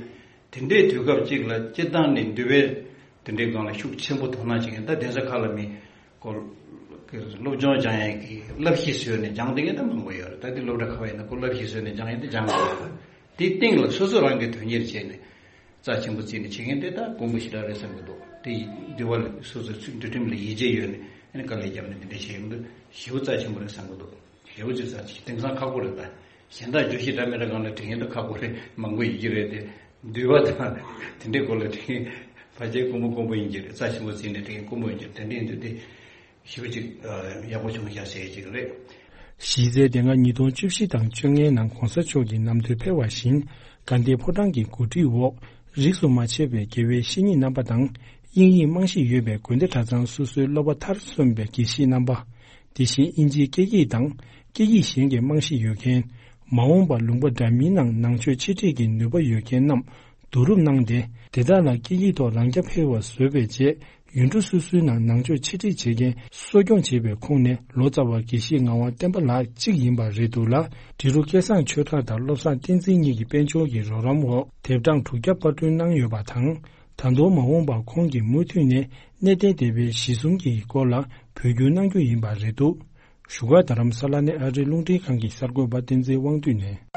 དེ་འདྲའི་དུས་སྐབས་ཅིག་ལ་སྤྱིར་བཏང་ནས་འདུལ་བའི་དེ་འདྲའི་སྒང་ལ་ཤུགས་ཆེན་པོ་དོ་སྣང་བྱེད་མཁན། ད་གདན་ས་ཁག་ལ་མི་སྐོར་སློབ་སྦྱོང་སྦྱང་ཡས་ཀྱི་བསླབ་གཞི་བཟོས་ནས་སྦྱང་བསྡད་མཁན་ད་མང་པོ་ཡོད་རེད། ད་དེ་སློབ་གྲྭ་ཁག་ཡིན་ན་ཁོ་བསླབ་གཞི་བཟོས་ནས་སྦྱང་ཡས་དེ་སྦྱང་དགོས་རེད། དེའི་སྟེང་ལ་སོ་སོ་རང་གིས་དོན་གཉེར་བྱས་ནས་རྩ་ཆེན་པོ་བརྩིས་ནས་བྱེད་མཁན་དེ་ད་དཀོན་པོ་ཞེ་དྲག་རེད་བསམ་གྱི་འདུག་དེ་ཡི་འདུལ་བ་ལ་སོ་སོའི་ཚུལ་འདུལ་ཁྲིམས་ལ་ཡིད་ཆེས་ཡོད་ནས་ཨ་ནི་དཀའ་ལས་བརྒྱབ་ནས་འདི་འདྲ་བྱེད་ཡོང་དུས་ཞེ་པོ་རྩ་ཆེན་པོ་རེད་བསམ་གྱི་འདུག་ཞེ་པོ་ཅིག་རྩ་ཆེ། དེང་སང་ཁག་པོ་རེད། ད་གཞན་དག་བརྗོད་གཞི་འདྲ་མི་འདྲ་སྒང་ལ་དྲན་མཁན་ད་ཁག་པོ་རེད། མང་པོ་ཡོད་ཀྱི་རེད་དེ། འདུལ་བ་དང་དེ་འདྲའི་སྐོར་ལ་དྲན་མཁན་ཕལ་ཆེར་དཀོན་པོ་དཀོན་པོ་ཡིན་གྱི་རེད། རྩ་ཆེན་པོ་བརྩིས་ནས་དྲན་མཁན་དཀོན་པོ་ཡིན་གྱི་རེད། དེ་འདྲ་ཡིན་དུས་དེ། ཞེ་པོ་ཅིག་ཡག་པོ་བྱུང་ཤག་ཟེར་ཅིག་རེད། གཞི་རྩའི་དེ་སྔ་ཉིས་སྟོང་བཅུ་བཞི་དང་བཅོ་ལྔའི་ནང་གོང་ས་མཆོག་གི་གནམ་བསྡུས་ཕེབས་པ་བཞིན། དགའ་ལྡན་ཕོ་བྲང་གི་གོ་སྒྲིག་འོག་རིས་སུ་མ་ཆད་པའི་དགེ་བའི་བཤེས་གཉེན་རྣམ་པ་དང་། དབྱིངས་ཡིག་རྨང་གཞི་ཡོད་པའི་དགོན་སྡེ་གྲྭ་ཚང་སོ་སོའི་སློབ་པ་མཐར་སོན་པའི་དགེ་བཤེས་རྣམ་པ། དེ་བཞིན་དབྱིན་ཇིའི་སྐད་ཡིག་དང་སྐད་ཡིག་གཞན་གྱི་རྨང་གཞི་ཡོད་མཁན། མ་འོངས་པར་ལུང་པ་འདྲ་མིན་ནང་ནང་ཆོས་འཆད་ཁྲིད་ཀྱི་ནུས་པ་ཡོད་མཁན་རྣམས་བསྡུ་རུབ་གནང་སྟེ། དེ་དག་ལ་སྐད་ཡིག་ཐོག་རང་རྐྱ་འཕེར་བ་བཟོས་པའི་རྗེས། ཡུལ་གྲུ་སོ་སོའི་ནང་ནང་ཆོས་འཆད་ཁྲིད་བྱེད་མཁན་གསོ་སྐྱོང་བྱེད་པའི་ཁོངས་ནས་ལོ་ཙཱ་བ་དགེ་བཤེས་ངག་དབང་བསྟན་པ་ལགས་གཅིག་ཡིན་པ་རེད་འདུག་ལ། འབྲི་རུ་སྐལ་བཟང་ཆོས་གྲགས་དང་བློ་བཟང་བསྟན་འཛིན་གཉིས་ཀྱི་དཔལ་འབྱོར་གྱི་རོགས་རམ་འོག་དེབ་གྲངས་དྲུག་བརྒྱ་པར་སྐྲུན་གནང་ཡོད་པ་དང་། ད་དུང་མ་འོངས་པར་ཁོང་གིས་མུ་མཐུད་ནས་གནས་བརྟན་སྡེ་པའི་གཞི་གསུམ་གྱི་སྐོར་ལ་བོད་བསྒྱུར་གནང་རྒྱུ་ཡིན་པ་རེད་འདུག་བཞུགས་སྒར་རྡ་རམ་ས་ལ་ནས་ཨ་རིའི་རླུང་འཕྲིན་ཁང་གི་གསར་འགོད་པ་བསྟན་འཛིན་དབང་འདུས་ནས།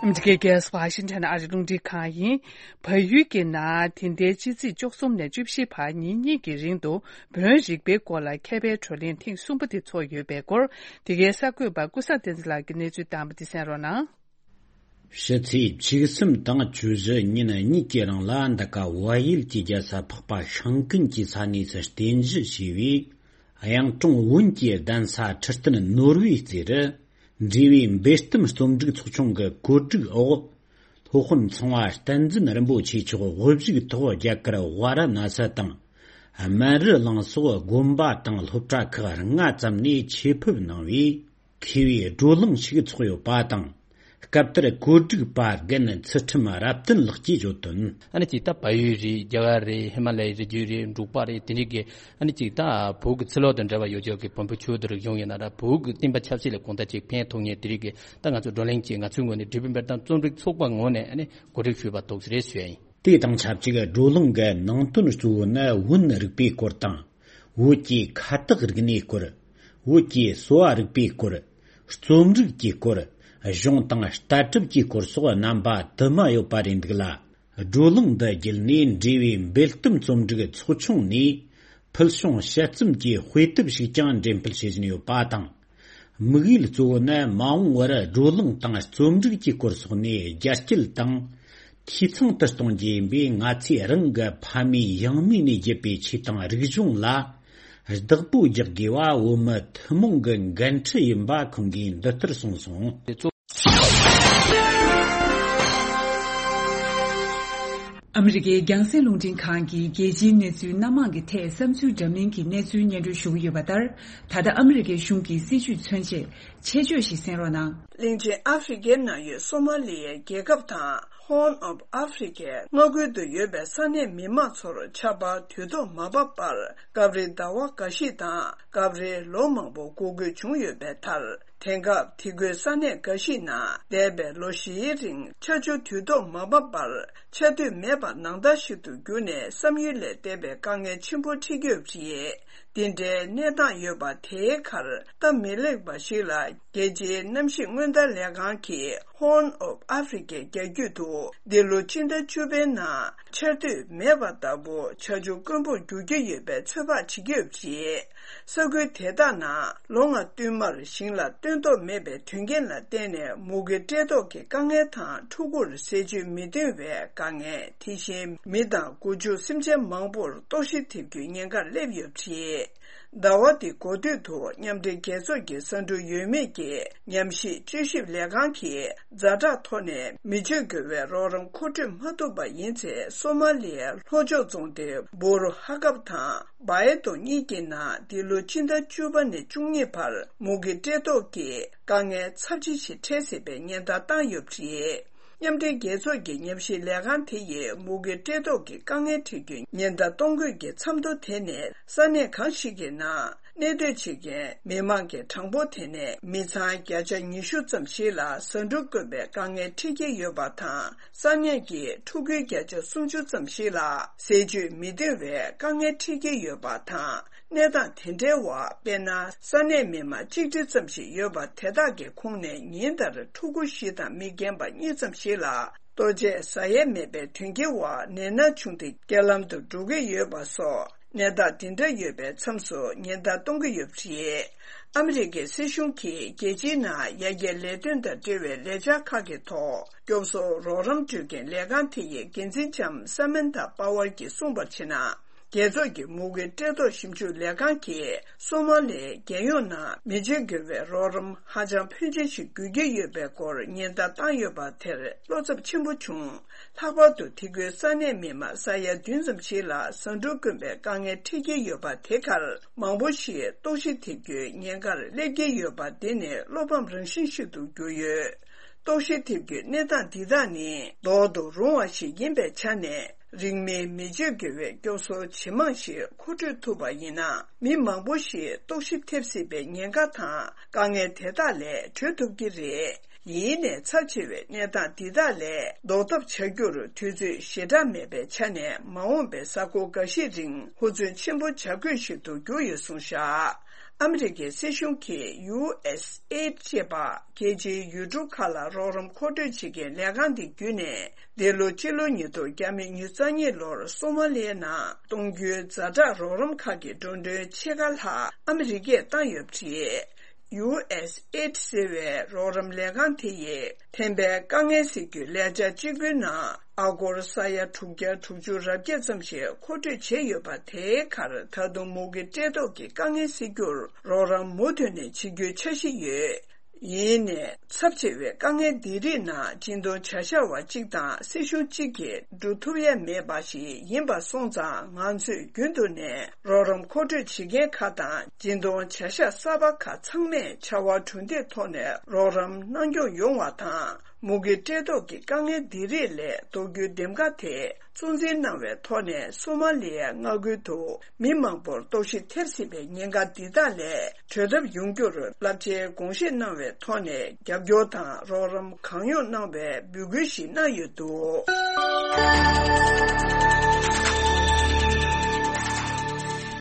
ཨ་མི་རི་ཀའི་རྒྱལ་ས་ཝ་ཤིང་ཊོན་ཨ་རིའི་རླུང་འཕྲིན་ཁང་ཡིན། བལ་ཡུལ་གྱི་ནང་དེ་ལྟའི་ཕྱི་ཚེས་བཅུ་གསུམ་ནས་བཅུ་བཞི་བར་ཉིན་གཉིས་ཀྱི་རིང་དུ་བོན་རིག་པའི་སྐོར་ལ་མཁས་པའི་བགྲོ་གླེང་ཐེངས་གསུམ་པ་དེ་ཚོགས་ཡོད་པའི་སྐོར། འདི་གའི་གསར་འགོད་པ་ཀུན་བཟང་བསྟན་འཛིན་ལགས་ཀྱིས་གནས་ཚུལ་བཏང་བ་དེ་གསན་རོགས་གནང་། ཕྱི་ཚེས་བཅུ་གསུམ་དང་བཅུ་བཞི་ཉིན་གཉིས་ཀྱི་རིང་ལ་འདི་ག་བལ་ཡུལ་གྱི་རྒྱལ་ས་འཕགས་པ་ཤིང་ཀུན་གྱི་ས་གནས་སུ་རྟེན་གཞི་བྱས་པའི་གཡང་གྲོང་བོན་གྱི་གདན་ས་ཁྲི་སྟེང་ནོར་བུའི་རྩེ་རུ། འབྲེལ་བའི་འབེལ་གཏམ་རྩོམ་སྒྲིག་ཚོགས་ཆུང་གི་གོ་སྒྲིག་འོག་སློབ་དཔོན་ཚངས་པ་བསྟན་འཛིན་རིན་པོ་ཆེ་མཆོག་དབུ་བཞུགས་ཐོག་རྒྱ་གར་ཝཱ་ར་ཎ་སི་དང་། སྨན་རི་གླིང་སོགས་དགོན་པ་དང་སློབ་གྲྭ་ཁག་ལྔ་ཙམ་ནས་ཆེད་ཕེབས་གནང་བས། མཁས་པའི་བགྲོ་གླེང་ཞིག་ཚོགས་ཡོད་པ་དང་། སྐབས་དེར་གོ་སྒྲིག་པ་རྒན་ཚུལ་ཁྲིམས་རབ་བརྟན་ལགས་ཀྱིས་བརྗོད་དོན། ཨ་ནི་ཅིག་ད་བལ་ཡུལ་རེད། རྒྱ་གར་རེད། ཧི་མ་ལ་ཡའི་རི་རྒྱུད་རེད། འབྲུག་པ་རེད། དེ་འདྲའི་གི་ཨ་ནི་ཅིག་ད་བོད་ཀྱི་ཚུར་ལོག་དང་འབྲེལ་བ་ཡོད་ཆོག་གི་བོན་པོ་ཆོས་དང་རིག་གཞུང་ཡིན་ན་ར། བོད་ཀྱི་བསྟན་པ་ཆབ་སྲིད་ལ་གང་ལྟར་ཅིག་ཕན་ཐོགས་མཁན་དེ་རིགས་ཀྱི་ད་ང་ཚོ་བགྲོ་གླེང་ཅིག་ང་ཚོའི་ངོས་ནས་འབྲས་བུ་འབེལ་གཏམ་རྩོམ་སྒྲིག་ཚོགས་པ་ངོས་ནས་ཨ་ནི་གོ་སྒྲིག་ཞུས་པ་འདུག་ཟེར་ཞུ་ཡ་ཡིན། དེ་དང་ཆབས་ཅིག་བགྲོ་གླེང་གི་ནང་དོན་གཙོ་བོ་ནི་བོན་རིག་པའི་སྐོར་དང་། བོད་ཀྱི་ཁ་བཏགས་རིག་གནས་སྐོར། བོད་ཀྱི་གསོ་བ་རིག་པའི་སྐོར། རྩོམ་རིག་གི་སྐོར། གཞུང་དང་ལྟ་གྲུབ་ཀྱི་སྐོར་སོགས་རྣམ་པ་དུ་མ་ཡོད་པ་རེད་འདུག་ལ། བགྲོ་གླེང་འདི་བརྒྱུད་ནས་འབྲེལ་བའི་འབེལ་གཏམ་རྩོམ་སྒྲིག་ཚོགས་ཆུང་ནས་ཕུལ་བྱུང་དཔྱད་རྩོམ་གྱི་དཔེ་དེབ་ཞིག་ཀྱང་འགྲེམས་སྤེལ་བྱེད་བཞིན་ཡོད་པ་དང་། དམིགས་ཡུལ་གཙོ་བོ་ནི་མ་འོངས་པར་བགྲོ་གླེང་དང་རྩོམ་སྒྲིག་གི་སྐོར་སོགས་ནས་རྒྱ་སྐྱེད་དང་། འཐུས་ཚང་དུ་གཏོང་རྒྱུ་ཡིན་པས། ང་ཚོས་རང་གི་ཕ་མེས་ཡང་མེས་ནས་བརྒྱུད་པའི་ཆོས་དང་རིག་གཞུང་ལ་བདག་པོ་རྒྱག་དགོས་པ་བོད་མི་ཐུན་མོང་གི་འགན་འཁྲི་ཡིན་པ་ཁོང་གིས་འདི་ལྟར་གསུངས་སོང་། ཨ་མི་རི་ཀའི་རྒྱང་སྲིང་རླུང་འཕྲིན་ཁང་གིས་རྒྱལ་སྤྱིའི་གནས་ཚུལ་སྣ་མང་གི་ཐད་བསམ་ཚུལ་འདྲ་མིན་གྱི་གནས་ཚུལ་སྙན་སྒྲོན་ཞུ་གི་ཡོད་པ་ལྟར། ད་ལྟ་ཨ་མི་རི་ཀའི་གཞུང་གི་སྲིད་བྱུས་མཚོན་ཆེད་ཆེད་བརྗོད་ཞིག་གསན་རོགས་གནང་། གླིང་ཆེན་ཨ་ཧྥེ་རི་ཁའི་ནང་ཡོད་སོ་མ་ལི་ཡའི་རྒྱལ་ཁབ་དང་། Horn of Africa མངའ་ཁུལ་དུ་ཡོད་པའི་ས་གནས་མི་མང་ཚོར་ཆར་པ་དུས་ཐོག་མ་བབས་པར་སྐབས་རེ་ཟླ་བ་འགའ་ཞིག་དང་སྐབས་རེ་ལོ་མང་པོ་འགོར་དགོས་བྱུང་ཡོད་པའི་མཐར། དེང་སྐབས་དེ་ཁུལ་ས་གནས་འགའ་ཞིག་ནང་འདས་པའི་ལོ་བཞིའི་རིང་ཆར་ཆུ་དུས་ཐོག་མ་བབས་པར་ཆར་དུས་མེད་པ་ནང་ལྟར་ཞིག་ཏུ་གྱུར་ནས་བསམ་ཡུལ་ལས་འདས་པའི་དཀའ་ངལ་ཆེན་པོ་འཕྲད་ཀྱི་ཡོད་པ་རེད། འདི་འདྲའི་གནས་སྟངས་ཡོད་པ་དེའི་ཁར་སྟབས་མི་ལེགས་པ་ཞིག་ལ། རྒྱལ་སྤྱིའི་གནམ་གཤིས་སྔོན་བརྡ་ལས་ཁང་གིས་Horn of Africa རྒྱ་རྒྱུད་དུ་འདི་ལོ་སྤྱི་ཟླ་བཅུ་པའི་ནང་ཆར་དུས་མེད་པ་ལྟ་བུ་ཆར་ཆུ་དཀོན་པོར་འགྱུར་གྱི་ཡོད་པའི་ཚོད་དཔག་བྱེད་ཀྱི་ཡོད་པ་རེད། ས་ཁུལ་དེ་དག་ནང་ལོ་ལྔ་བསྟུད་མར་ཞིང་ལ་སྟོན་ཐོག་མེད་པའི་དོན་རྐྱེན་ལ་བརྟེན་ནས་མུ་གེ་བཀྲེས་ལྟོགས་ཀྱི་དཀའ་ངལ་དང་ཕྲུ་གུར་ཟས་བཅུད་མི་ཐོན་པའི་དཀའ་ངལ། དེ་བཞིན་མི་དང་སྒོ་ཕྱུགས་སེམས་ཅན་མང་པོར་ལྟོགས་ཤི་ཐེབས་རྒྱུའི་ཉེན་ཁ་སླེབས་ཡོད་པ་རེད། ཟླ་བ་འདི་འགོ་སྟོད་དུ་མཉམ་འབྲེལ་རྒྱལ་ཚོགས་ཀྱི་ཟ་འབྲུ་ཡོད་མེད་ཀྱི་ཉམས་ཞིབ་དཔྱད་ཞིབ་ལས་ཁང་གིས་ཛ་དྲག་ཐོག་ནས་མི་སྤྱོད་དགོས་པའི་རོགས་རམ་མཁོ་སྤྲོད་མ་ཐུབ་པ་ཡིན་ཚེ། སོ་མ་ལི་ཡའི་ལྷོ་ཕྱོགས་རྫོང་སྡེ་བོ་རུ་ཧ་ཀབ་དང་བ་ཨེ་ཏོ་གཉིས་ཀྱི་ནང་འདི་ལོ་སྤྱི་ཟླ་བཅུ་པ་ནས་བཅུ་གཉིས་བར་མུ་གེ་བཀྲེས་ལྟོགས་ཀྱི་དཀའ་ངལ་ཚབས་ཆེ་ཞིག་འཕྲད་སྲིད་པའི་ཉེན་བརྡ་བཏང་ཡོད་པ་རེད། མཉམ་འབྲེལ་རྒྱལ་ཚོགས་ཀྱི་ཉམས་ཞིབ་ལས་ཁང་དེ་ཡིས་མུ་གེ་བཀྲེས་ལྟོགས་ཀྱི་དཀའ་ངལ་འཕྲད་རྒྱུའི་ཉེན་བརྡ་གཏོང་དགོས་ཀྱི་མཚམས་ཐོ་དེ་ནི་ས་གནས་གང་ཞིག་གི་ནང་གནས་སྡོད་བྱེད་མཁན་མི་མང་གི་གྲངས་འབོར་དེ་ནི་མི་ཚང་བརྒྱ་ཆ་ཉི་ཤུ་ཙམ་ཞིག་ལ་ཟ་འབྲུ་དཀོན་པའི་དཀའ་ངལ་འཕྲད་ཀྱི་ཡོད་པ་དང་། ས་གནས་ཀྱི་ཕྲུ་གུའི་བརྒྱ་ཆ་སུམ་ཅུ་ཙམ་ཞིག་ལ་ཟས་བཅུད་མི་ཐོན་པའི་དཀའ་ངལ་འཕྲད་ཀྱི་ཡོད་པ་དང་། གནས་སྟངས་དེ་འདྲའི་འོག་དཔེར་ན། ས་གནས་མི་མང་གཅིག་ཁྲི་ཙམ་ཞིག་ཡོད་པ་དེ་དག་གི་ཁོངས་ནས་ཉིན་ལྟར་ཕྲུ་གུ་བཞི་དང་མི་རྒན་པ་གཉིས་ཙམ་ཞིག་ལ་ལྟོ་ཆས་ཟ་ཡས་མེད་པའི་དོན་རྐྱེན་འོག་ནད་མནར་བྱུང་སྟེ་རྐྱེན་ལམ་དུ་འགྲོ་གི་ཡོད་པ་སོགས་ གནས་སྟངས་འདི་འདྲ་ཡོད་པའི་མཚམས་སུ་ཉེན་བརྡ་གཏོང་གི་ཡོད་པ་རེད། ཨ་མི་རི་ཀའི་སྲིད་གཞུང་གིས་རྒྱལ་སྤྱིའི་ནང་ཡར་རྒྱས་ལས་དོན་དང་འབྲེལ་བའི་ལས་འཆར་ཁག་གི་ཐོག་སྐྱོབ་གསོ་རོགས་རམ་སྤྲོད་མཁན་ལས་ཁང་དེ་ཡི་འགན་འཛིན་ལྕམ་ས་མན་ཐ་པ་ཝར་གྱིས་གསུངས་པར་བྱས་ན། རྒྱལ་ཚོགས་ཀྱི་མུ་གེ་བཀྲེས་ལྟོགས་ཞིབ་འཇུག་ལས་ཁང་གིས་སོ་མ་ལིའི་རྒྱལ་ཡོངས་ནང་མི་བརྗེ་དགོས་པའི་རོགས་རམ་ཧ་ཅང་ཕོན་ཆེན་ཞིག་དགོས་ཀྱི་ཡོད་པའི་སྐོར་ཉེན་བརྡ་བཏང་ཡོད་པ་དེར་བློ་འཚབ་ཆེན་པོ་བྱུང་། ལྷག་པར་དུ་དེ་ཁུལ་ས་གནས་མི་མང་ས་ཡ་བདུན་ཙམ་ཞིག་ལ་ཟ་འབྲུ་དཀོན་པའི་དཀའ་ངལ་འཕྲད་ཀྱི་ཡོད་པ་དེ་གར་མང་པོ་ཞིག་ལྟོགས་ཤི་ཐེབས་རྒྱུའི་ཉེན་ཁར་སླེབས་ཀྱི་ཡོད་པ་འདི་ནི་བློ་ཕམ་རང་བཞིན་ཞིག་ཏུ་གྱུར་ཡོད། ལྟོགས་ཤི་ཐེབས་རྒྱུའི་གནས་སྟངས་འདི་དག་ནི་ལྡོག་ཏུ་རུང་བ་ཞིག་ཡིན་པའི་ཆ་ནས། རིང་མིན་མི་བརྗེ་དགོས་པའི་སྐྱོབ་གསོ་ཇེ་མང་ཞིག་མཁོ་སྤྲོད་ཐུབ་པ་ཡིན་ན། མི་མང་པོ་ཞིག་ལྟོགས་ཤི་ཐེབས་སྲིད་པའི་ཉེན་ཁ་དང་དཀའ་ངལ་དེ་དག་ལས་གྲོལ་ཐུབ་ཀྱི་རེད། ཡིན་ནའི་ཚབས་ཆེ་བའི་གནས་སྟངས་འདི་དག་ལས་ལྡོག་ཐབས་བྱ་རྒྱུར་དུས་ཚོད་ཞེ་དྲག་མེད་པའི་ཆ་ནས། མ་འོངས་པའི་གཟའ་འཁོར་འགའ་ཤས་རིང་ཧུར་བརྩོན་ཆེན་པོ་བྱ་དགོས་ཤིག་ཏུ་གྱུར་ཡོད་གསུངས་བཞག་ཨ་མི་རི་ཀའི་སྲིད་གཞུང་གིས་ཡུ་ཨེས་ཨེ་ཌི་ཅེས་པ་རྒྱལ་སྤྱིའི་ཡུལ་གྲུ་ཁག་ལ་རོགས་རམ་མཁོ་སྤྲོད་བྱེད་མཁན་ལས་ཁང་འདི་བརྒྱུད་ནས། འདི་ལོ་སྤྱི་ལོ་ཉིས་སྟོང་ཉི་ཤུ་རྩ་གཉིས་ལོར་སོ་མ་ལི་ཡའི་ནང་གཏོང་རྒྱུའི་ཛ་དྲག་རོགས་རམ་ཁག་གི་འགྲོ་གྲོན་ཕྱེད་ཀ་ལྷག་ཨ་མི་རི་ཀས་བཏང་ཡོད་པ་རེད། ཡུ་ཨེས་ཨེ་ཌི་ཟེར་བའི་རོགས་རམ་ལས་ཁང་དེ་ཡིས་ཐན་པའི་དཀའ་ངལ་སེལ་རྒྱུའི་ལས་འཆར་གཅིག་པུའི་ནང་ཨ་སྒོར་ས་ཡ་དྲུག་བརྒྱ་དྲུག་ཅུ་རེ་བརྒྱད་ཙམ་ཞིག་མཁོ་སྤྲོད་བྱས་ཡོད་པ་དེའི་ཁར། ད་དུང་མུ་གེ་བཀྲེས་ལྟོགས་ཀྱི་དཀའ་ངལ་སེལ་རྒྱུར་རོགས་རམ་མུ་མཐུད་ནས་བྱེད་རྒྱུའི་འཆར་གཞི་ཡོད། ཡིན་ནའི་ཚབས་ཆེ་བའི་དཀའ་ངལ་འདི་རིགས་ནང་སྦྱིན་གཏོང་བྱ་བཞག་པ་གཅིག་དང་སྲིད་གཞུང་གཅིག་གིས་འགྲོ་ཐུབ་ཡ་མེད་པ་ཞིག་ཡིན་པ་སོང་ཙང་། ང་ཚོས་རྒྱུན་དུ་ནས་རོགས་རམ་མཁོ་སྤྲོད་བྱེད་མཁན་ཁག་དང་སྦྱིན་གཏོང་བྱ་གཞག་གསར་པ་ཁག་ཚང་མས་ཕྱར་བ་གྲུ་འདེགས་ཐོག་ནས་རོགས་རམ་གནང་སྐྱོང་ཡོང་བ་དང་། མུ་གེ་བཀྲེས་ལྟོགས་ཀྱི་དཀའ་ངལ་འདི་རིགས་ལས་ལྡོག་རྒྱུའི་འདེམས་ཀ་དེ་གཙོ་འཛིན་གནང་བའི་ཐོག་ནས། སོ་མ་ལི་ཡའི་མངའ་ཁུལ་དུ་མི་མང་པོར་ལྟོགས་ཤི་ཐེབས་སྲིད་པའི་ཉེན་ཁ་འདི་དག་ལས་གྲོལ་ཐབས་ཡོང་རྒྱུར་རླབས་ཆེའི་དགོངས་བཞེས་གནང་བའི་ཐོག་ནས། རྒྱབ་སྐྱོར་དང་རོགས་རམ་གང་ཡོང་གནང་བའི་འབོད་སྐུལ་ཞིག་གནང་ཡོད་འདུག།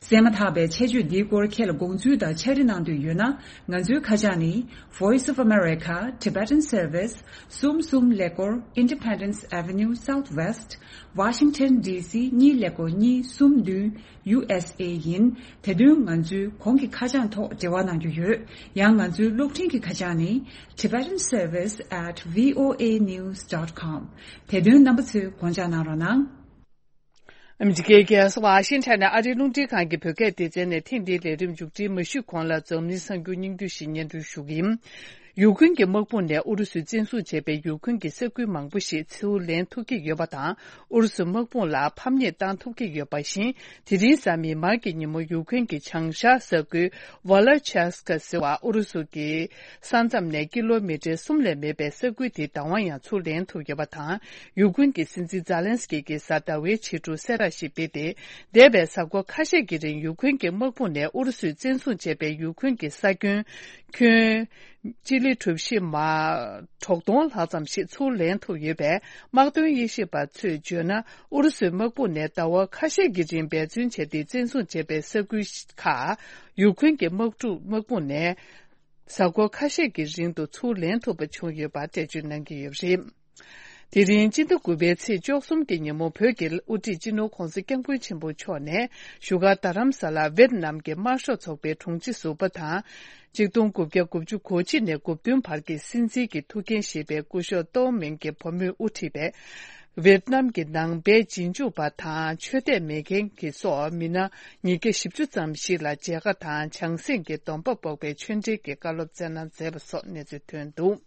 གསན་མ་ཐག་པའི་ཆེད་བརྗོད་འདིའི་སྐོར་ཁྱེད་ལ་དགོངས་ཚུལ་དང་ཕྱག་བྲིས་གནང་འདོད་ཡོད་ན། ང་ཚོའི་ཁ་བྱང་ནི། Voice of America, Tibetan Service, གསུམ་གསུམ་ཀླད་ཀོར་Independence Avenue Southwest, Washington D C གཉིས་ཀླད་ཀོར་གཉིས་གསུམ་བདུན། ཡུ་ཨེས་ཨེ་ཡིན། དེ་དོན་ང་ཚོའི་གོང་གི་ཁ་བྱང་ཐོག་འབྲེལ་བ་གནང་རྒྱུ་ཡོད། ཡང་ང་ཚོའི་གློག་འཕྲིན་གྱི་ཁ་བྱང་ནི། Tibetan Service at V O A news dot com། དེ་དོན་རྣམ་པ་ཚོས་དགོངས་འཇགས་གནང་རོགས་གནང་། ཨ་མི་རི་ཀའི་རྒྱལ་ས་ཝ་ཤིང་ཊོན་ནས་ཨ་རིའི་རླུང་འཕྲིན་ཁང་གི་བོད་སྐད་སྡེ་ཚན་ནས་ཐེངས་འདིའི་ལས་རིམ་མཇུག་སྒྲིལ་མ་ཞུས་གོང་ལ་འཛམ་གླིང་གསར་འགྱུར་སྙིང་བསྡུས་ཤིག་སྙན་སྒྲོན་ཞུ་གི་ཡིན། ཡུཀ་རེན་གྱི་དམག་དཔུང་ནས་ཨུ་རུ་སུས་བཙན་བཟུང་བྱས་པའི་ཡུཀ་རེན་གྱི་ས་ཁུལ་མང་པོ་ཞིག་ཚུར་ལེན་ཐུབ་ཀྱི་ཡོད་པ་དང་། ཨུ་རུ་སུའི་དམག་དཔུང་ལ་ཕམ་ཉེས་བཏང་ཐུབ་ཀྱི་ཡོད་པ་བཞིན། དེ་རིང་གཟའ་མིག་དམར་གྱི་ཉིན་མོ་ཡུཀ་རེན་གྱི་བྱང་ཤར་ས་ཁུལ་ཝ་ལ་ཆེ་སི་ཀ་ཟེར་བ་ཨུ་རུ་སུ་གྱི་ས་མཚམས་ནས་ཀི་ལོ་མི་ཊར་གསུམ་ལས་མེད་པའི་ས་ཁུལ་དེ་བདག་དབང་ཡང་ཚུར་ལེན་ཐུབ་ཡོད་པ་དང་། ཡུཀ་རེན་གྱི་སྲིད་འཛིན་ཛཱ་ལན་སི་ཀི་གིས་གཟའ་ཟླ་བའི་ཕྱི་དྲོ་གསལ་བསྒྲགས་ཤིག་སྤེལ་ཏེ། འདས་པའི་གཟའ་འཁོར་ཁ་ཤས་ཀྱི་རིང་ཡུཀ་རེན་གྱི་དམག་དཔུང་ནས་ཨུ་རུ་སུས་བཙན་བཟུང་བྱས་པའི་ཡུཀ་རེན་གྱི་ས་ཁྱོན་ཁྱོན་སྤྱི་ལེ་གྲུ་བཞི་མ་དྲུག་སྟོང་ལྷག་ཙམ་ཞིག་ཚུར་ལེན་ཐུབ་ཡོད་པས། དམག་དོན་དབྱེ་ཞིབ་པ་ཚོས་བརྗོད་ན། ཨུ་རུ་སུའི་དམག་དཔུང་ནས་ཟླ་བ་ཁ་ཤས་ཀྱི་རིང་འབད་བརྩོན་བྱས་ཏེ་བཙན་བཟུང་བྱས་པའི་ས་ཁུལ་ཁག་ཡུཀ་རེན་གྱི་དམག་འཁྲུག་དམག་དཔུང་ནས། གཟའ་འཁོར་ཁ་ཤས་ཀྱི་རིང་དུ་ཚུར་ལེན་ཐུབ་པ་བྱུང་ཡོད་པ་འགྲེལ་བརྗོད་གནང་གི་ཡོད་པ་རེད། དེ་རིང་སྤྱི་ཟླ་དགུ་པའི་ཚེས་བཅུ་གསུམ་གྱི་ཉིན་མོ། བོད་ཀྱི་དབུ་ཁྲིད་སྤྱི་ནོར་༧གོང་ས་༧སྐྱབས་མགོན་ཆེན་པོ་མཆོག་ནས་བཞུགས་སྒར་རྡ་རམ་ས་ལར་ཝེད་ནམ་གྱི་དམར་ཤོག་ཚོགས་པའི་དྲུང་ཆེ་ཟུར་པ་དང་། ཆིག་སྟོང་དགུ་བརྒྱ་དགུ་བཅུ་གོ་གཅིག་ནས་དགུ་བདུན་བར་གྱི་སྲིད་འཛིན་གྱི་ཐུགས་འགན་བཞེས་པའི་སྐུ་ཞབས་ཏོའུ་མིང་གི་བུ་མོས་དབུ་ཁྲིད་པའི་ཝེད་ནམ་གྱི་ནང་པའི་རྗེས་འཇུག་པ་དང་ཆོས་དད་མེད་མཁན་གྱི་སོགས་མི་སྣ་ཉིས་བརྒྱ་བཞི་བཅུ་ཙམ་ཞིག་ལ་མཇལ་ཁ་དང་བྱང་སེམས་ཀྱི་སྡོམ་པ་ཕོག་པའི་ཆོས་འབྲེལ་གྱི་བཀའ་སློབ་སྩལ་གནང་མཛད་པ་སོགས་གནས་ཚུལ་ཐོན་འདུག།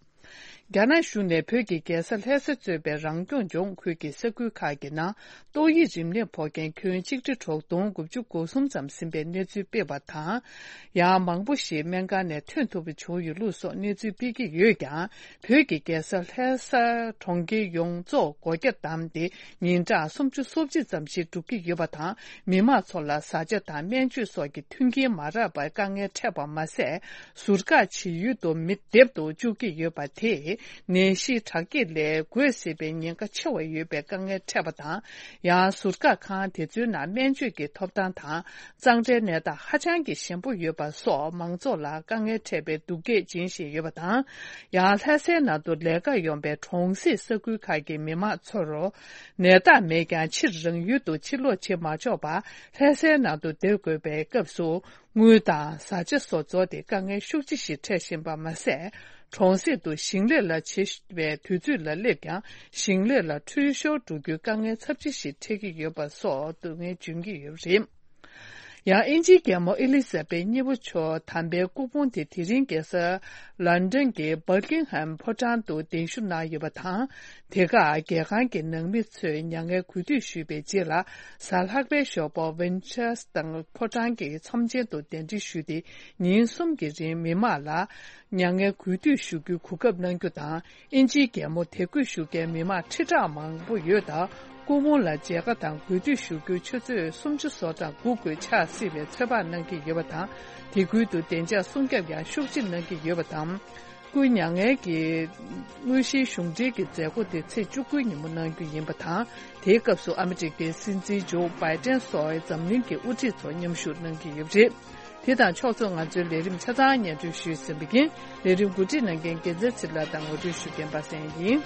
རྒྱ་ནག་གཞུང་ནས་བོད་ཀྱི་རྒྱལ་ས་ལྷ་ས་གཙོས་པའི་རང་སྐྱོང་ལྗོངས་ཁུལ་གྱི་ས་ཁུལ་ཁག་གི་ནང་ཏོག་དབྱིབས་རིམས་ནད་ཕོག་མཁན་ཁྱོན་གཅིག་ཁྲི་དྲུག་སྟོང་དགུ་བཅུ་གོ་གསུམ་ཙམ་ཟིན་པའི་གནས་ཚུལ་སྤེལ་བ་དང་། ཡང་མང་པོ་ཞིག་སྨན་ཁང་ནས་ཐོན་ཐུབ་པ་བྱུང་ཡོད་ལུགས་སོགས་གནས་ཚུལ་སྤེལ་གྱི་ཡོད་ཀྱང་། བོད་ཀྱི་རྒྱལ་ས་ལྷ་སར་གྲོང་ཁྱེར་ཡོངས་རྫོགས་སྒོ་རྒྱ་བསྡམས་ཏེ་ཉིན་གྲངས་སུམ་ཅུ་སོ་གཅིག་ཙམ་ཞིག་འགྲུབ་ཀྱི་ཡོད་པ་དང་། མི་མང་ཚོ་ལ་བཟའ་བཅའ་དང་སྨན་བཅོས་སོགས་ཀྱི་མཐུན་རྐྱེན་མ་རག་པར་དཀའ་ངལ་འཕྲད་པ་མ་ཟད། ཟུར་བཀག་བྱེད་ཡུལ་དུ་མི་སྡེབ་ཏུ་བཅུག་གི་ཡོད་པ་དེས་ ནད་གཞི་དྲག་སྐྱེད་ལས་འགོས་སྲིད་པའི་ཉེན་ཁ་ཆེ་བ་ཡོད་པའི་དཀའ་ངལ་འཕྲད་པ་དང་། ཡང་ཟུར་བཀག་ཁང་དེ་ཚོའི་ནང་སྨན་བཅོས་ཀྱི་ཐོབ་ཐང་དང་། གཙང་སྦྲའི་གནས་སྟངས་ཧ་ཅང་གི་ཞན་པོ་ཡོད་པ་སོགས་མང་ཚོགས་ལ་དཀའ་ངལ་འཕྲད་པའི་སྡུག་སྐད་འབྱིན་བཞིན་ཡོད་པ་དང་། ཡང་ལྷ་སའི་ནང་དུ་ལས་ཀར་ཡོང་པའི་གྲོང་གསེབ་ས་ཁུལ་ཁག་གི་མི་མང་ཚོར་ནད་རྟགས་མེད་ཀྱང་ཕྱིར་རང་ཡུལ་དུ་ཕྱིར་ལོག་བྱེད་མ་ཆོག་པར་ལྷ་སའི་ནང་དུ་སྡོད་དགོས་པའི་སྐབས་སུ། དངུལ་དང་བཟའ་བཅའ་སོགས་རྫོགས་ཏེ་དཀའ་ངལ་ཤུགས་ཆེ་ཞིག་འཕྲད་བཞིན་པ་མ་ཟད། གྲོང་གསེབ་ཏུ་ཞིང་ལས་ལ་བྱེད་པའི་དུས་ཚོད་ལ་སླེབས་ཀྱང་། ཞིང་ལས་ལ་འཕྲུལ་ཤོར་འགྲོ་རྒྱུའི་དཀའ་ངལ་ཚབས་ཆེ་ཞིག་འཕྲད་ཀྱི་ཡོད་པ་སོགས་སྡུག་བསྔལ་འབྱོན་གྱི་ཡོད་པ་རེད། ཡང་། དབྱིན་ཇིའི་རྒྱལ་མོ་ཨེ་ལི་ཟ་བེད་གཉིས་པ་མཆོག་དམ་པའི་སྐུ་ཕུང་དེ་དེ་རིང་རྒྱལ་ས་ལོན་ཌོན་གྱི་བྷར་ཀིང་ཧམ་ཕོ་བྲང་དུ་གདན་ཞུ་གནང་ཡོད་པ་དང་། དེ་ཁར་རྒྱལ་ཁང་གི་ནང་མི་ཚོས་མྱ་ངན་གུས་འདུད་ཞུས་པའི་རྗེས་ལ། གཟའ་ལྷག་པའི་ཞོགས་པ་ཝིན་ཆར་སི་ཊར་ཕོ་བྲང་གི་ཚོམས་ཆེན་དུ་གདན་འདྲེན་ཞུས་ཏེ། ཉིན་གསུམ་གྱི་རིང་མི་མང་ལ་མྱ་ངན་གུས་འདུད་ཞུ་རྒྱུའི་གོ་སྐབས་གནང་རྒྱུ་དང་། དབྱིན་ཇིའི་རྒྱལ་མོ་དད་གུས་ཞུ་མཁན་མི་མང་ཁྲི་ཕྲག་མང་པོ་ཡོད་སྟབས། སྐུ་ཕུང་ལ་མཇལ་ཁ་དང་གུས་འདུད་ཞུ་རྒྱུའི་ཆུ་ཚོད་སུམ་ཅུ་སོ་གྲངས་སྒུག་དགོས་ཆགས་སྲིད་པའི་ཚོད་དཔག་གནང་གི་ཡོད་པ་དང་། དེ་ཁུལ་དུ་བདེ་འཇགས་སྲུང་སྐྱོབ་ཡང་ཤུགས་ཆེ་གནང་གི་ཡོད་པ་དང་། སྐུའི་མྱ་ངན་གྱི་དངོས་གཞིའི་གཞུང་འབྲེལ་གྱི་མཛད་སྒོ་དེ་ཚེས་བཅུ་དགུའི་ཉིན་མོ་གནང་རྒྱུ་ཡིན་པ་དང་། དེའི་སྐབས་སུ་ཨ་མི་རི་ཀའི་སྲིད་འཛིན་ཇོ་བྷའི་ཏན་སོགས་འཛམ་གླིང་གི་དབུ་ཁྲིད་ཚོ་མཉམ་ཞུགས་གནང་གི་ཡོད་པ་རེད། དེ་དང་ཕྱོགས་མཚུངས་ང་ཚོའི་ལས་རིམ་ཆ་ཚང་སྙན་སྒྲོན་ཞུས་ཟིན་པ་ཡིན། ལས་རིམ་གོ་སྒྲིག་གནང་མཁན་རྒྱལ་མཚན་ཚེ་རིང་ལགས་དང་ངོ་སྤྲོད་ཞུ་མཁན་པ་སངས་ཡིན།